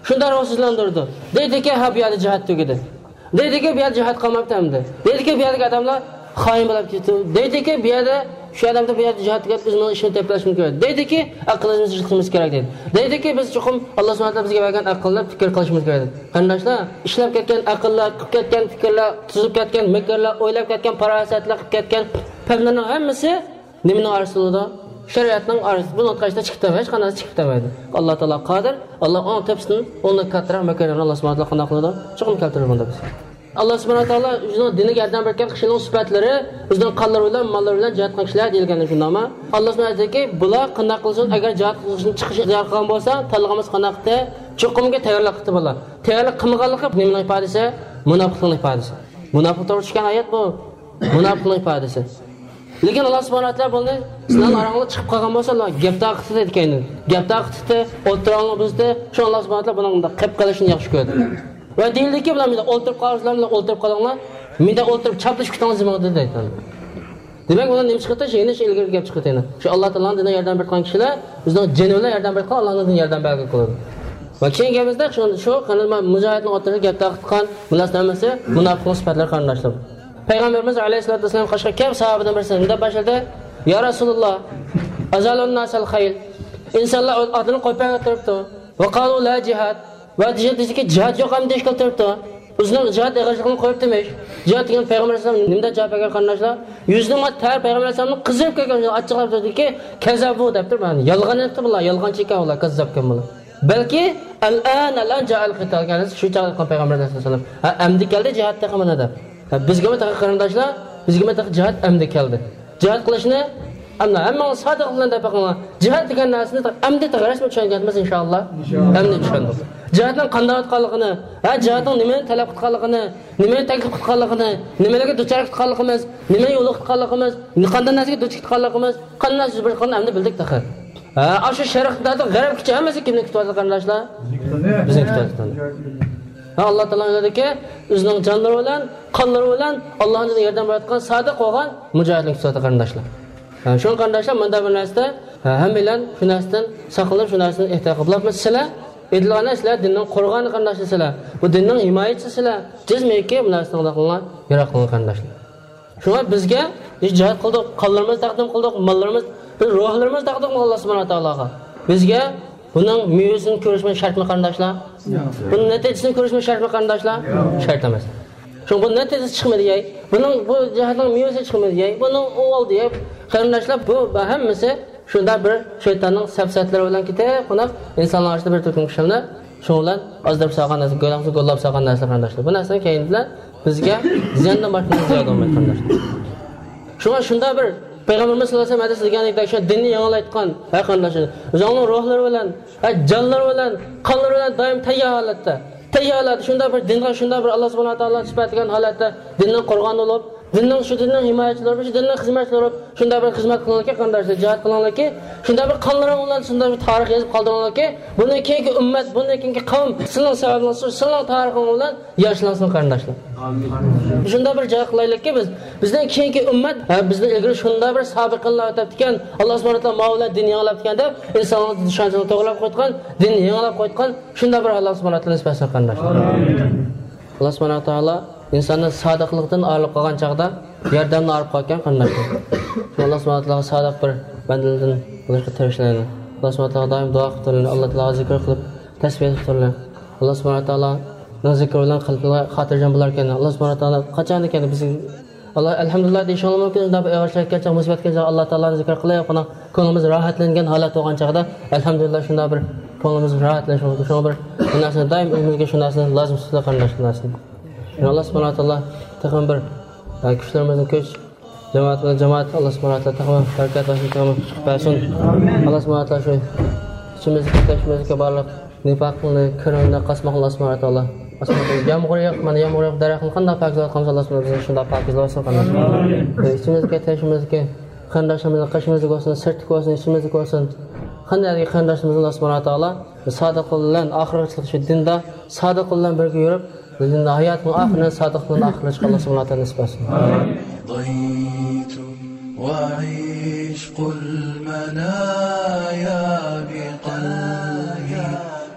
شۇنداق روھسىزلاندۇرىدۇ. دەيدىكى، ھە، بۇ يەردە جىھاد تۈگىدى. دەيدىكى، بۇ يەردە جىھاد قالماپتۇ ئەمدى. دەيدىكى، بۇ يەردىكى ئادەملار خائىن بولاپ كېتىپتۇ. دەيدىكى، بۇ يەردە شۇ ئادەمدە بۇ يەردە جىھاد تۈگەپ، ئۆزىنىڭ ئىشىنى تېپىپ ئېلىشىمىز كېرەك. دەيدىكى، ئەقلىمىزنى ئىشلىتىشىمىز كېرەك دەيدۇ. دەيدىكى، بىز چوقۇم ئاللا سۇبھانەھۇ ۋە تائالا بىزگە بەرگەن ئەقىلنى پىكىر قىلىشىمىز كېرەك دەيدۇ. قېرىنداشلار، ئىشلەپ كەتكەن ئەقىللەر، قىلىپ كەتكەن پىكىرلەر، تۈزۈپ كەتكەن مىكىرلەر، ئويلاپ كەتكەن پاراسەتلەر، قىلىپ كەتكەن پەملەرنىڭ ھەممىسى نېمىنىڭ ئارىسىدا بولىدۇ؟ شەرىئەتنىڭ ئارىسىدا. بۇنىڭ تاشقىرىدا چىقىپ كېتەلمەيدۇ، ھېچقانداق چىقىپ كېتەلمەيدۇ. ئاللا تائالا قادىر، ئاللا ئۇنىڭ تەپسىدىن، ئۇنىڭدىن كاتتىراق مەكىرلەرنى ئاللا سۇبھانەھۇ ۋە تائالا قانداق قىلىدۇ؟ چوقۇم كەلتۈرىدۇ بۇندا بىز. ئاللا سۇبھانەھۇ ۋە تائالا ئۆزىنىڭ دىنىگە ياردەم بەرگەن كىشىنىڭ سۈپەتلىرى، ئۆزىنىڭ قانلىرى بىلەن، ماللىرى بىلەن جىھاد قىلغان كىشىلەر دېيىلگەن شۇنداقمۇ؟ ئاللا سۇبھانەھۇ ۋە تائالا ئېيتتىكى، بۇلار قانداق قىلسۇن، ئەگەر جىھاد قىلىشنى، چىقىشنى ئىختىيار قىلغان بولسا، تاللىغان بولسا قانداق قىلدى؟ چوقۇمكى تەييارلىق قىلدى بۇلار. تەييارلىق قىلمىغانلىقى نېمىنىڭ ئىپادىسى؟ مۇناپىقلىقنىڭ ئىپادىسى. مۇناپىق توغرا چۈشكەن ئايەت بۇ. مۇناپىقنىڭ ئىپادىسى. لېكىن ئاللا سۇبھانەھۇ ۋە تائالا بۇنى سىلەرنىڭ ئاراڭلار چىقىپ قالغان بولسا، ئاللا گەپ تاقىتى دېگەن. گەپ تاقىتى، ئوتتۇراڭلارنى بۇزدى. شۇ ئاللا سۇبھانەھۇ ۋە تائالا بۇنىڭ مۇنداق قىلىپ قېلىشىنى ياخشى كۆردى. ۋە دېيىلدىكى، بۇلار مۇنداق ئولتۇرۇپ قالغان، سىلەر مۇنداق ئولتۇرۇپ قالىڭلار، مەندە ئولتۇرۇپ چاپلىشىپ كېتىڭلار زېمىنغا دېدى. دېمەك، بۇنىڭ نېمە چىقىپتۇ؟ يەنە شۇ ئىلگىرىكى گەپ چىقىپتۇ يەنە. شۇ ئاللا تائالانىڭ دىنىغا ياردەم بېرىدىغان كىشىلەر ئۆزىنىڭ جېنى بىلەن ياردەم بېرىدىغان، ئاللانىڭ دىنىغا ياردەم بەرگىلى قىلىدۇ. ۋە كېيىنكى گېپىمىزدە شۇ، شۇ قېنى مۇجاھىدنىڭ ئوتتۇرىسىدا گەپ تارتقان مۇناسىۋەتلىرى، مۇناپىقنىڭ سۈپەتلىرى قېرىنداشلار. پەيغەمبىرىمىز ئەلەيھىسسالاتۇ ۋەسسالام قېشىغا كەپ ساھابىدىن بىرسى مۇنداق باشلىدى: يا رەسۇلاللا، ئەزالۇن ناسەل خەيل. ئىنسانلار ئاتلىرىنى قويۇپ بەرگىلى تۇرۇپتۇ. ۋە قالۇ لا جىھاد. ۋە دېگەن دېدىكى، جىھاد يوق ئەمدى دېيىشكىلى تۇرۇپتۇ. ئۆزىنىڭ جىھاد ئېغىرلىقىنى قويۇپتىمىش. جىھاد دېگەن پەيغەمبەر ئەلەيھىسسالام نېمىدەپ جاۋاب بەرگەن قېرىنداشلار؟ يۈزىنىڭ تەر پەيغەمبەر ئەلەيھىسسالامنىڭ قىزىرىپ كەتكەن ئاچچىقلاپ تۇردىكى، كەززەبۇ دەپتۇ. يالغان ئېيتىپتۇ بۇلار، يالغانچى ئىكەن بۇلار، كەززاپكەن بۇلار. بەلكى ئەلئان، ئەلئان جائەل قىتال، شۇ چاغدا ئېيتقان پەيغەمبەر ئەلەيھىسسالام، ھە، ئەمدى كەلدى جىھاد تېخى مانا دەپ. ھە، بىزگىمۇ تېخى قېرىنداشلار، بىزگىمۇ تېخى جىھاد ئەمدى كەلدى. جىھاد قىلىشنى ئەمدى ھەممىڭلار سادىق بىلەن دەپ بېقىڭلار. جىھاد دېگەن نەرسىنى ئەمدى تېخى رەسمىي چۈشەنگەنمىز ئىنشائاللا. ئەمدى چۈشەندۇق. جىھادنىڭ قانداق ئۆتكەنلىكىنى، ھە، جىھادنىڭ نېمىنى تەلەپ قىلغانلىقىنى، نېمىنى تەكلىپ قىلغانلىقىنى، نېمىلەرگە دۇچار قىلغانلىقىمىز، نېمىنى يولۇقتۇرغانلىقىمىز، قانداق نەرسىگە دۇچ كەتكەنلىكىمىز، قانداق نەرسە يۈز بېرىدىغانلىقىنى ئەمدى بىلدۇق تېخى. ھە، ئاشۇ شەرقتە غەربكىچە ھەممىسى كىمنى كۈتۈۋاتىدۇ قېرىنداشلار؟ بىزنى كۈتۈۋاتىدۇ. ھە، ئاللا تائالا ئۆيلىدىكى ئۆزىنىڭ جانلىرى بىلەن، قانلىرى بىلەن ئاللانىڭ دىنىغا ياردەم بېرىۋاتقان سادىق بولغان مۇجاھىدلارنى كۈتۈۋاتىدۇ قېرىنداشلار. ھە، شۇڭا قېرىنداشلار، مۇنداق بىر نەرسىدە، ھە، ھەممەيلەن شۇ نەرسىدىن ساقلىنىپ، شۇ نەرسىدىن ئېھتىيات قىلىپ بولۇپمۇ؟ سىلەر ئېيتىلغان سىلەر دىننىڭ قورغانى قېرىنداشلار سىلەر. بۇ دىننىڭ ھىمايىچىسى سىلەر. جەزمەنكى بۇ نەرسىدىن قىلىڭلار، يىراق قىلىڭلار قېرىنداشلار. شۇڭا بىزگە، بىز جىھاد قىلدۇق، قانلىرىمىزنى تەقدىم قىلدۇق، ماللىرىمىز، بىز روھلىرىمىزنى تەقدىم قىلدۇق ئاللا سۇبھانەھۇ ۋە تائالاغا. بىزگە بۇنىڭ مېۋىسىنى كۆرۈشمۇ شەرتمۇ قېرىنداشلار؟ بۇنىڭ نەتىجىسىنى كۆرۈشمۇ شەرتمۇ قېرىنداشلار؟ شەرت ئەمەس. شۇڭا بۇ نەتىجىسى چىقمىدى دەي، بۇنىڭ، بۇ جىھادنىڭ مېۋىسى چىقمىدى دەي، بۇنىڭ ئۇ بولدى دەي، قېرىنداشلار، بۇ ھەممىسى شۇنداق بىر شەيتاننىڭ سەپسەتىلىرى بىلەن كېتىپ، قوناق ئىنسانلار ئارىسىدا بىر تۈركۈم كىشىلەرنى شۇنىڭ بىلەن ئازدۇرۇپ سالغان نەرسە، گۆدەكسە گوللاپ سالغان نەرسە قېرىنداشلار. بۇ نەرسىنى كەينى بىلەن بىزگە زىياندىن باشقا نەرسە زىيادە بولمايدۇ قېرىنداشلار. شۇڭا شۇنداق بىر پەيغەمبىرىمىز سەللەللاھۇ ئەلەيھى ۋەسەللەم ھەدىسىدە دېگەندەك، شۇ دىننى يېڭىلايدىغان، ھە قېرىنداشلار، ئۆزىنىڭ روھلىرى بىلەن، ھە جانلىرى بىلەن، قانلىرى بىلەن دائىم تەييار ھالەتتە، تەييار ھالەتتە شۇنداق بىر دىنغا، شۇنداق بىر ئاللا سۇبھانەھۇ ۋە تائالا سۈپەتلىگەن ھالەتتە دىننىڭ قورغانى بولۇپ، دىننىڭ، شۇ دىننىڭ ھىمايىچىلىرى بولۇپ، شۇ دىننىڭ خىزمەتچىلىرى بولۇپ، شۇنداق بىر خىزمەت قىلىڭلاركى قېرىنداشلار، جىھاد قىلىڭلاركى، شۇنداق بىر قانلىرىڭ بىلەن شۇنداق بىر تارىخ يېزىپ قالدۇرۇڭلاركى، بۇندىن كېيىنكى ئۈممەت، بۇندىن كېيىنكى قەۋم سىلىنىڭ سەۋەبىڭلار، سىلىنىڭ تارىخىڭ بىلەن ياشلانسۇن قېرىنداشلار. شۇنداق بىر جاي قىلايلىككى بىز، بىزدىن كېيىنكى ئۈممەت، ھە، بىزدىن ئىلگىرى شۇنداق بىر سابىقىنلار ئۆتۈپتىكەن، ئاللا سۇبھانەھۇ ۋە تائالا ماۋۇ بىلەن دىن يېڭىلاپتىكەن دەپ، ئىنسانلارنىڭ ئىشەنچىنى توغرىلاپ قويىدىغان، دىننى يېڭىلاپ قويىدىغان شۇنداق بىر ئاللا سۇبھانەھۇ ۋە تائالا نېسىپ ئەتسۇن قېرىنداشلار. ئاللا سۇبھانەھۇ ۋە تائالا ئىنساننى سادىقلىقتىن ئايرىلىپ قالغان چاغدا ياردەمدىن ئايرىلىپ قالىدىكەن قېرىنداشلار. شۇڭا ئاللا سۇبھانەھۇ ۋە تائالا سادىق بىر بەندىلەردىن بولۇشقا تىرىشىلىڭلار. ئاللا سۇبھانەھۇ ۋە تائالا دائىم دۇئا قىلىپ تۇرۇڭلار. ئاللا تائالا زىكىر قىلىپ، تەسبىھ ئېيتىپ تۇرۇڭلار. ئاللا سۇبھانەھۇ ۋە تائالانىڭ زىكرى بىلەن قەلبلەر خاتىرجەم بولاركەن. ئاللا سۇبھانەھۇ ۋە تائالا قاچان دېگەندە بىز ئاللا ئەلھەمدۇلىللا دېيىشىڭلار مۇمكىن. شۇنداق بىر ئېغىر شارائىت كەلگەن چاغ، مۇسىبەت كەلگەن چاغ، ئاللا تائالانىڭ زىكرى قىلىپ، بۇنىڭ كۆڭلىمىز راھەتلەنگەن ھالەت بولغان چاغدا، ئەلھەمدۇلىللا شۇنداق بىر كۆڭلىمىز راھەتلىنىش مۇمكىن. شۇڭا بىر بۇ نەرسىنى دائىم ئۆزىمىزگە شۇ نەرسىنى لازىم تۇتۇپ قېرىنداشلار نەرسىنى. ئاللا سۇبھانەھۇ ۋە تائالا تېخىمۇ بىر، ئە، كۈچلىرىمىزنى كۈچ، جامائەتنى جامائەت، ئاللا سۇبھانەھۇ ۋە تائالا تېخىمۇ بەرىكەت بەرسۇن، تېخىمۇ كۈچ بەرسۇن. ئاللا سۇبھانەھۇ ۋە تائالا شۇ ئىچىمىزدىكى، تېشىمىزدىكى بارلىق نىپاقنى، كىرنى، قاسماقنى ئاللا سۇبھانەھۇ ۋە تائالا. ئاسماندا يامغۇر ياغ، مانا يامغۇر ياغ، دەرەخنى قانداق پاكىزلاۋاتقان بولسا، ئاللا سۇبھانەھۇ ۋە تائالا شۇنداق پاكىزلىۋەتسۇن قېرىنداشلار. ئىچىمىزدىكى، تېشىمىزدىكى قېرىنداشلىرىمىزنى، قېشىمىزدىكى بولسۇن، سىرتتىكى بولسۇن، ئىچىمىزدىكى بولسۇن، قانداق قېرىنداشلىرىمىزنى ئاللا سۇبھانەھۇ ۋە تائالا سادىق بىلەن ئاخىرغىچە شۇ دىندا سادىق بىلەن بىرگە يۈرۈپ، بىزنىڭ ھاياتنىڭ ئاخىرىنى سادىقلىق بىلەن ئاخىرلاشقا ئاللا سۇبھانەھۇ ۋە تائالا نېسىپ قىلسۇن. رضيت وعشق المنايا بقلبي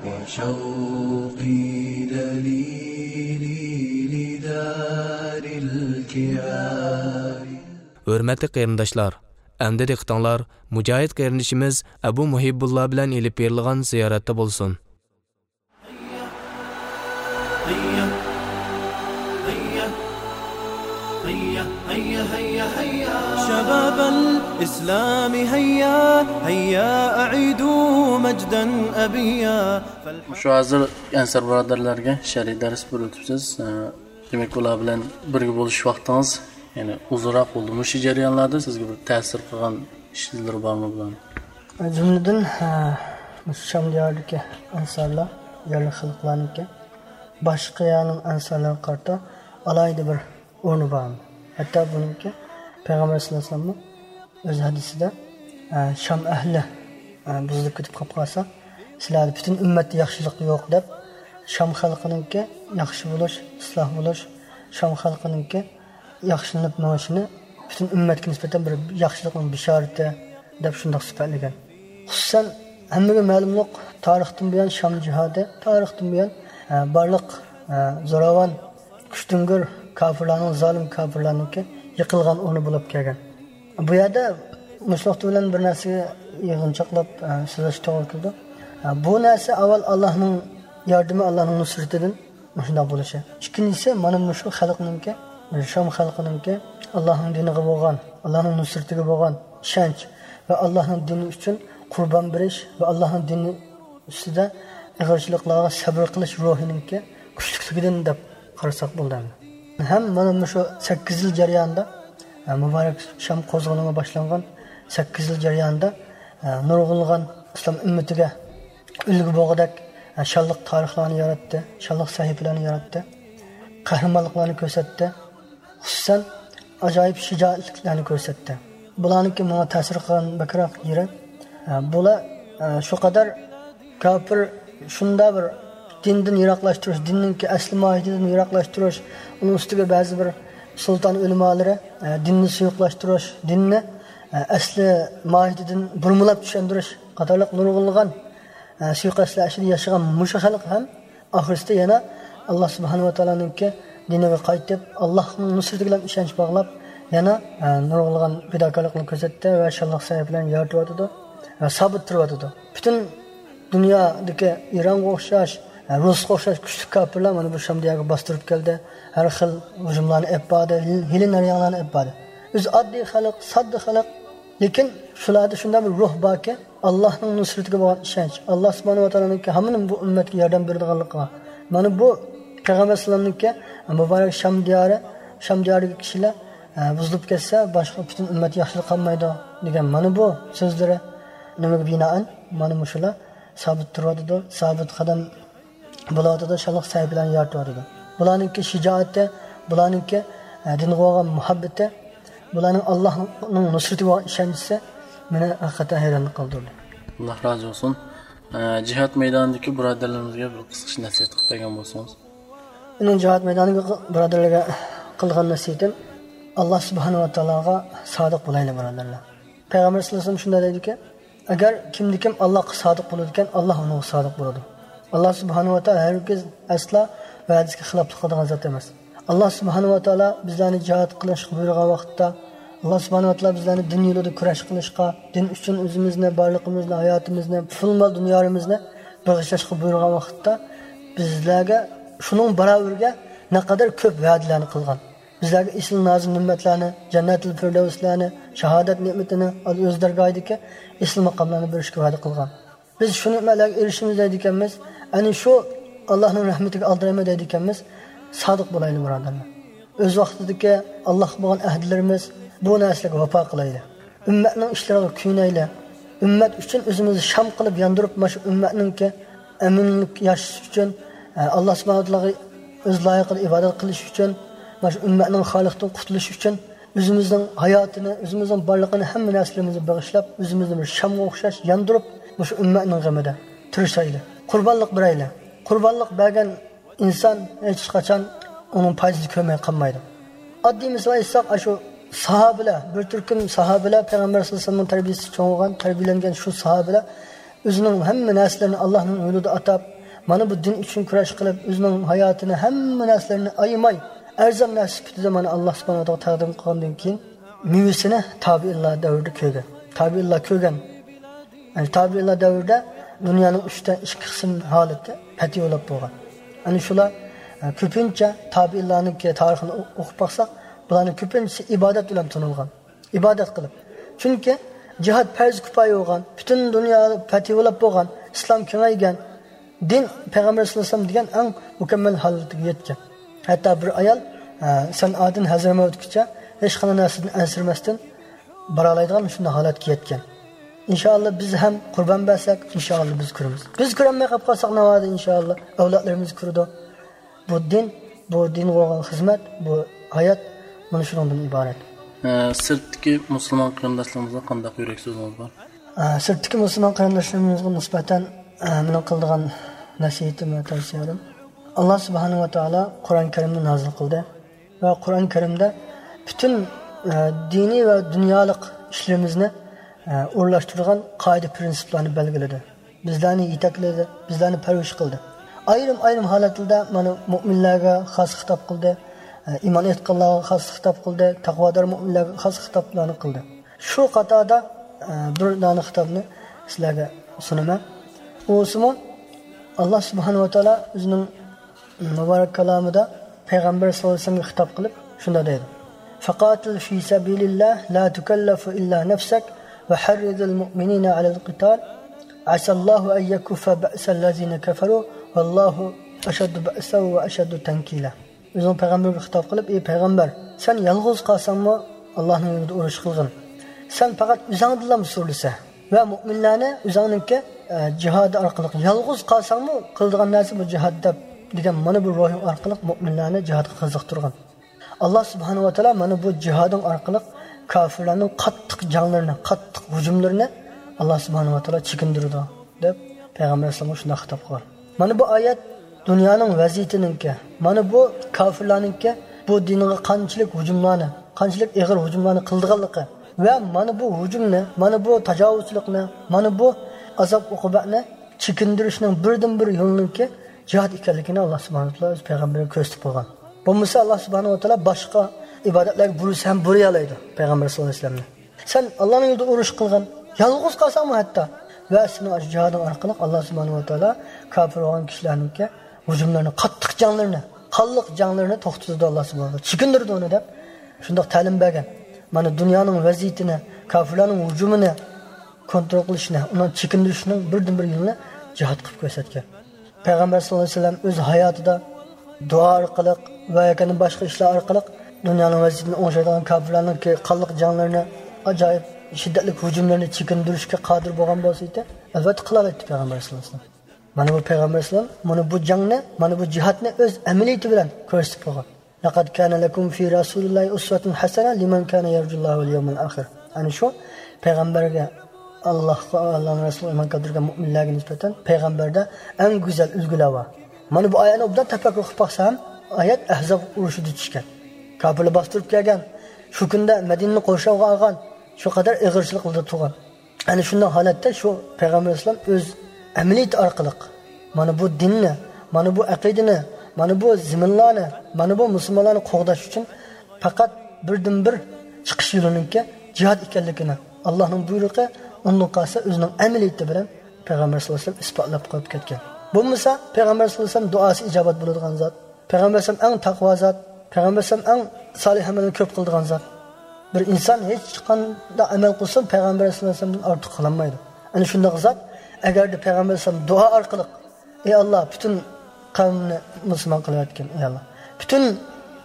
وشوقي دليلي لدار الكرام. ھۆرمەتلىك قېرىنداشلار، ئەمدى دىققىتىڭلار مۇجاھىد قېرىندىشىمىز ئەبۇ مۇھىببۇللا بىلەن ئېلىپ بېرىلغان زىيارەتتە بولسۇن. هيا، هيا، هيا، هيا، هيا، هيا. شباب الإسلام هيا، هيا أعيدوا مجدا أبيا. مۇشۇ ھازىر ئەنسار بۇرادەرلەرگە شەرئىي دەرس بېرىۋېتىپسىز. ئە، دېمەك، ئۇلار بىلەن بىرگە بولۇش ۋاقتىڭىز، يەنى، ئۇزۇنراق بولدى. مۇشۇ جەريانلاردا سىزگە بىر تەسىر قىلغان ئىشلىرى بارمۇ بۇلارنىڭ؟ جۈملىدىن، ھە، مۇشۇ شام دىيارىدىكى ئەنسارلار، يەرلىك خەلقلەرنىڭكى باشقا يەرنىڭ ئەنسارلىرىغا قارىتا ئالاھىدە بىر ئورنى بار. ھەتتا بۇنىڭكى پەيغەمبەر سەللەللاھۇ ئەلەيھى ۋەسەللەممۇ ئۆز ھەدىسىدە، ئە، شام ئەھلى، ئە، بۇزۇلۇپ كېتىپ قاپ قالسا، سىلەردە پۈتۈن ئۈممەتتە ياخشىلىق يوق دەپ، شام خەلقىنىڭكى ياخشى بولۇش، ئىسلاھ بولۇش، شام خەلقىنىڭكى ياخشىلىنىپ مېڭىشىنى پۈتۈن ئۈممەتكە نىسبەتەن بىر ياخشىلىقنىڭ بېشارىتى دەپ شۇنداق سۈپەتلىگەن. خۇسۇسەن، ھەممىگە مەلۇملۇق، تارىختىن بۇيان شام جىھادى، تارىختىن بۇيان، ئە، بارلىق، ئە، زوراۋان، كۈچتۈڭگۈر كاپىرلارنىڭ، زالىم كاپىرلارنىڭكى يىقىلغان ئورنى بولۇپ كەلگەن. بۇ يەردە مۇشۇ نۇقتا بىلەن بىر نەرسىگە يىغىنچاقلاپ، ئە، سۆزلەشكە توغرا كېلىدۇ. ئە، بۇ نەرسە ئاۋۋال ئاللاھنىڭ ياردىمى، ئاللاھنىڭ نۇسرىتىدىن مۇشۇنداق بولۇشى. ئىككىنچىسى، مانا مۇشۇ خەلقنىڭكى، شام خەلقىنىڭكى ئاللاھنىڭ دىنىغا بولغان، ئاللاھنىڭ نۇسرىتىگە بولغان ئىشەنچ ۋە ئاللاھنىڭ دىنى ئۈچۈن قۇربان بېرىش ۋە ئاللاھنىڭ دىنى ئۈستىدە ئېغىرچىلىقلارغا سەبرى قىلىش روھىنىڭكى كۈچلۈكلۈكىدىن دەپ قارىساق بولىدۇ ئەمدى. ھەم مانا مۇشۇ سەككىز يىل جەريانىدا، ئە، مۇبارەك شام قوزغىلىڭى باشلانغان سەككىز يىل جەريانىدا، ئە، نۇرغۇنلىغان ئىسلام ئۈممىتىگە ئۈلگە بولغۇدەك، ئە، شانلىق تارىخلارنى ياراتتى، شانلىق سەھىپىلەرنى ياراتتى، قەھرىمانلىقلارنى كۆرسەتتى. خۇسۇسەن، ئاجايىپ شىجائەتلىكلەرنى كۆرسەتتى. بۇلارنىڭكى ماڭا تەسىر قىلغان بەكرەك يېرى، ئە، بۇلار، ئە، شۇ قەدەر كاپىر شۇنداق بىر دىندىن يىراقلاشتۇرۇش، دىننىڭكى ئەسلى ماھىيىتىدىن يىراقلاشتۇرۇش، ئۇنىڭ ئۈستىگە بەزى بىر سۇلتان ئۆلىمالىرى، ئە، دىننى سۇيۇقلاشتۇرۇش، دىننى، ئە، ئەسلى ماھىيىتىدىن بۇرمىلاپ چۈشەندۈرۈش قاتارلىق نۇرغۇنلىغان، ئە، سۇيىقەستلەر ئىچىدە ياشىغان مۇشۇ خەلق ھەم ئاخىرسىدا يەنە ئاللا سۇبھانەھۇ ۋە تائالانىڭكى دىنىغا قايتىپ، ئاللانىڭ نۇسرىتى بىلەن ئىشەنچ باغلاپ، يەنە، ئە، نۇرغۇنلىغان پىداكارلىقنى كۆرسەتتى ۋە شانلىق سەھىپىلەرنى يارىتىۋاتىدۇ ۋە سابىت تۇرۇۋاتىدۇ. پۈتۈن دۇنيادىكى ئىرانغا ئوخشاش، ئە، رۇسقا ئوخشاش كۈچلۈك كاپىرلار مانا بۇ شام دىيارىغا باستۇرۇپ كەلدى. ھەر خىل ھۇجۇملارنى ئېلىپ باردى، ھىيلە-، ھىيلە-نەريانلارنى ئېلىپ باردى. ئۆزى ئاددىي خەلق، ساددا خەلق، لېكىن شۇلاردا شۇنداق بىر روھ باركى، ئاللانىڭ نۇسرىتىگە بولغان ئىشەنچ، ئاللا سۇبھانەھۇ ۋە تائالانىڭكى ھامان بۇ ئۈممەتكە ياردەم بېرىدىغانلىقىغا، مانا بۇ پەيغەمبەر ئەلەيھىسسالامنىڭكى مۇبارەك شام دىيارى، شام دىيارىدىكى كىشىلەر، ئە، بۇزۇلۇپ كەتسە، باشقا پۈتۈن ئۈممەت ياخشىلىق قالمايدۇ دېگەن مانا بۇ سۆزلىرى، نېمىگە بىنائەن مانا مۇشۇلار سابىت تۇرۇۋاتىدۇ، سابىت قەدەم بولۇۋاتىدۇ، شانلىق سەھىپىلەرنى يارىتىۋاتىدۇ. بۇلارنىڭكى شىجائىتى، بۇلارنىڭكى، ئە، دىنغا بولغان مۇھەببىتى، بۇلارنىڭ ئاللانىڭ نۇسرىتىگە بولغان ئىشەنچىسى مېنى ھەقىقەتەن ھەيران قالدۇردى. ئاللا رازى بولسۇن. ئە، جىھاد مەيدانىدىكى بۇرادەرلىرىمىزگە بىر قىسقىچە نەسىھەت قىلىپ بەرگەن بولسىڭىز. مېنىڭ جىھاد مەيدانىدىكى بۇرادەرلەرگە قىلغان نەسىھىتىم، ئاللا سۇبھانەھۇ ۋە تائالاغا سادىق بولايلى، بۇرادەرلەر. پەيغەمبەر سەللەللاھۇ ئەلەيھى ۋەسەللەم شۇنداق دەيدىكى، ئەگەر كىمدىكىم ئاللاغا سادىق بولىدىكەن، ئاللا ئۇنىڭغا سادىق بولىدۇ. ئاللا سۇبھانەھۇ ۋە تائالا ھەرگىز ئەسلا ۋەدىسىگە خىلاپلىق قىلىدىغان زات ئەمەس. ئاللا سۇبھانەھۇ ۋە تائالا بىزلەرنى جىھاد قىلىشقا بۇيرۇغان ۋاقىتتا، ئاللا سۇبھانەھۇ ۋە تائالا بىزلەرنى دىن يولىدا كۈرەش قىلىشقا، دىن ئۈچۈن ئۆزىمىزنى، بارلىقىمىزنى، ھاياتىمىزنى، پۇل-مال دۇنيالىرىمىزنى بېغىشلاشقا بۇيرۇغان ۋاقىتتا، بىزلەرگە شۇنىڭ باراۋىرىگە نەقەدەر كۆپ ۋەدىلەرنى قىلغان. بىزلەرگە ئېسىل نازۇ نېمەتلەرنى، جەننەتۇل فىردەۋسلەرنى، شاھادەت نېمىتىنى، ئۆز دەرگاھىدىكى ئېسىل ماقاملارنى بېرىشكە ۋەدە قىلغان. بىز شۇ نېمەتلەرگە ئېرىشىمىز دەيدىكەنمىز، ئەنە شۇ ئاللانىڭ رەھمىتىگە ئالدىرايمەن دەيدىكەنمىز، سادىق بولايلى، بۇرادەرلەر. ئۆز ۋاقتىدىكى ئاللاغا بولغان ئەھدىلىرىمىز، بۇ نەرسىلەرگە ۋاپا قىلايلى. ئۈممەتنىڭ ئىشلىرىغا كۆيۈنەيلى. ئۈممەت ئۈچۈن ئۆزىمىزنى شام قىلىپ ياندۇرۇپ، مانا شۇ ئۈممەتنىڭكى ئەمىنلىك ياشىشى ئۈچۈن، ئە، ئاللا سۇبھانەھۇ ۋە تائالاغا ئۆز لايىقىدا ئىبادەت قىلىش ئۈچۈن، مانا شۇ ئۈممەتنىڭ خارلىقتىن قۇتۇلۇشى ئۈچۈن ئۆزىمىزنىڭ ھاياتىنى، ئۆزىمىزنىڭ بارلىقىنى، ھەممە نەرسىلىرىمىزنى بېغىشلاپ، ئۆزىمىزنى بىر شامغا ئوخشاش ياندۇرۇپ، مۇشۇ ئۈممەتنىڭ غېمىدە تىرىشايلى. قۇربانلىق بېرەيلى. قۇربانلىق بەرگەن ئىنسان ھېچقاچان ئۇنىڭ پايدىسىنى كۆرمەي قالمايدۇ. ئاددىي مىسال ئېيتساق، ئاشۇ ساھابىلەر، بىر تۈركۈم ساھابىلەر، پەيغەمبەر سەللەللاھۇ ئەلەيھى ۋەسەللەمنىڭ تەربىيەسىدە چوڭ بولغان، تەربىيەلەنگەن شۇ ساھابىلەر ئۆزىنىڭ ھەممە نەرسىلىرىنى ئاللانىڭ يولىدا ئاتاپ، مانا بۇ دىن ئۈچۈن كۈرەش قىلىپ، ئۆزىنىڭ ھاياتىنى، ھەممە نەرسىلىرىنى ئايىماي، ئەرزان نەرسە سۈپىتىدە مانا ئاللا سۇبھانەھۇ ۋە تائالاغا تەقدىم قىلغاندىن كېيىن، مېۋىسىنى تابىئىنلار دەۋرىدە كۆرگەن. تابىئىنلار كۆرگەن. يەنى تابىئىنلار دەۋرىدە دۇنيانىڭ ئۈچتىن ئىككى قىسىم ھالىتى پەتھى بولۇپ بولغان. ئەنە شۇلار، ئە، كۆپىنچە تابىئىنلارنىڭكى تارىخىنى ئو-، ئوقۇپ باقساق، بۇلارنىڭ كۆپىنچىسى ئىبادەت بىلەن تونۇلغان. ئىبادەت قىلىپ. چۈنكى جىھاد پەرز كۇپايە بولغان، پۈتۈن دۇنيا پەتھى بولۇپ بولغان، ئىسلام كېڭەيگەن، دىن پەيغەمبەر سەللەللاھۇ ئەلەيھى ۋەسەللەم دېگەن ئەڭ مۇكەممەل ھالىتىگە يەتكەن. ھەتتا بىر ئايال، ئە، سەنئادىن ھەزرەمەتكىچە ھېچقانداق نەرسىدىن ئەنسىرىمەستىن بارالايدىغان شۇنداق ھالەتكە يەتكەن. ئىنشائاللا، بىز ھەم قۇربان بەرسەك، ئىنشائاللا، بىز كۆرىمىز. بىز كۆرەلمەي قېلىپ قالساق، ناۋادا، ئىنشائاللا، ئەۋلادلىرىمىز كۆرىدۇ. بۇ دىن، بۇ دىنغا بولغان خىزمەت، بۇ ھايات مانا شۇنىڭدىن ئىبارەت. ئە، سىرتتىكى مۇسۇلمان قېرىنداشلىرىمىزغا قانداق يۈرەك سۆزىڭىز بار؟ ئە، سىرتتىكى مۇسۇلمان قېرىنداشلىرىمىزغا نىسبەتەن، ئە، مېنىڭ قىلىدىغان نەسىھىتىم ۋە تەۋسىيەلىرىم، ئاللا سۇبھانەھۇ ۋە تائالا قۇرئان كەرىمنى نازىل قىلدى ۋە قۇرئان كەرىمدە پۈتۈن، ئە، دىنىي ۋە دۇنيالىق ئىشلىرىمىزنى، ئە، ئورۇنلاشتۇرىدىغان قائىدە پىرىنسىپلارنى بەلگىلىدى. بىزلەرنى يېتەكلىدى، بىزلەرنى پەرۋىش قىلدى. ئايرىم-ئايرىم ھالەتلەردە مانا مۆمىنلەرگە خاس خىتاب قىلدى، ئە، ئىمان ئېيتقانلارغا خاس خىتاب قىلدى، تەقۋادار مۆمىنلەرگە خاس خىتابلارنى قىلدى. شۇ قاتاردا، ئە، بىر دانە خىتابنى سىلەرگە سۇنىمەن. ئۇسىمۇ ئاللا سۇبھانەھۇ ۋە تائالا ئۆزىنىڭ مۇبارەك كالامىدا پەيغەمبەر سەللەللاھۇ ئەلەيھى ۋەسەللەمگە خىتاب قىلىپ شۇنداق دەيدۇ: فقاتل في سبيل الله لا تكلف إلا نفسك وحرض المؤمنين على القتال عسى الله أن يكف بأس الذين كفروا والله أشد بأسا وأشد تنكيلا. ئۆزىنىڭ پەيغەمبەرگە خىتاب قىلىپ، ئى پەيغەمبەر، سەن يالغۇز قالساڭمۇ ئاللانىڭ يولىدا ئۇرۇش قىلغىن. سەن پەقەت ئۆزۈڭدىنلا سۈرۈلسە ۋە مۆمىنلەرنى ئۆزۈڭنىڭكى، ئە، جىھادى ئارقىلىق، يالغۇز قالساڭمۇ قىلىدىغان نەرسە بۇ جىھاد دەپ دېگەن مانا بۇ روھىڭ ئارقىلىق مۆمىنلەرنى جىھادقا قىزىقتۇرغىن. ئاللا سۇبھانەھۇ ۋە تائالا مانا بۇ جىھادىڭ ئارقىلىق كاپىرلارنىڭ قاتتىق جەڭلىرىنى، قاتتىق ھۇجۇملىرىنى ئاللا سۇبھانەھۇ ۋە تائالا چېكىندۈرىدۇ، دەپ پەيغەمبەر ئەلەيھىسسالامغا شۇنداق خىتاب قىلغان. مانا بۇ ئايەت دۇنيانىڭ ۋەزىيىتىنىڭكى، مانا بۇ كاپىرلارنىڭكى بۇ دىنغا قانچىلىك ھۇجۇملارنى، قانچىلىك ئېغىر ھۇجۇملارنى قىلىدىغانلىقى ۋە مانا بۇ ھۇجۇمنى، مانا بۇ تاجاۋۇزچىلىقنى، مانا بۇ ئازاب-ئوقۇبەتنى چېكىندۈرۈشنىڭ بىردىنبىر يولىنىڭكى جىھاد ئىكەنلىكىنى ئاللا سۇبھانەھۇ ۋە تائالا ئۆز پەيغەمبىرىگە كۆرسىتىپ قويغان. بولمىسا ئاللا سۇبھانەھۇ ۋە تائالا باشقا ئىبادەتلەرگە بۇيرۇسا ھەم بۇيرۇيالايدۇ پەيغەمبەر سەللەللاھۇ ئەلەيھى ۋەسەللەمنى. سەن ئاللانىڭ يولىدا ئۇرۇش قىلغىن، يالغۇز قالساڭمۇ ھەتتا، ۋە سېنىڭ ئاشۇ جىھادىڭ ئارقىلىق ئاللا سۇبھانەھۇ ۋە تائالا كاپىر بولغان كىشىلەرنىڭكى ھۇجۇملىرىنى، قاتتىق جەڭلىرىنى، قانلىق جەڭلىرىنى توختىتىدۇ ئاللا سۇبھانەھۇ ۋە تائالا، چېكىندۈرىدۇ ئۇنى دەپ شۇنداق تەلىم بەرگەن. مانا دۇنيانىڭ ۋەزىيىتىنى، كاپىرلارنىڭ ھۇجۇمىنى كونترول قىلىشنى، ئۇنى چېكىندۈرۈشنىڭ بىردىنبىر يولىنى جىھاد قىلىپ كۆرسەتكەن. پەيغەمبەر سەللەللاھۇ ئەلەيھى ۋەسەللەم ئۆز ھاياتىدا دۇئا ئارقىلىق ۋە ياكى باشقا ئىشلار ئارقىلىق دۇنيانىڭ ۋەزىيىتىنى ئوڭشايدىغان كاپىرلارنىڭكى قانلىق جەڭلىرىنى، ئاجايىپ شىددەتلىك ھۇجۇملىرىنى چېكىندۈرۈشكە قادىر بولغان بولسا ئىدى، ئەلۋەتتە قىلالايتتى پەيغەمبەر سەللەللاھۇ ئەلەيھى ۋەسەللەم. مانا بۇ پەيغەمبەر سەللەللاھۇ ئەلەيھى ۋەسەللەم مانا بۇ جەڭنى ئۆز ئەمەلىيىتى بىلەن كۆرسىتىپ قويغان. لقد كان لكم في رسول الله أسوة حسنة لمن كان يرجو الله واليوم الآخر. ئەنە شۇ پەيغەمبەرگە، ئاللاھقا، ئاللانىڭ رەسۇلىغا ئىمان كەلتۈرگەن مۆمىنلەرگە نىسبەتەن پەيغەمبەردە ئەڭ گۈزەل ئۈلگىلەر بار. مانا بۇ ئايەتنى ئوبدان تەپەككۇر قىلىپ باقسا ھەم، ئايەت ئەھزاب ئۇرۇشىدا چۈشكەن. كاپىرلار باستۇرۇپ كەلگەن، شۇ كۈندە مەدىنىنى قورشاۋغا ئالغان، شۇ قەدەر ئېغىرچىلىقلاردا تۇرغان. ئەنە شۇنداق ھالەتتە شۇ پەيغەمبەر ئەلەيھىسسالام ئۆز ئەمەلىيىتى ئارقىلىق مانا بۇ دىننى، مانا بۇ ئەقىدىنى، مانا بۇ زېمىنلارنى، مانا بۇ مۇسۇلمانلارنى قوغداش ئۈچۈن پەقەت بىردىنبىر چىقىش يولىنىڭكى جىھاد ئىكەنلىكىنى، ئاللانىڭ بۇيرۇقى، ئۇندىن قالسا ئۆزىنىڭ ئەمەلىيىتى بىلەن پەيغەمبەر سەللەللاھۇ ئەلەيھى ۋەسەللەم ئىسپاتلاپ قويۇپ كەتكەن. بولمىسا پەيغەمبەر سەللەللاھۇ ئەلەيھى ۋەسەللەم دۇئاسى ئىجابەت بولىدىغان زات. پەيغەمبەر ئەلەيھىسسالام ئەڭ تەقۋا زات، پەيغەمبەر ئەلەيھىسسالام ئەڭ سالىھ ئەمەلنى كۆپ قىلىدىغان زات. بىر ئىنسان ھېچقانداق ئەمەل قىلسۇن، پەيغەمبەر ئەلەيھىسسالامدىن ئارتۇق قىلالمايدۇ. ئەنە شۇنداق زات، ئەگەردە پەيغەمبەر ئەلەيھىسسالام دۇئا ئارقىلىق، ئەي ئاللا، پۈتۈن قەۋمنى مۇسۇلمان قىلىۋەتكىن، ئەي ئاللا، پۈتۈن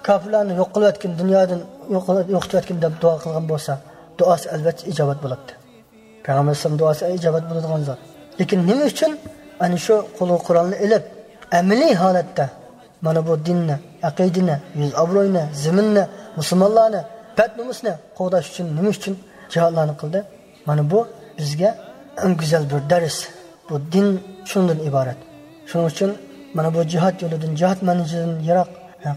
كاپىرلارنى يوق قىلىۋەتكىن، دۇنيادىن يوق-، يوقىتىۋەتكىن دەپ دۇئا قىلغان بولسا، دۇئاسى ئەلۋەتتە ئىجابەت بولاتتى. پەيغەمبەر ئەلەيھىسسالام دۇئاسى ئىجابەت بولىدىغان زات. لېكىن نېمە ئۈچۈن ئەنە شۇ قولىغا قورالنى ئېلىپ، ئەمەلىي ھالەتتە مانا بۇ دىننى، ئەقىدىنى، يۈز ئابرۇينى، زېمىننى، مۇسۇلمانلارنى، بەت نومۇسنى قوغداش ئۈچۈن نېمە ئۈچۈن جىھادلارنى قىلدى؟ مانا بۇ بىزگە ئەڭ گۈزەل بىر دەرس. بۇ دىن شۇنىڭدىن ئىبارەت. شۇنىڭ ئۈچۈن مانا بۇ جىھاد يولىدىن، جىھاد مەنزىلىدىن يىراق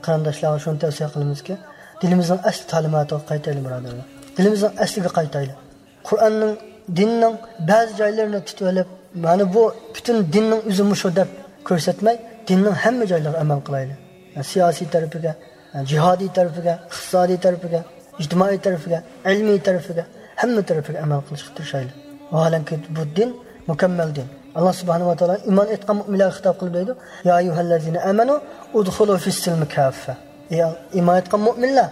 قېرىنداشلارغا شۇنى تەۋسىيە قىلىمىزكى، دىلىمىزنىڭ ئەسلى تەلىماتىغا قايتايلى، بۇرادەرلەر. دىلىمىزنىڭ ئەسلىگە قايتايلى. قۇرئاننىڭ، دىننىڭ بەزى جايلىرىنى تۇتۇۋېلىپ، مانا بۇ پۈتۈن دىننىڭ ئۆزى مۇشۇ دەپ كۆرسەتمەي، دىننىڭ ھەممە جايلىرىغا ئەمەل قىلايلى. سىياسىي تەرىپىگە، جىھادىي تەرىپىگە، ئىقتىسادىي تەرىپىگە، ئىجتىمائىي تەرىپىگە، ئىلمىي تەرىپىگە، ھەممە تەرىپىگە ئەمەل قىلىشقا تىرىشايلى. ۋاھالەنكى، بۇ دىن مۇكەممەل دىن. ئاللا سۇبھانەھۇ ۋە تائالا ئىمان ئېيتقان مۆمىنلەرگە خىتاب قىلىپ دەيدۇ: يا أيها الذين آمنوا ادخلوا في السلم كافة. ئەي ئىمان ئېيتقان مۆمىنلەر،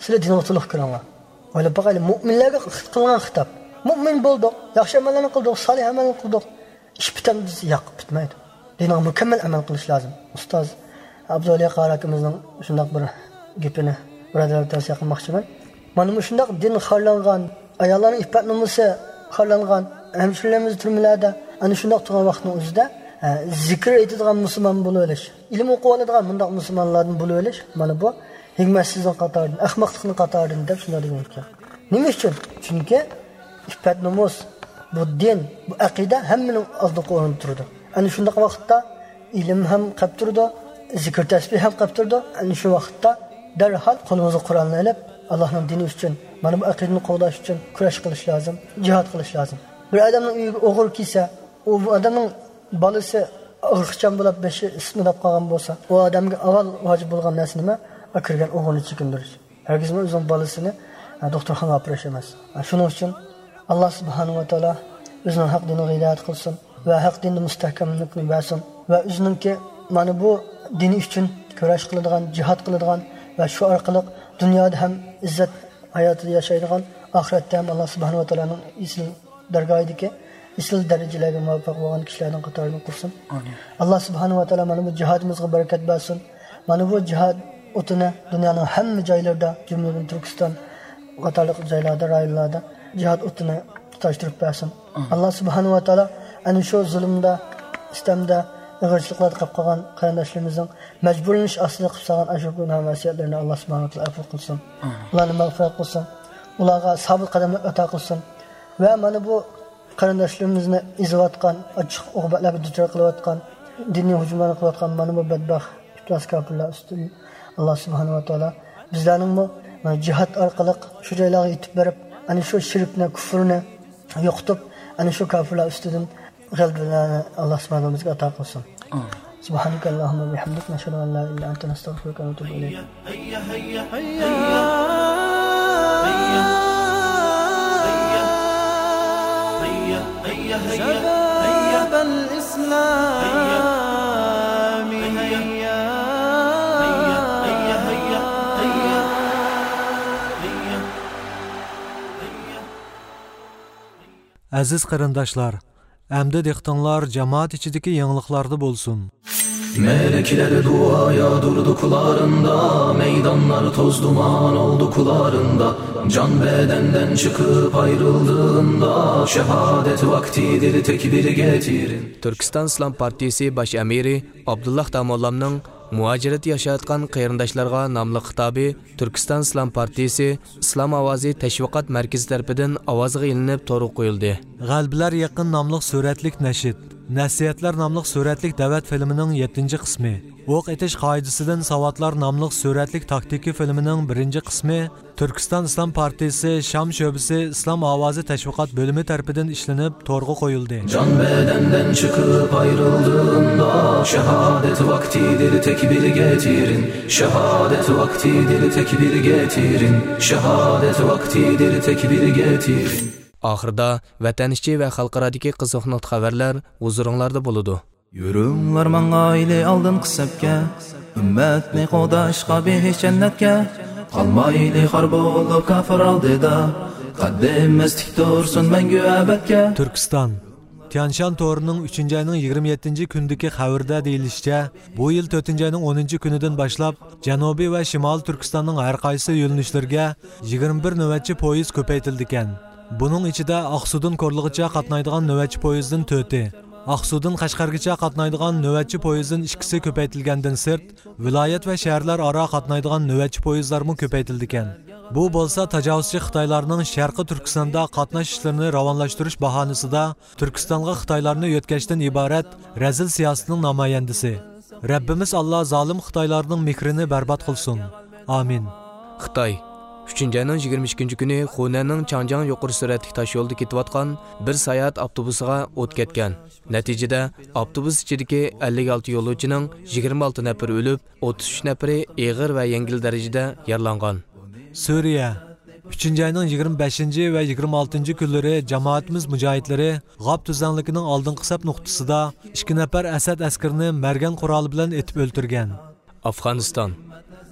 سىلەر دىنغا تولۇق كىرىڭلار. ئويلاپ باقايلى، مۆمىنلەرگە قىلغان خىتاب. مۆمىن بولدۇق، ياخشى ئەمەللەرنى قىلدۇق، سالىھ ئەمەللەرنى قىلدۇق. ئىش پۈتەمدۇ دېسە، ياق، پۈتمەيدۇ. دىنغا مۇكەممەل ئەمەل قىلىش لازىم. ئۇستاز ئابدۇۋەلى قارى ئاكىمىزنىڭ شۇنداق بىر گېپىنى بۇرادەرلەرگە تەۋسىيە قىلماقچىمەن. مانا مۇشۇنداق دىن خارلانغان، ئاياللارنىڭ ئىپپەت نومۇسى خارلانغان، ھەمشىرىلىرىمىز تۈرمىلەردە، ئەنە شۇنداق تۇرغان ۋاقىتنىڭ ئۆزىدە، ئە، زىكىر ئېيتىدىغان مۇسۇلمان بولۇۋېلىش، ئىلىم ئوقۇۋالىدىغان مۇنداق مۇسۇلمانلاردىن بولۇۋېلىش، مانا بۇ ھېكمەتسىزلىكنىڭ قاتارىدىن، ئەخمەقلىقنىڭ قاتارىدىن دەپ شۇنداق دېگەن ئىكەن. نېمە ئۈچۈن؟ چۈنكى ئىپپەت نومۇس، بۇ دىن، بۇ ئەقىدە ھەممىنىڭ ئالدىنقى ئورۇندا تۇرىدۇ. ئەنە شۇنداق ۋاقىتتا ئىلىم ھەم قەپ تۇرىدۇ، زىكىر تەسبىھ ھەم قەپ تۇرىدۇ. ئەنە شۇ ۋاقىتتا دەرھال قولىمىزغا قۇرئاننى ئېلىپ، ئاللاھنىڭ دىنى ئۈچۈن، مانا بۇ ئەقىدىنى قوغداش ئۈچۈن كۈرەش قىلىش لازىم، جىھاد قىلىش لازىم. بىر ئادەمنىڭ ئۆيىگە ئوغرى كىرسە، ئۇ ئادەمنىڭ بالىسى ئاغرىقچان بولاپ بېشى ئىسسىپ مۇنداپ قالغان بولسا، ئۇ ئادەمگە ئاۋۋال ۋاجىپ بولغان نەرسە نېمە؟ ئا، كىرگەن ئوغرىنى چېكىندۈرۈش. ھەرگىزمۇ ئۆزىنىڭ بالىسىنى، ئە، دوختۇرخانىغا ئاپىرىش ئەمەس. ئە، شۇنىڭ ئۈچۈن ئاللا سۇبھانەھۇ ۋە تائالا ئۆزىنىڭ ھەق دىنىغا ھىدايەت قىلسۇن ۋە ھەق دىندا مۇستەھكەملىكنى بەرسۇن ۋە ئۆزىنىڭكى مانا بۇ دىنى ئۈچۈن كۈرەش قىلىدىغان، جىھاد قىلىدىغان ۋە شۇ ئارقىلىق دۇنيادا ھەم ئىززەت ھاياتىدا ياشايدىغان، ئاخىرەتتە ھەم ئاللا سۇبھانەھۇ ۋە تائالانىڭ ئېسىل دەرگاھىدىكى ئېسىل دەرىجىلەرگە مۇۋەپپەق بولغان كىشىلەرنىڭ قاتارىدىن قىلسۇن. ئامىن. ئاللا سۇبھانەھۇ ۋە تائالا مانا بۇ جىھادىمىزغا بەرىكەت بەرسۇن. مانا بۇ جىھاد ئوتىنى دۇنيانىڭ ھەممە جايلىرىدا، جۈملىدىن تۈركىستان قاتارلىق جايلاردا، رايونلاردا جىھاد ئوتىنى تۇتاشتۇرۇپ بەرسۇن. ئامىن. ئاللا سۇبھانەھۇ ۋە تائالا ئەنە شۇ زۇلۇمدا، سىتەمدە، ئېغىرچىلىقلاردا قېلىپ قالغان قېرىنداشلىرىمىزنىڭ مەجبۇرلىنىش ئاستىدا قىلىپ سالغان ئاشۇ گۇناھ مەسىيەتلىرىنى ئاللا سۇبھانەھۇ ۋە تائالا ئەپۇ قىلسۇن. ئامىن. ئۇلارنى مەغپىرەت قىلسۇن. ئۇلارغا سابىت قەدەملىك ئاتا قىلسۇن. ۋە مانا بۇ قېرىنداشلىرىمىزنى ئېزىۋاتقان، ئاچچىق ئوقۇبەتلەرگە دۇچار قىلىۋاتقان، دىنىي ھۇجۇملارنى قىلىۋاتقان مانا بۇ بەتبەخت ئىپلاس كاپىرلار ئۈستىدىن ئاللا سۇبھانەھۇ ۋە تائالا بىزلەرنىڭمۇ مانا جىھاد ئارقىلىق شۇ جايلارغا يېتىپ بېرىپ، ئەنە شۇ شىركنى، كۇفرنى يوقىتىپ، ئەنە شۇ كاپىرلار ئۈستىدىن غەلىبىلەرنى ئاللا سۇبھانەھۇ بىزگە ئاتا قىلسۇن. ئامىن. سبحانك اللهم وبحمدك، نشهد أن لا إله إلا أنت، نستغفرك ونتوب إليك. هيا، هيا، هيا. هيا، هيا، هيا. شباب الإسلام، هيا. هيا، هيا، هيا. ئەزىز قېرىنداشلار، ئەمدى دىققىتىڭلار جامائەت ئىچىدىكى يېڭىلىقلاردا بولسۇن. مەرىكىلەر دۇئا ياغدۇردى كۇلارىندا، مەيدانلار توز دۇمان ئولدى كۇلارىندا، جان بەدەندىن چىقىپ ئايرىلدىغىندا، شاھادەت ۋاقتىدىر تەكبىرگە تېرىن. تۈركىستان ئىسلام پارتىيىسى باش ئەمىرى ئابدۇللاھ داموللامنىڭ مۇھاجىرەتتە ياشاۋاتقان قېرىنداشلارغا ناملىق خىتابى تۈركىستان ئىسلام پارتىيىسى ئىسلام ئاۋازى تەشۋىقات مەركىزى تەرىپىدىن ئاۋازغا ئېلىنىپ تورغا قويۇلدى. غەلىبىلەر يېقىن ناملىق سۈرەتلىك نەشىد، نەسىھەتلەر ناملىق سۈرەتلىك دەۋەت فىلىمىنىڭ يەتتىنچى قىسمى، ئوق ئېتىش قائىدىسىدىن ساۋاتلار ناملىق سۈرەتلىك تاكتىكا فىلىمىنىڭ بىرىنچى قىسمى تۈركىستان ئىسلام پارتىيىسى شام شۆبىسى ئىسلام ئاۋازى تەشۋىقات بۆلۈمى تەرىپىدىن ئىشلىنىپ تورغا قويۇلدى. جان بەدەندىن چىقىپ ئايرىلدىغىندا، شاھادەت ۋاقتىدىر تەكبىرگە تېرىن، شاھادەت ۋاقتىدىر تەكبىرگە تېرىن، شاھادەت ۋاقتىدىر تەكبىرگە تېرىن. ئاخىرىدا ۋەتەن ئىچى ۋە خەلقئارادىكى قىزىق نۇقتا خەۋەرلەر ھۇزۇرۇڭلاردا بولىدۇ. يۈرۈڭلار ماڭايلى ئالدىنقى سەپكە، ئۈممەتنى قوغداشقا بېھىشت جەننەتكە. قالمايلى خار بولۇپ كاپىر ئالدىدا، قەددىمىز تىك تۇرسۇن مەڭگۈ ئەبەدكە. تۈركىستان. تيانشان تورىنىڭ ئۈچىنچى ئاينىڭ يىگىرمە يەتتىنچى كۈنىدىكى خەۋىرىدە دېيىلىشىچە، بۇ يىل تۆتىنچى ئاينىڭ ئونىنچى كۈنىدىن باشلاپ، جەنۇبىي ۋە شىمالىي تۈركىستاننىڭ ھەر قايسى يۆنىلىشلىرىگە يىگىرمە بىر نۆۋەتچى پويىز كۆپەيتىلىدىكەن. بۇنىڭ ئىچىدە ئاقسۇدىن كورلىغىچە قاتنايدىغان نۆۋەتچى پويىزدىن تۆتى، ئاقسۇدىن قەشقەرگىچە قاتنايدىغان نۆۋەتچى پويىزدىن ئىككىسى كۆپەيتىلگەندىن سىرت، ۋىلايەت ۋە شەھەرلەر ئارا قاتنايدىغان نۆۋەتچى پويىزلارمۇ كۆپەيتىلىدىكەن. بۇ بولسا تاجاۋۇزچى خىتايلارنىڭ شەرقىي تۈركىستاندا قاتناش ئىشلىرىنى راۋانلاشتۇرۇش باھانىسىدا تۈركىستانغا خىتايلارنى يۆتكەشتىن ئىبارەت رەزىل سىياسىتىنىڭ نامايەندىسى. رەببىمىز ئاللا زالىم خىتايلارنىڭ مېھرىنى بەربات قىلسۇن. ئامىن. خىتاي. ئۈچىنچى ئاينىڭ يىگىرمە ئىككىنچى كۈنى خۇنەننىڭ چاڭجياڭ يۇقىرى سۈرئەتلىك تاشيولىدا كېتىۋاتقان بىر ساياھەت ئاپتوبۇسىغا ئوت كەتكەن. نەتىجىدە، ئاپتوبۇس ئىچىدىكى ئەللىك ئالتە يولۇچىنىڭ يىگىرمە ئالتە نەپىرى ئۆلۈپ، ئوتتۇز ئۈچ نەپىرى ئېغىر ۋە يەڭگىل دەرىجىدە يارىلانغان. سۈرىيە. ئۈچىنچى ئاينىڭ يىگىرمە بەشىنچى ۋە يىگىرمە ئالتىنچى كۈنلىرى جامائىتىمىز مۇجاھىدلىرى غاپ تۈزلەڭلىكىنىڭ ئالدىنقى سەپ نۇقتىسىدا ئىككى نەپەر ئەسەد ئەسكىرىنى مەرگەن قورالى بىلەن ئېتىپ ئۆلتۈرگەن. ئافغانىستان.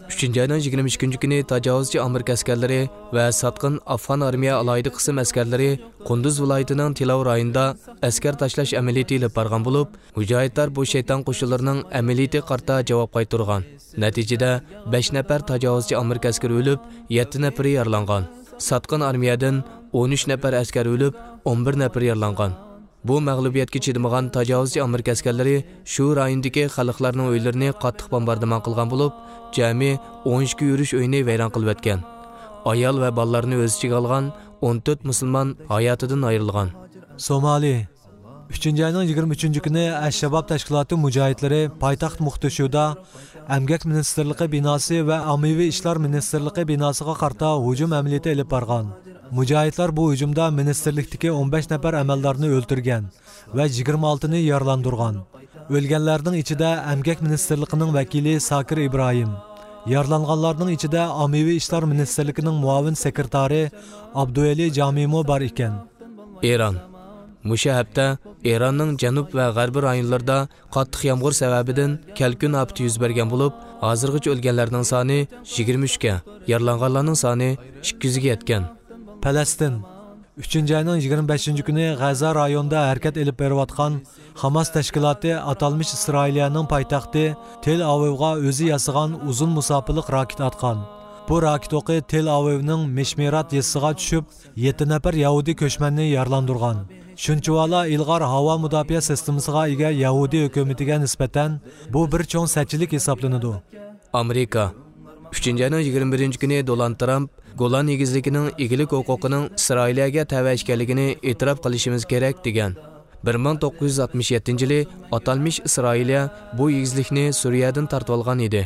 ئۈچىنچى ئاينىڭ يىگىرمە ئىككىنچى كۈنى تاجاۋۇزچى ئامېرىكا ئەسكەرلىرى ۋە ساتقىن ئافغان ئارمىيە ئالاھىدە قىسىم ئەسكەرلىرى قۇندۇز ۋىلايىتىنىڭ تىلاۋ رايونىدا ئەسكەر تاشلاش ئەمەلىيىتى ئېلىپ بارغان بولۇپ، مۇجاھىدلار بۇ شەيتان قوشۇنلىرىنىڭ ئەمەلىيىتىگە قارىتا جاۋاب قايتۇرغان. نەتىجىدە، بەش نەپەر تاجاۋۇزچى ئامېرىكا ئەسكىرى ئۆلۈپ، يەتتە نەپىرى يارىلانغان. ساتقىن ئارمىيەدىن ئون ئۈچ نەپەر ئەسكەر ئۆلۈپ، ئون بىر نەپىرى يارىلانغان. بۇ مەغلۇبىيەتكە چىدىمىغان تاجاۋۇزچى ئامېرىكا ئەسكەرلىرى شۇ رايوندىكى خەلقلەرنىڭ ئۆيلىرىنى قاتتىق بومباردىمان قىلغان بولۇپ، جەمئىي ئون ئىككى يۈرۈش ئۆينى ۋەيران قىلىۋەتكەن. ئايال ۋە بالىلارنى ئۆز ئىچىگە ئالغان ئون تۆت مۇسۇلمان ھاياتىدىن ئايرىلغان. سومالى. ئۈچىنچى ئاينىڭ يىگىرمە ئۈچىنچى كۈنى ئەش شاباب تەشكىلاتى مۇجاھىدلىرى پايتەخت موقدىشۇدا ئەمگەك مىنىستىرلىقى بىناسى ۋە ئاممىۋى ئىشلار مىنىستىرلىقى بىناسىغا قارىتا ھۇجۇم ئەمەلىيىتى ئېلىپ بارغان. مۇجاھىدلار بۇ ھۇجۇمدا مىنىستىرلىكتىكى ئون بەش نەپەر ئەمەلدارنى ئۆلتۈرگەن ۋە يىگىرمە ئالتىنى يارىلاندۇرغان. ئۆلگەنلەرنىڭ ئىچىدە ئەمگەك مىنىستىرلىقىنىڭ ۋەكىلى ساكىر ئىبراھىم، يارىلانغانلارنىڭ ئىچىدە ئاممىۋى ئىشلار مىنىستىرلىكىنىڭ مۇئاۋىن سېكرېتارى ئابدۇۋەلى جامىمۇ بار ئىكەن. ئىران. مۇشۇ ھەپتە ئىراننىڭ جەنۇب ۋە غەربىي رايونلىرىدا قاتتىق يامغۇر سەۋەبىدىن كەلكۈن ئاپىتى يۈز بەرگەن بولۇپ، ھازىرغىچە ئۆلگەنلەرنىڭ سانى يىگىرمە ئۈچكە، يارىلانغانلارنىڭ سانى ئىككى يۈزگە يەتكەن. پەلەستىن. ئۈچىنچى ئاينىڭ يىگىرمە بەشىنچى كۈنى غەززە رايونىدا ھەرىكەت ئېلىپ بېرىۋاتقان خاماس تەشكىلاتى ئاتالمىش ئىسرائىلىيەنىڭ پايتەختى تېل ئاۋىۋغا ئۆزى ياسىغان ئۇزۇن مۇساپىلىق راكېت ئاتقان. بۇ راكېت ئوقى تېل ئاۋىۋنىڭ مىشمىرات يېزىسىغا چۈشۈپ، يەتتە نەپەر يەھۇدىي كۆچمەننى يارىلاندۇرغان. شۇنچىۋالا ئىلغار ھاۋا مۇداپىئە سىستېمىسىغا ئىگە يەھۇدىي ھۆكۈمىتىگە نىسبەتەن بۇ بىر چوڭ سەتچىلىك ھېسابلىنىدۇ. ئامېرىكا. ئۈچىنچى ئاينىڭ يىگىرمە بىرىنچى كۈنى دونالد ترامپ گولان ئېگىزلىكىنىڭ ئىگىلىك ھوقۇقىنىڭ ئىسرائىلىيەگە تەۋە ئىكەنلىكىنى ئېتىراپ قىلىشىمىز كېرەك، دېگەن. بىر مىڭ توققۇز يۈز ئاتمىش يەتتىنچى يىلى ئاتالمىش ئىسرائىلىيە بۇ ئېگىزلىكنى سۈرىيەدىن تارتىۋالغان ئىدى.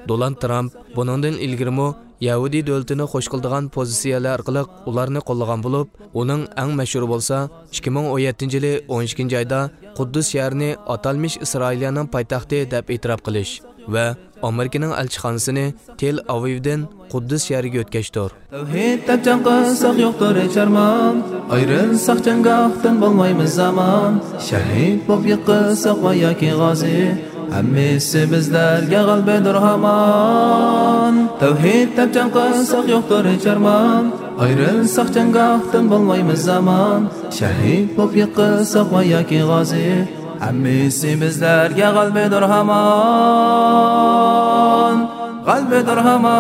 دونالد ترامپ بۇنىڭدىن ئىلگىرىمۇ يەھۇدىي دۆلىتىنى خوش قىلىدىغان پوزىتسىيەلەر ئارقىلىق ئۇلارنى قوللىغان بولۇپ، ئۇنىڭ ئەڭ مەشھۇرى بولسا ئىككى مىڭ ئون يەتتىنچى يىلى ئون ئىككىنچى ئايدا قۇددۇس شەھىرىنى ئاتالمىش ئىسرائىلىيەنىڭ پايتەختى دەپ ئېتىراپ قىلىش ۋە ئامېرىكىنىڭ ئەلچىخانىسىنى تېل ئاۋىۋدىن قۇددۇس شەھىرىگە ئۆتكەشتۇر. تەۋھىد دەپ جەڭ قىلساق يوقتۇر ھېچ ئارمان، ئايرىلساق جەڭگاھتىن بولمايمىز ئامان. شەھىد بولۇپ يىقىلساق ۋە ياكى غازى، ھەممىسى بىزلەرگە غەلىبىدۇر ھامان. تەۋھىد دەپ جەڭ قىلساق يوقتۇر ھېچ ئارمان، ئايرىلساق جەڭگاھتىن بولمايمىز ئامان. شەھىد بولۇپ يىقىلساق ۋە ياكى غازى، ھەممىسى بىزلەرگە غەلىبىدۇر ھامان، غەلىبىدۇر ھامان.